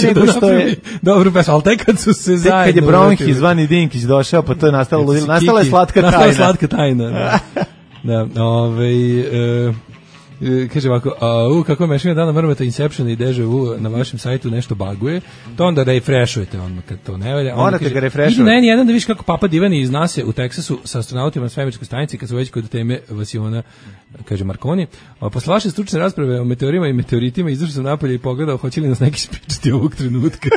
nego što je dobro pesma, ali tek kad su se zajedno... Tek kad je Bronhi zvani Dinkić došao, pa to je nastala je slatka tajna. Nastala slatka tajna, da. Kaže ovako, kako mešanje dana mrmeta Inception i Deja Vu na vašem sajtu nešto baguje, to onda refreshujete odmah kad to ne valja. Morate ga refreshujete. Idi na N1 da vidiš kako Papa Divani iz NASA u Teksasu sa astronautima na svemirskoj stanici, kad su već kod teme vasiona, kaže Marconi. Posle vaše stručne rasprave o meteorima i meteoritima izašao sam napolje i pogledao hoće li nas neki spriječiti ovog trenutka.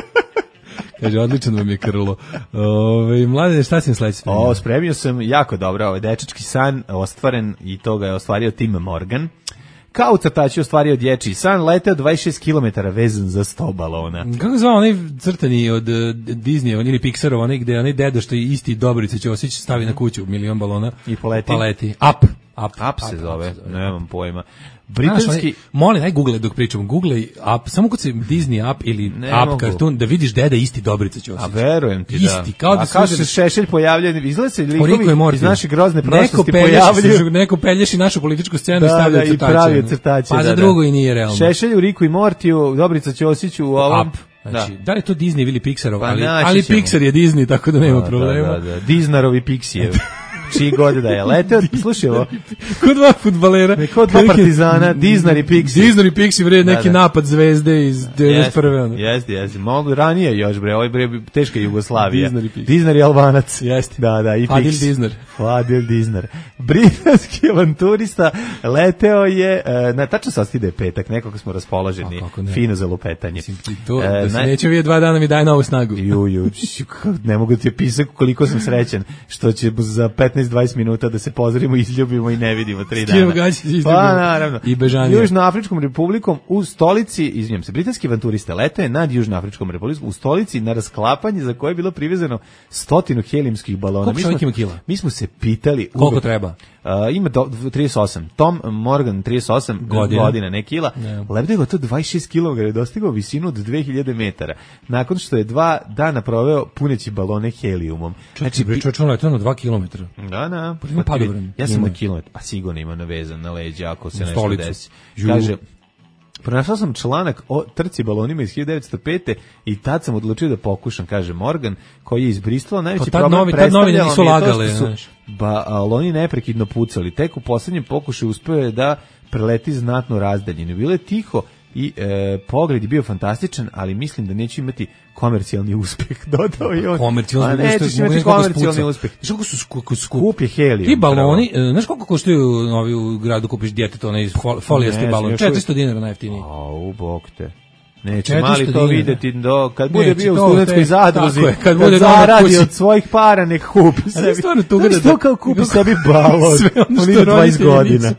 Kaže, odličan vam je Krlo. Mladene, šta si im sledeći spremio? Spremio sam jako dobro, dečački san ostvaren i to ga je ostvario Tim Morgan. Kao crtač je ostvario dječji san, leteo 26 km vezan za 100 balona. Kako zvao onaj crtani od Disneya, ili Pixarova, onaj gde onaj deda što je isti Dobrica Ćosić stavi na kuću milion balona i poleti. Up se zove, nemam pojma. Britanski... Molim, aj google dok pričam. Google Up, samo kod se Disney Up ili Up Cartoon, da vidiš deda isti Dobrica Ćosić. A verujem ti, da. Isti, kao da kao se Šešelj pojavljaju, izgleda se likovi iz naše grozne prošlosti pojavljaju. Neko pelješi našu političku scenu i stavlja crtače. I pravi crtače. Pa za drugo i nije realno. Šešelj u Riku i Mortiju, Dobrica Ćosiću u ovom... Up. Znači, da li je to Disney ili Pixarov, ali Pixar je Disney, tako da nema problema. Da. Disnerovi Pixijev. Čiji god da je leteo, slušaj ovo. Kod dva fudbalera. Kod dva partizana, Disney i Pixi. Disney i Pixi, bre, neki napad zvezde iz 91. Jeste. Mogu ranije još, bre, ovo je bre, teška Jugoslavija. Disney i Albanac. Jeste. Da, i Pixi. Fadil Disner. Britanski avanturista leteo je, tačno se ostide petak, nekako smo raspoloženi, fino za lupetanje. Da se neće vidjeti 2 dana mi daje novu snagu. Ne mogu ti opisati koliko sam srećan, što će za 15-20 minuta da se pozdravimo, izljubimo i ne vidimo 3 dana. Pa naravno. I bežanije. Južnoafričkom republikom u stolici, izvinjam se, britanski avanturista leteo nad Južnoafričkom republikom u stolici na rasklapanje za koje je bilo privezano 100 helijumskih balona. Koliko ima kila? Mi smo se pitali koliko treba. Ima 38. Tom Morgan 38 godina, ne kila. Lebdeo je to 26 kg, je dostigao visinu od 2000 metara. Nakon što je 2 dana proveo puneći balone helijumom. Znači, pričao je to na 2 km. Da. Ja sam od kilometra, pa sigurno ima navezan na leđa ako se nešto desi. Kaže, pronašao sam članak o trci balonima iz 1905. i tad sam odlučio da pokušam, kaže Morgan, koji je iz Bristola. Najveći problem predstavljalo mi je to što su baloni neprekidno pucali. Tek u poslednjem pokušaju uspeo je da preleti znatno razdaljeno. Bilo je tiho i pogled je bio fantastičan, ali mislim da neću imati komercijalni uspeh, dodao i on. Nećeš imati komercijalni uspeh. Znaš koliko su skup je helijum. Ti baloni, znaš koliko koštaju u gradu kupiš djetetu, onaj folijasti balon, $400 najjeftiniji. Au, bog te. Neće mali to videti, kad bude bio u studentskoj zadruzi, kad zaradi od svojih para, nek kupi sebi. Što kao kupi sebi balon, on ide 20 godina.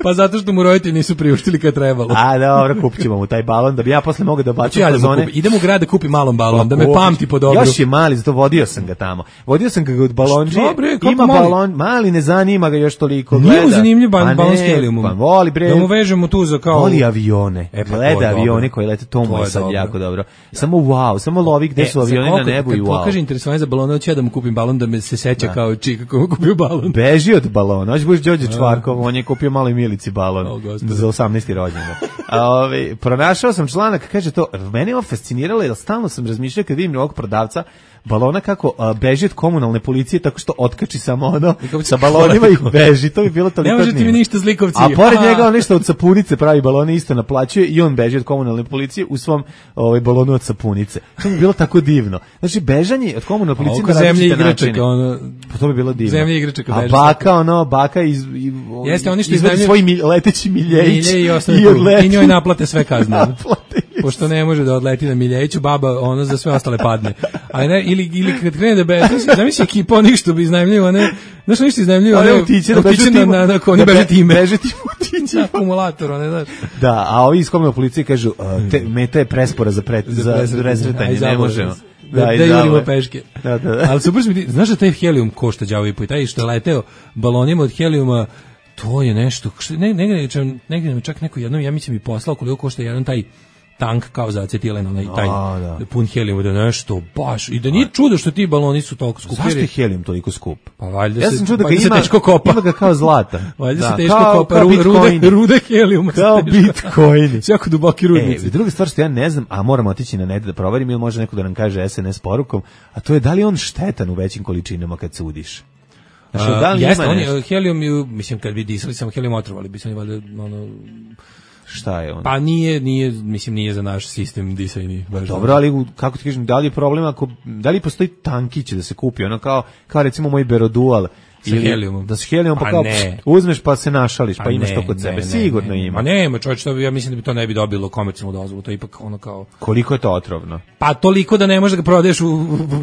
Pa zato što mu roditelji nisu priuštili kad trebalo. A dobro, kupit ćemo mu taj balon, da bi ja posle mogao da bacim fazone. Idem u grad da kupim malom balon, da me pamti po dobru. Još je mali, zato vodio sam ga tamo. Vodio sam ga od balonđije, ima balon, mali, ne zanima ga još toliko. Nije mu zanimljiv balon s helijumom. Pa voli, bre. Da mu vežemo tu za kao... Voli avione, gleda avione koji lete, to mu je sad jako dobro. Samo wow, samo lovi gde su avioni na nebu i wow. Kad pokaže interesovanje za balone, hoće da mu kupim balon da me se seća kao čika kako mu kupio balon. Beži od balona, hoće buš Đorđe Čvarkov, on je kupio maloj Milici balon za 18. rođendan. Pronašao sam članak, kaže to, mene je fasciniralo jer stalno sam razmišljao kad vidim ovog prodavca balona kako beži od komunalne policije tako što otkači samo ono sa balonima i beži, to bi bilo toliko. Ne možete mi ništa zlikovci. A pored njega on nešto od sapunice pravi balone isto naplaćuje i on beži od komunalne policije u svom balonu od sapunice. To bi bilo tako divno. Znači bežanje od komunalne policije na različite načine. Pa to bi bilo divno. Zemlje igračaka beži. A baka jeste oni što iznajmljuju svoj leteći miljejić i njoj naplate sve kazne. Pošto ne može da odleti na miljejiću, baba ono za sve ostale padne. A ne, ili kad krene da beže, zamisli ekipa onih što bi iznajmljuju, znaš oni što iznajmljuju, one utiće na konji beže time. Beže tim utiće. Akumulator, one, znaš. Da, a ovi iz komunalne policije kažu, meta je prespora za presretanje, ne možemo. Da jurimo peške. Da. Ali super mi, znaš da taj helijum košta đavo i po, taj što je leteo balonima od helijuma, to je nešto, negdje čak neko jednom, ja mislim, mi poslao koliko košta jedan taj tank kao za acetilen, onaj taj pun helijuma, da nešto baš, i da nije čudo što ti baloni su toliko skupi. Zašto je helijum toliko skup? Pa valjda ja sam čuo da ga ima teško kopa. Ima ga kao zlata. Valjda se teško kopa, rude helijuma. Kao bitcoini. Jako duboki rudnici. Druga stvar što ja ne znam, a moram otići na net da proverim, ili može neko da nam kaže SNS porukom, a to je da li on štetan u većim količinama kad sudiš. Jeste, on je helijum, mislim, kad bi disali samo helijum otrovali, bi se oni valjda, ono... Šta je on? Pa nije za naš sistem disajni. Dobro, ali kako ti kažem, da li je problem da li postoji tankić da se kupi, ono kao recimo moj Berodual, sa helijumom. Da se helijumom pa kao uzmeš pa se našališ, pa imaš to kod sebe. Sigurno ima. Ma nema, čovječ, ja mislim da bi to ne bi dobilo komercijalnu dozvolu, to je ipak ono kao... Koliko je to otrovno? Pa toliko da ne možeš da ga prodaješ u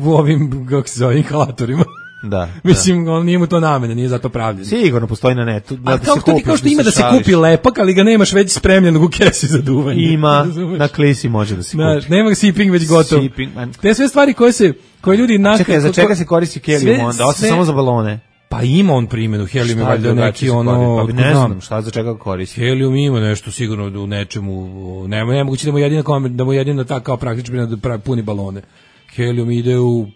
ovim, kako se zove, inhalatorima. Da. Mislim, on nije mu to namene, nije zato pravljen. Sigurno postoji na netu. Da se kupi, kao što ima da se kupi lepak, ali ga nemaš već spremljenog u kesi za duvanje. Ima, na klisi može da se kupi. Nema ga sipping već gotov. Te sve stvari koje ljudi... Čekaj, za čega se koristi helijum onda? Osim samo za balone? Pa ima on primjenu, helijum je valjda neki ono... Pa ne znam šta za čega koristi. Helijum ima nešto sigurno u nečemu, nemoguće da mu jedina ta kao praktično da puni balone. Helijum ide u...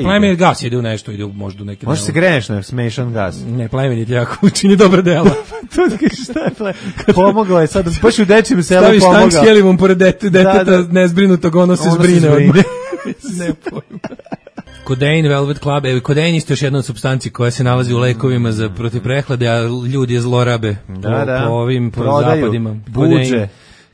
Plemeni gas ide u nešto, ide možda u neke... Može se greješ na smešan gas. Ne, plemeni ti jako učini dobra dela. To ti kažeš šta je plemeni. Pomogao je sad, baš u dečijem selu pomogao. Staviš tank s helijumom pored deteta nezbrinutog, ono se zbrine od me. Ne pojma. Kodein, Velvet Club, kodein isto još jedna od supstanci koja se nalazi u lekovima za protiv prehlade, a ljudi je zlorabe po ovim zapadima. Buđe.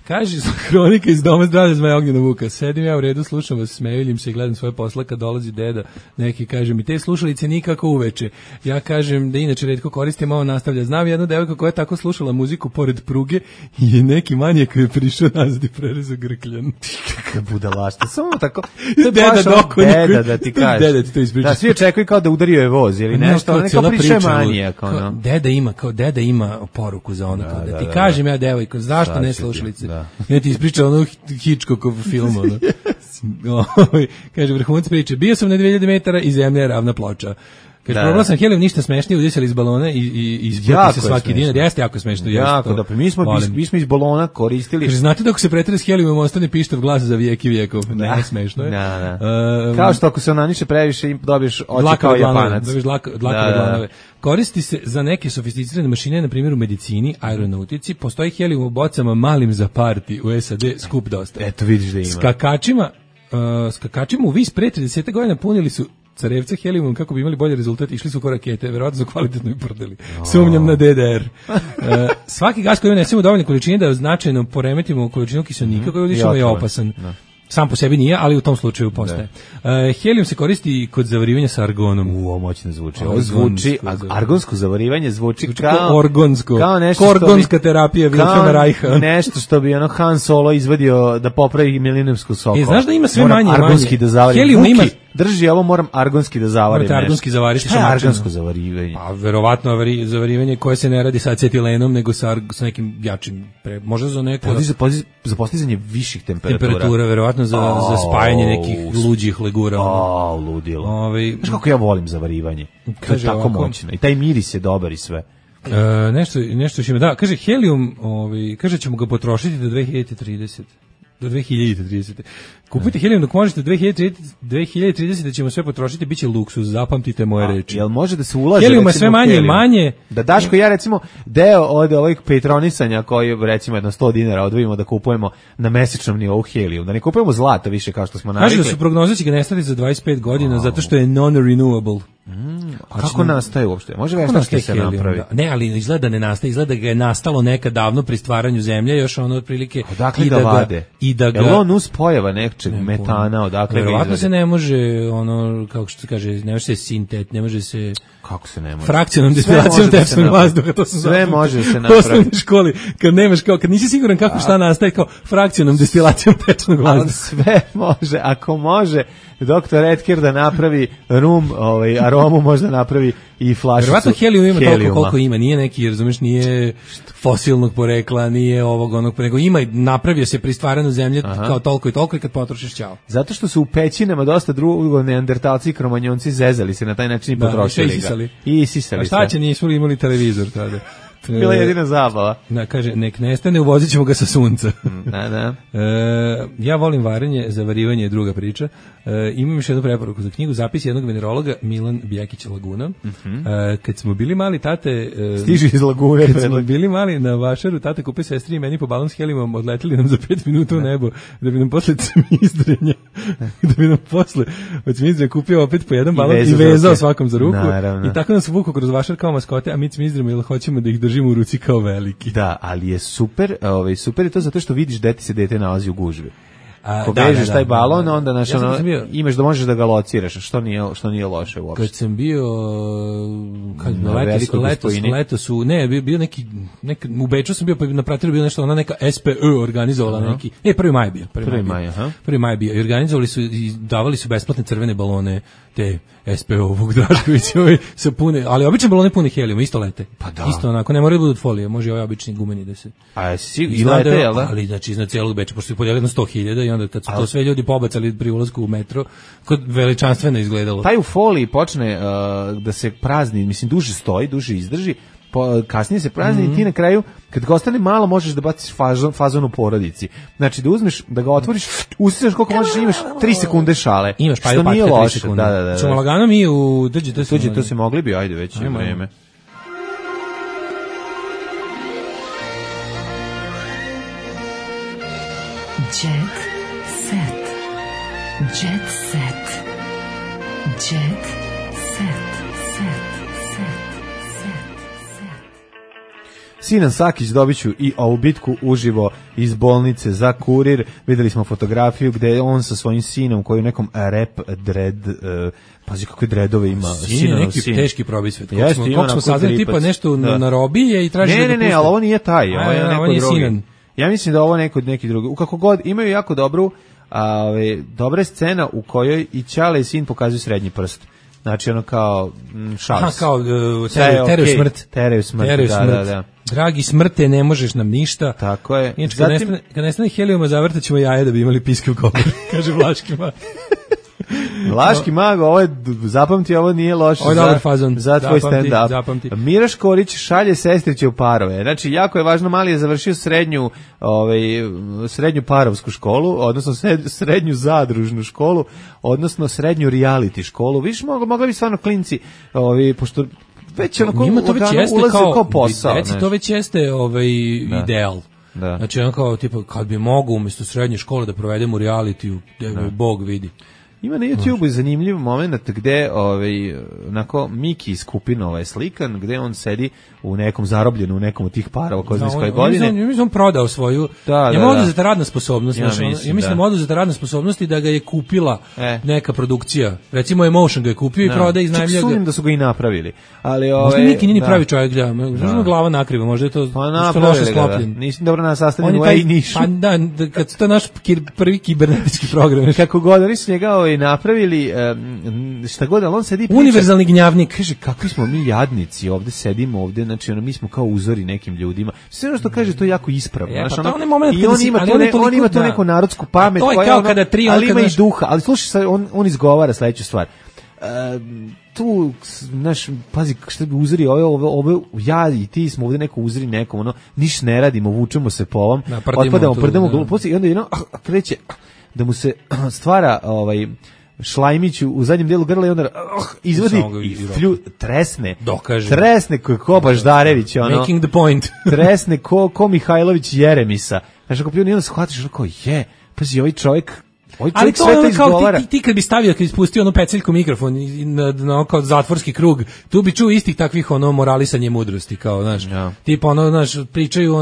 Kaže Hronika iz Doma zdravlja Zmaja Ognjena Vuka. Sedim ja u redu, slušam vas, smejuljim se i gledam svoje posla kad dolazi deda. Neki kaže mi, te slušalice nikako uveče. Ja kažem da inače retko koristim, ovo nastavlja. Znam jednu devojku koja je tako slušala muziku pored pruge i neki manijak koji je prišao nazad i prerezao grkljan. Kakva budalašta, samo tako. Deda da ti kažeš. Deda ti to ispriča. Da, svi očekuju kao da udario je voz ili nešto, neka priše manijak. Deda ima poruku za ono, da ti kažem ja devojko, zašto ne slušalice? Ja ti ispričao ono Hitchcockov film, ono. Kaže, vrhunac priče, bio sam na 2000 metara i zemlja je ravna ploča. Kaže, probala sam helijum, ništa smešnije, udisali iz balona i isputi se svaki dinar. Jeste jako smešno. Jako, da, mi smo iz balona koristili. Kaže, znate da ako se pretere s helijumom ostane pištav glas za vijek i vijekov? Ne, smešno je. Kao što ako se onaniše previše i dobiješ oči kao Japanac. Dobiješ dlakove dlanove. Koristi se za neke sofisticirane mašine, na primjer u medicini, aeronautici. Postoji helijum u bocama malim za parti u SAD, skup dosta. Eto, vidiš da ima. Skakačima u vis pre 30 godina punili su carevca helijumom kako bi imali bolji rezultat, išli su ko rakete, verovatno su kvalitetno i prdeli. Sumnjam na DDR. Svaki gas koji unesemo dovoljne količine da značajno poremetimo količinu kiselnika koji udišemo je opasan. Sam po sebi nije, ali u tom slučaju postaje. Helijum se koristi kod zavarivanja sa argonom. Moćno zvuči. Ovo zvuči, argonsko zavarivanje zvuči kao orgonsko. Kao nešto orgonska terapija Wilhelma Reicha. Nešto što bi ono Han Solo izvadio da popravi milenijumsku soku. Znaš da ima sve manje i manje. Da zavarim. Helijum ima... Drži, ovo moram argonski da zavarim. Morate argonski zavariti. Šta je argonsko zavarivanje? Pa, verovatno zavarivanje koje se ne radi sa acetilenom, nego sa nekim jačim, možda za neko... Za postizanje viših temperatura. Temperatura, verovatno za spajanje nekih luđih legura. Ludilo. Znaš kako ja volim zavarivanje? To je tako moćno. I taj miris je dobar i sve. Nešto što ima, da, kaže helijum, kaže ćemo ga potrošiti do 2030. Do 2030. Kupite helijum dok možete, 2030 ćemo sve potrošiti, bit će luksuz, zapamtite moje reči. Jel može da se ulaže? Helijuma sve manje i manje. Da Daško ja recimo deo od ovih petronisanja koji recimo jedno 100 dinara odvojimo da kupujemo na mesečnom nivou helijum, da ne kupujemo zlata više kao što smo navikli. Kaže da su prognoze će ga nestati za 25 godina zato što je non-renewable. A kako nastaje uopšte? Može veštački se napravi? Ne, ali izgleda da ne nastaje, izgleda da ga je nastalo nekad davno pri stvaranju zemlje, još ono otprilike i da ga... Jel on uspojava nečeg metana, odakle ga izvede? Verovatno se ne može, ono, kako što se kaže, ne može se sintet, ne može se... Kako se ne može? Frakcionom destilacijom tečnog vazduha, to sam sve može se napraviti. U osnovnoj školi, kad nemaš kao, kad nisi siguran kako šta nastaje, kao frakcionom destilacijom tečnog vazduha. Ali sve može, ako može doktor Edker da napravi rum, aromu, možda napravi i flašicu. Verovatno helijum ima toliko koliko ima, nije neki, razumeš, nije fosilnog porekla, nije ovog onog, nego ima, napravio se pri stvaranju zemlje kao toliko i toliko i kad potrošiš ćao. Zato što su u pećinama dosta drugo neandertalci i kromanjonci zezali se na taj način i potrošili ga. I isisali. A šta će, nisu imali televizor tada? Bila je jedina zabava. Da, kaže, nek nestane, uvozit ćemo ga sa sunca. Da. Ja volim varenje, zavarivanje je druga priča. Imam još jednu preporuku za knjigu, zapis jednog venerologa, Milan Bjekić Laguna. Kad smo bili mali, tate... Stiži iz Lagune. Kad smo bili mali na Vašaru, tate kupio sestri i meni po balon s helijumom, odleteli nam za 5 minuta u nebo, da bi nam posle cmizdrenja, od cmizdrenja kupio opet po jedan balon i vezao svakom za ruku. Naravno. I tako nas vuku kroz Vašar kao maskote, a mi cmizdremo jer hoćemo da ih držimo u ruci kao veliki. Da, ali je super, super je to zato što vidiš gde ti se dete nalazi u gužvi. Ako vežeš taj balon, onda imaš da možeš da ga lociraš, što nije loše uopšte. Kad sam bio letos bio neki u Beču sam bio, pa na Prateru bio nešto, ona neka SPÖ organizovala neki. 1. maj bio. 1. maj bio. I organizovali su i davali su besplatne crvene balone, te SPÖ-ovog Draškovića, sa pune, ali obične balone pune helijuma, isto lete. Pa da. Isto onako, ne moraju da budu od folije, može i ovaj obični gumeni da se. A i lete, jel da? Ali znači iznad celog Beča, pošto je podelili na 100.000 i onda kad su to sve ljudi pobacali pri ulasku u metro, kod veličanstveno izgledalo. Taj u foliji počne da se prazni, mislim duže stoji, duže izdrži, kasnije se prazni i ti na kraju, kad ga ostane malo, možeš da baciš fazon u porodici. Znači da uzmeš, da ga otvoriš, usisneš koliko možeš i imaš 3 sekunde šale. Imaš što nije loše. Da. Čemo lagano mi u... Tuđi, to se mogli bi, ajde već je vreme. Jet set. Jet set. Jet set. Sinan Sakić dobit ću i ovu bitku uživo iz bolnice za Kurir. Videli smo fotografiju gde je on sa svojim sinom koji u nekom rap dread, pazi kakve dredove ima. Sin je neki teški probisvet. Kako smo saznali tipa nešto na robije i traži da ga pusti. Ne, ali ovo nije taj, ovo je neko drugi. Ja mislim da ovo neki drugi. U kako god imaju jako dobra scena u kojoj i Ćale i sin pokazuju srednji prst. Znači ono kao šals. Kao teraju smrt. Da. Dragi smrte, ne možeš nam ništa. Tako je. Inače, kad nestane helijuma, zavrtat ćemo jaje da bi imali piske u govor, kaže Vlaški mag. Vlaški mag, zapamti, ovo nije loše za tvoj stand-up. Mira Škorić šalje sestriće u parove. Znači, jako je važno, mali je završio srednju parovsku školu, odnosno srednju zadružnu školu, odnosno srednju reality školu. Viš, mogli bi stvarno klinci, pošto već onako ulaze kao posao. To već jeste ideal. Da. Znači, on kao, tipa, kad bi mogu umjesto srednje škole da provedemo u realitiju, da Bog vidi. Ima na YouTubeu zanimljiv moment gde onako Miki iz Kupinova je slikan, gde on sedi u nekom zarobljenu, u nekom od tih parova ko zna iz koje godine. Ja mislim on prodao svoju, oduzeta radna sposobnost. Ja mislim oduzeta radna sposobnost i da ga je kupila neka produkcija. Recimo Emotion ga je kupio i prodaje iz najmljega. Čak sumnjam da su ga i napravili. Ali možda Miki nije pravi čovjek, možda glava nakriva, možda je to loše sklopljen. Nisi dobro nasastavljen u Niš. Pa da, kad to je naš prvi kibernetički program. Kako god, oni su njega napravili šta god, ali on sedi priča. Univerzalni gnjavnik. Kaže, kakvi smo mi jadnici, ovde sedimo ovde, znači mi smo kao uzori nekim ljudima. Sve ono što kaže, to je jako ispravno. I on ima tu neku narodsku pamet, ali ima i duha. Ali slušaj, on izgovara sledeću stvar. Tu, znaš, pazi, šta bi uzori, ove, ja i ti smo ovde neko uzori nekom, niš ne radimo, vučemo se po ovom, otpadamo, prdemo gluposti i onda kreće da mu se stvara šlajmić u zadnjem delu grla i onda izvodi i tresne ko Baždarević, making the point. Tresne ko Mihajlović Jeremisa. Znaš, ako pljuni, onda shvatiš pazi, ovaj čovjek ali to je kao ti kad bi stavio, kad bi spustio peceljku mikrofon na kao zatvorski krug, tu bi čuo istih takvih moralisanje mudrosti, kao, znaš, tipa pričaju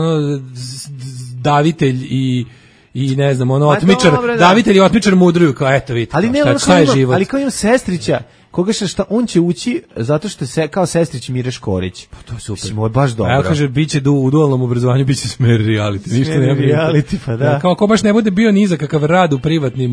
davitelj i ne znam, otmičar, davitelj i otmičar mudruju, kao eto vidite, šta je život. Ali kao imam sestrića, koga šta on će ući zato što je kao sestrić Mire Škorić. Pa to je super. Ovo je baš dobro. A ja kaže, biće u dualnom obrazovanju, biće smer reality. Ništa ne reality, pa da. Kao ko baš ne bude bio ni za kakav rad u privatnim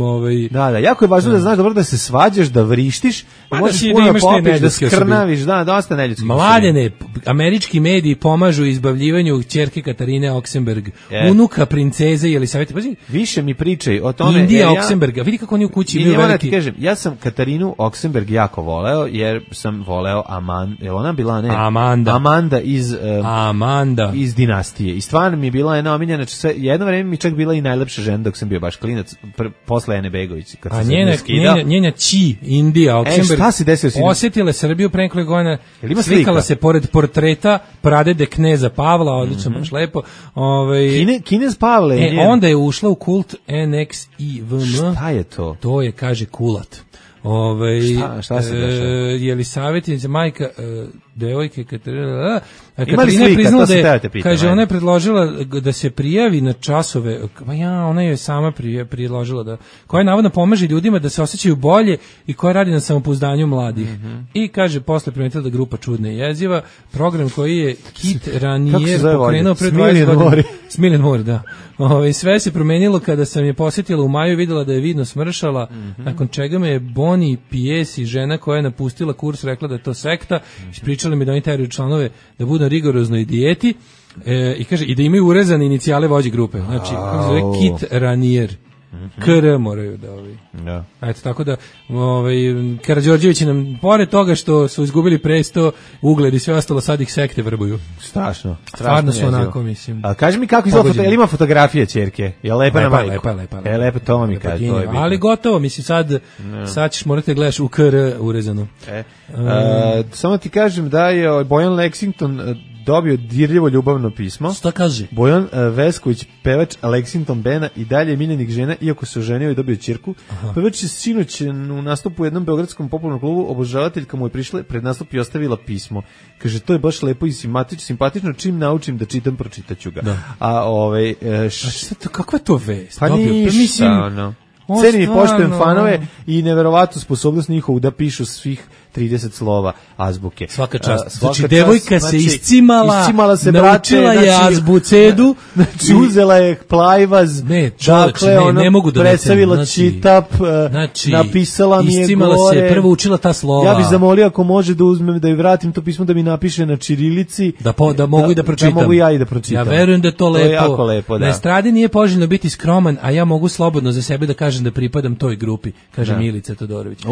Da, jako je važno da znaš dobro da se svađaš, da vrištiš, da možeš puno popiš, da skrnaviš, dosta neljudskih. Mladene, američki mediji pomažu izbavljivanju ćerke Katarine Oksenberg, unuka princeze Jelisavete. Pazi, više mi pričaj o tome. Indija Oksenberga, vidi kako oni u kući imaju veliki. Ja sam Katarinu Oksenberg jako jako voleo, jer sam voleo je ona bila, ne? Amanda iz Dinastije. I stvarno mi je bila jedna omiljena, jedno vreme mi čak bila i najlepša žena dok sam bio baš klinac, posle Ene Begović. A njena Ći, Indija, Oksenberg, šta se desilo? osjetila Srbiju pre nekoliko godina, slikala se pored portreta pradede kneza Pavla, odlično, baš lepo. Kinez Pavle. Onda je ušla u kult NXIVM. Šta je to? To je, kaže, kulat. Šta se dešava? Je li savjetnica majka devojke Katarina je priznala da je, kaže, ona je predložila da se prijavi na časove, ona je sama predložila da, koja navodno pomaže ljudima da se osjećaju bolje i koja radi na samopouzdanju mladih. I kaže, posle primetila da grupa čudna i jeziva, program koji je Kit Ranier pokrenuo pre 20 godina. Smiljan Mor, da. Sve se promenilo kada sam je posjetila u maju, videla da je vidno smršala, nakon čega me je Bonnie Piesi, žena koja je napustila kurs, rekla da je to sekta, pričala mi da oni teraju članove da budu na rigoroznoj dijeti i kaže i da imaju urezane inicijale vođe grupe. Znači, zove Kit Ranier. KR moraju da Eto, tako da Karađorđevići nam, pored toga što su izgubili presto, ugled i sve ostalo, sad ih sekte vrbuju. Strašno. Stvarno su onako, mislim. A kaži mi kako izgleda, ima fotografije ćerke? Je lepa na majku? Lepa. Lepa, to mi kaže. Ali gotovo, mislim, sad ćeš morati da gledaš u KR urezano. Samo ti kažem da je Bojan Lexington dobio dirljivo ljubavno pismo. Šta kaže? Bojan Vesković, pevač Lexington Bena, i dalje miljenik žena, iako se oženio i dobio ćerku. Pevač je sinoć u nastupu u jednom beogradskom popularnom klubu, obožavateljka mu je prišla pred nastup i ostavila pismo. Kaže, to je baš lepo i simpatično, čim naučim da čitam, pročitaću ga. Da. Kakva je to vest? Pa ništa, cenim i poštujem fanove i neverovatnu sposobnost njihovu da pišu svih 30 slova azbuke. Svaka čast. Znači, devojka se iscimala, naučila je azbucedu. Znači, uzela je plajvaz, ne mogu da predstavila čitap, napisala mi je iscimala gore. Se, prvo učila ta slova. Ja bih zamolio ako može da uzmem, da joj vratim to pismo, da mi napiše na čirilici. Da mogu i da pročitam. Da mogu ja i da pročitam. Ja verujem da je to lepo. To je jako lepo, da. Na estradi nije poželjno biti skroman, a ja mogu slobodno za sebe da kažem da pripadam toj grupi, kaže Milica Todorović.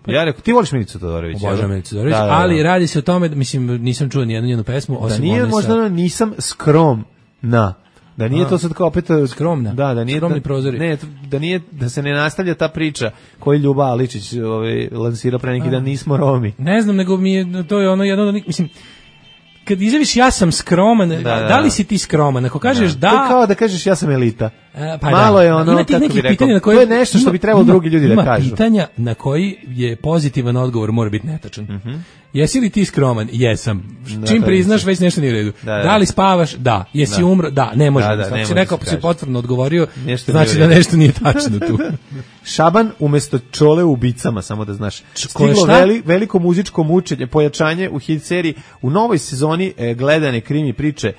Ja rekao, ti voliš Milicu Todorović? Obožavam Milicu Todorović, ali radi se o tome, mislim, nisam čuo ni jednu njenu pesmu, osim da nije možda nisam skromna. Da nije to sad kao opet skromna. Da nije skromni prozori. Ne, da nije, da se ne nastavlja ta priča koju Ljuba Aličić lansira pre neki dan, nismo Romi. Ne znam, nego mi je to je ono jedno, mislim, kad izjaviš ja sam skroman, da li si ti skroman? Ako kažeš da... To je kao da kažeš ja sam elita. Malo je ono, kako bi rekao, to je nešto što bi trebalo drugi ljudi da kažu. Ima pitanja na koji je pozitivan odgovor, mora biti netačan. Jesi li ti skroman? Jesam. Čim priznaš, već nešto nije u redu. Da li spavaš? Da. Jesi umro? Da. Ne može. Ako si rekao, si potvrdno odgovorio, znači da nešto nije tačno tu. Šaban umesto Čole u ubicama, samo da znaš. Stiglo veliko muzičko mučenje, pojačanje u hit seriji. U novoj sezoni gledane krimi priče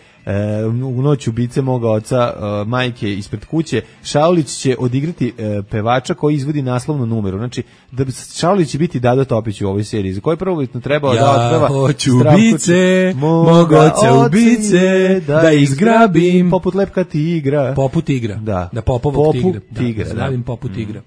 u noć ubice moga oca, majke ispred kuće, Šaulić će odigrati pevača koji izvodi naslovnu numeru. Znači, da Šaulić će biti Dado Topić u ovoj seriji, za koju prvobitno trebao da otpeva. Ja hoću ubice, moga oca ubice, da izgrabim. Poput lepka tigra. Poput tigra. Da popovog tigra. Da stavim poput tigra.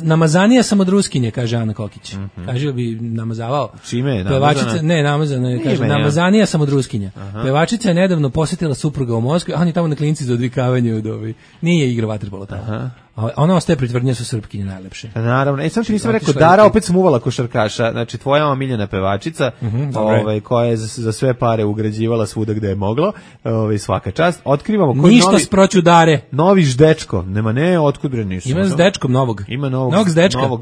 Namazanija sam od Ruskinje, kaže Ana Kokić. Kaže bi namazavao. Čime je pevačica? Ne, namazana je, kaže namazanija sam od Ruskinja. Pevačica je nedavno posjetila supruga u Moskvi, a on je tamo na klinici za odvikavanje od nije igra vaterpolo tamo. Ona ostaje pri tvrdnji su Srpkinje najlepše. Naravno. Sam ti nisam rekao, Dara opet smuvala košarkaša, znači tvoja omiljena pevačica, koja je za sve pare ugrađivala svuda gde je moglo, svaka čast. Otkrivamo koji ništa sproću Dare. Novi ždečko. Nema otkud bre nisu. Ima s dečkom novog. Ima novog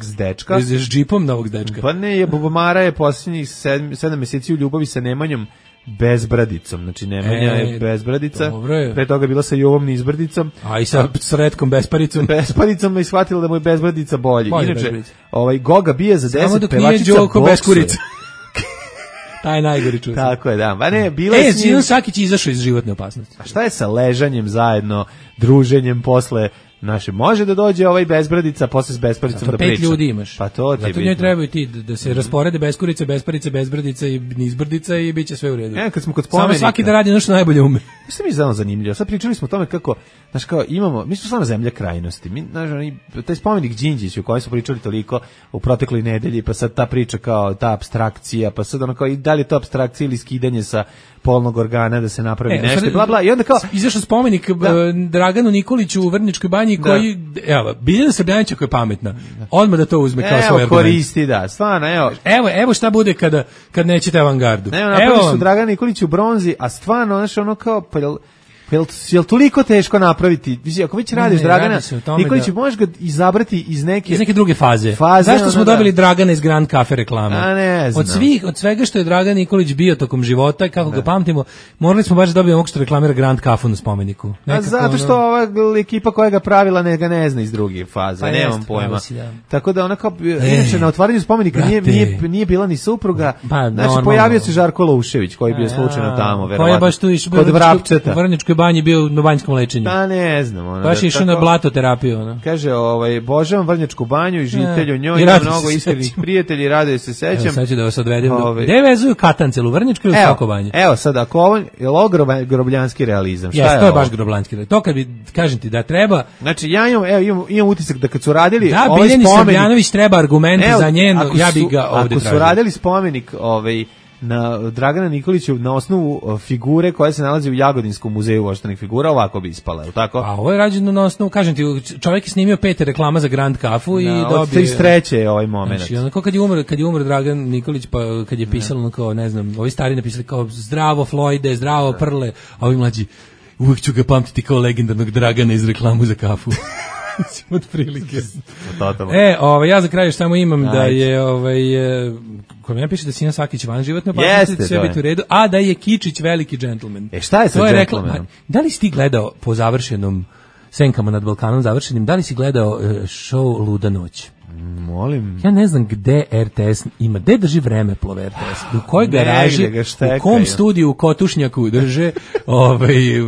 zdečka. S džipom novog zdečka. Pa ne, Bubamara je posljednjih 7 meseci u ljubavi sa Nemanjom Bezbradicom, znači Nemanja je Bezbradica, pre toga bila sa Jovom Nizbrdicom, a i sa Sretkom Besparicom. Besparicom je shvatila da mu je Bezbradica bolji. Inače, Goga bije za 10, pevačica boksuje. Taj najgori čuvar. Tako je, da. Pa ne, bila je Zidan Sakić izašao iz životne opasnosti. A šta je sa ležanjem zajedno, druženjem posle naše, može da dođe Bezbradica posle s Besparicom da priča. 5 ljudi imaš. Pa to ti zato njoj trebaju ti da se rasporede Beskurica, Besparica, Bezbradica i Nizbrdica i biće sve u redu. Kad smo kod spomenika. Samo svaki da radi nešto najbolje ume. Što mi je znamo zanimljivo? Sad pričali smo o tome kako, znaš, kao imamo, mi smo stvarno zemlja krajnosti. Mi, znaš, taj spomenik Đinđiću o kojoj smo pričali toliko u protekloj nedelji, pa sad ta priča kao ta apstrakcija, pa sad ono kao i da li je to apstrakcija ili skidanje sa polnog organa da se napravi nešto, bla bla, i onda kao izašao spomenik Draganu Nikoliću u Vrnjačkoj banji koji, evo, Biljana Srbljanića koja je pametna, odmah da to uzme kao svoj argument. Koristi, da, stvarno, evo šta bude kad nećete avangardu. Evo su Dragan Nikolić u bronzi, a stvarno, znaš, ono kao, jel toliko teško napraviti? Ako već radiš Dragana Nikolića, možeš ga izabrati iz neke druge faze. Zašto smo dobili Dragana iz Grand Cafe reklame? A ne znam. Od svega što je Dragan Nikolić bio tokom života i kako ga pamtimo, morali smo baš da dobijemo ovog što reklamira Grand Cafe na spomeniku. Zato što ova ekipa koja ga pravila ne zna iz druge faze, nemam pojma. Tako da ona kao, inače na otvaranju spomenika nije bila ni supruga, znači pojavio se Žarko Loušević koji je bio slučajno tamo, verovatno, kod Vrapčeta. Banji bio na banjskom lečenju. Da, ne znam. Ono, baš išao na blatoterapiju. Ono. Kaže, obožavam Vrnjačku banju i žitelju njoj, ima mnogo iskrenih prijatelji, raduje se sećam. Sad ću da vas odvedem. Gde vezuju Katancel, u Vrnjačku ili u Svako banju? Evo sad, ako ovo je grobljanski realizam, šta je to je baš grobljanski realizam. To kad bi, kažem ti da treba... Znači, ja imam utisak da kad su radili ovaj spomenik... Da, Biljani Srbljanović treba argument za njeno, ja bi ga ovde tražio. Ako su radili spomenik na Dragana Nikolića na osnovu figure koja se nalazi u Jagodinskom muzeju voštanih figura, ovako bi ispala, je li tako? A ovo je rađeno na osnovu, kažem ti, čovjek je snimio 5 reklama za Grand Cafu i dobio... Od 33. je ovaj moment. Znači, onako kad je umro Dragan Nikolić, pa kad je pisalo, kao, ne znam, ovi stari napisali kao zdravo Floyde, zdravo Prle, a ovi mlađi, uvijek ću ga pamtiti kao legendarnog Dragana iz reklamu za kafu. Od prilike. Ja za kraj još samo imam da je kod mene piše da Sina Sakić van životne opasnosti, sve biti u redu, a da je Kičić veliki džentlmen. Šta je sa džentlmenom? Da li si ti gledao po završenom Senkama nad Balkanom završenim, da li si gledao show Luda noć? Molim. Ja ne znam gde RTS ima, gde drži Vremeplov RTS, u kojoj garaži, u kom studiju u Kotušnjaku drže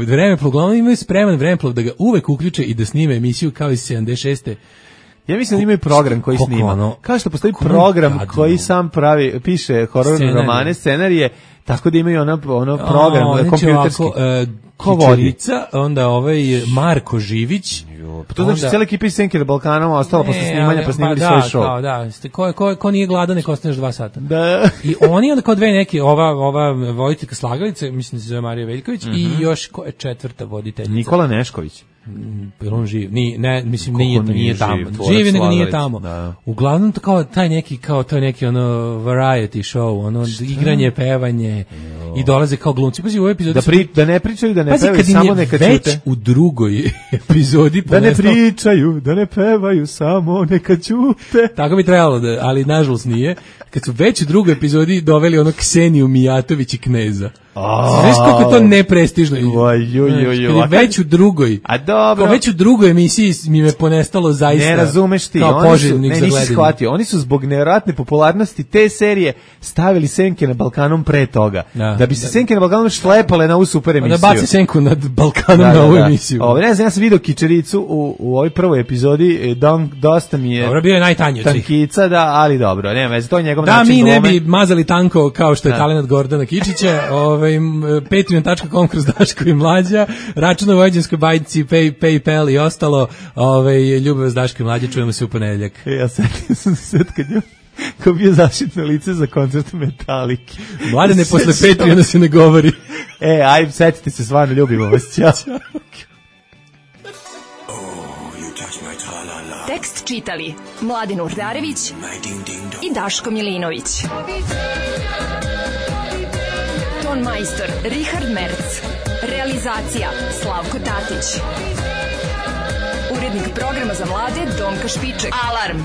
Vremeplov, uglavnom imaju spreman Vremeplov da ga uvek uključe i da snime emisiju kao iz 76. Ja mislim da imaju program koji snima. Kao što postoji program koji sam piše hororne romane, scenarije, tako da imaju ono program kompjuterski. Kičerica, onda Marko Živić. Pa to znači cijela ekipa iz Senke na Balkanom ostala posle snimanja, pa snimali svoj show. Ko nije gladan, nek ostaneš 2 sata. Da. I oni onda kao dve neke, ova voditeljka Slagalice, mislim da se zove Marija Veljković, i još ko je 4. voditeljica? Nikola Nešković. On živ, mislim nije tamo. Živi nego nije tamo. Uglavnom to kao taj neki variety show, igranje, pevanje i dolaze kao glumci. Pazi, u ovoj epizodi da ne pričaju, da ne pevaju, samo neka čute. Već u drugoj epizodi da ne pričaju, da ne pevaju, samo neka čute. Tako bi trebalo, ali nažalost nije. Kad su već u drugoj epizodi doveli Kseniju Mijatović i Kneza. Znaš kako to neprestižno? Već u drugoj. A dobro. Već u drugoj emisiji mi me ponestalo zaista. Ne razumeš ti. Nisi shvatio. Oni su zbog nevjerojatne popularnosti te serije stavili Senke na Balkanom pre toga. Da bi se Senke na Balkanom šlepale na ovu super emisiju. Da baci Senku nad Balkanom na ovu emisiju. Ne znam, ja sam vidio Kičericu u ovoj prvoj epizodi. Dosta mi je... Dobro, bio je najtanji od svih. Tankica, da, ali dobro. Nema veze, to je njegov način glume. Da, mi ne bi mazali tanko kao što je talenat Gordana Kičića. Patreon.com kroz Daško i Mlađa, račun u Vojvođanskoj bajci, PayPal i ostalo. Ljubav s Daško i Mlađa, čujemo se u ponedeljak. Ja setio sam se kad je ko bio zaštitno lice za koncert Metalike. Mladene, posle Patreona se ne govori. Ajde, setite se, stvarno ljubimo vas. Ćao. Tekst čitali Mladen Urdarević i Daško Milinović. Ton majstor Richard Merc. Realizacija Slavko Tatić. Urednik programa za mlade Donka Špiček. Alarm!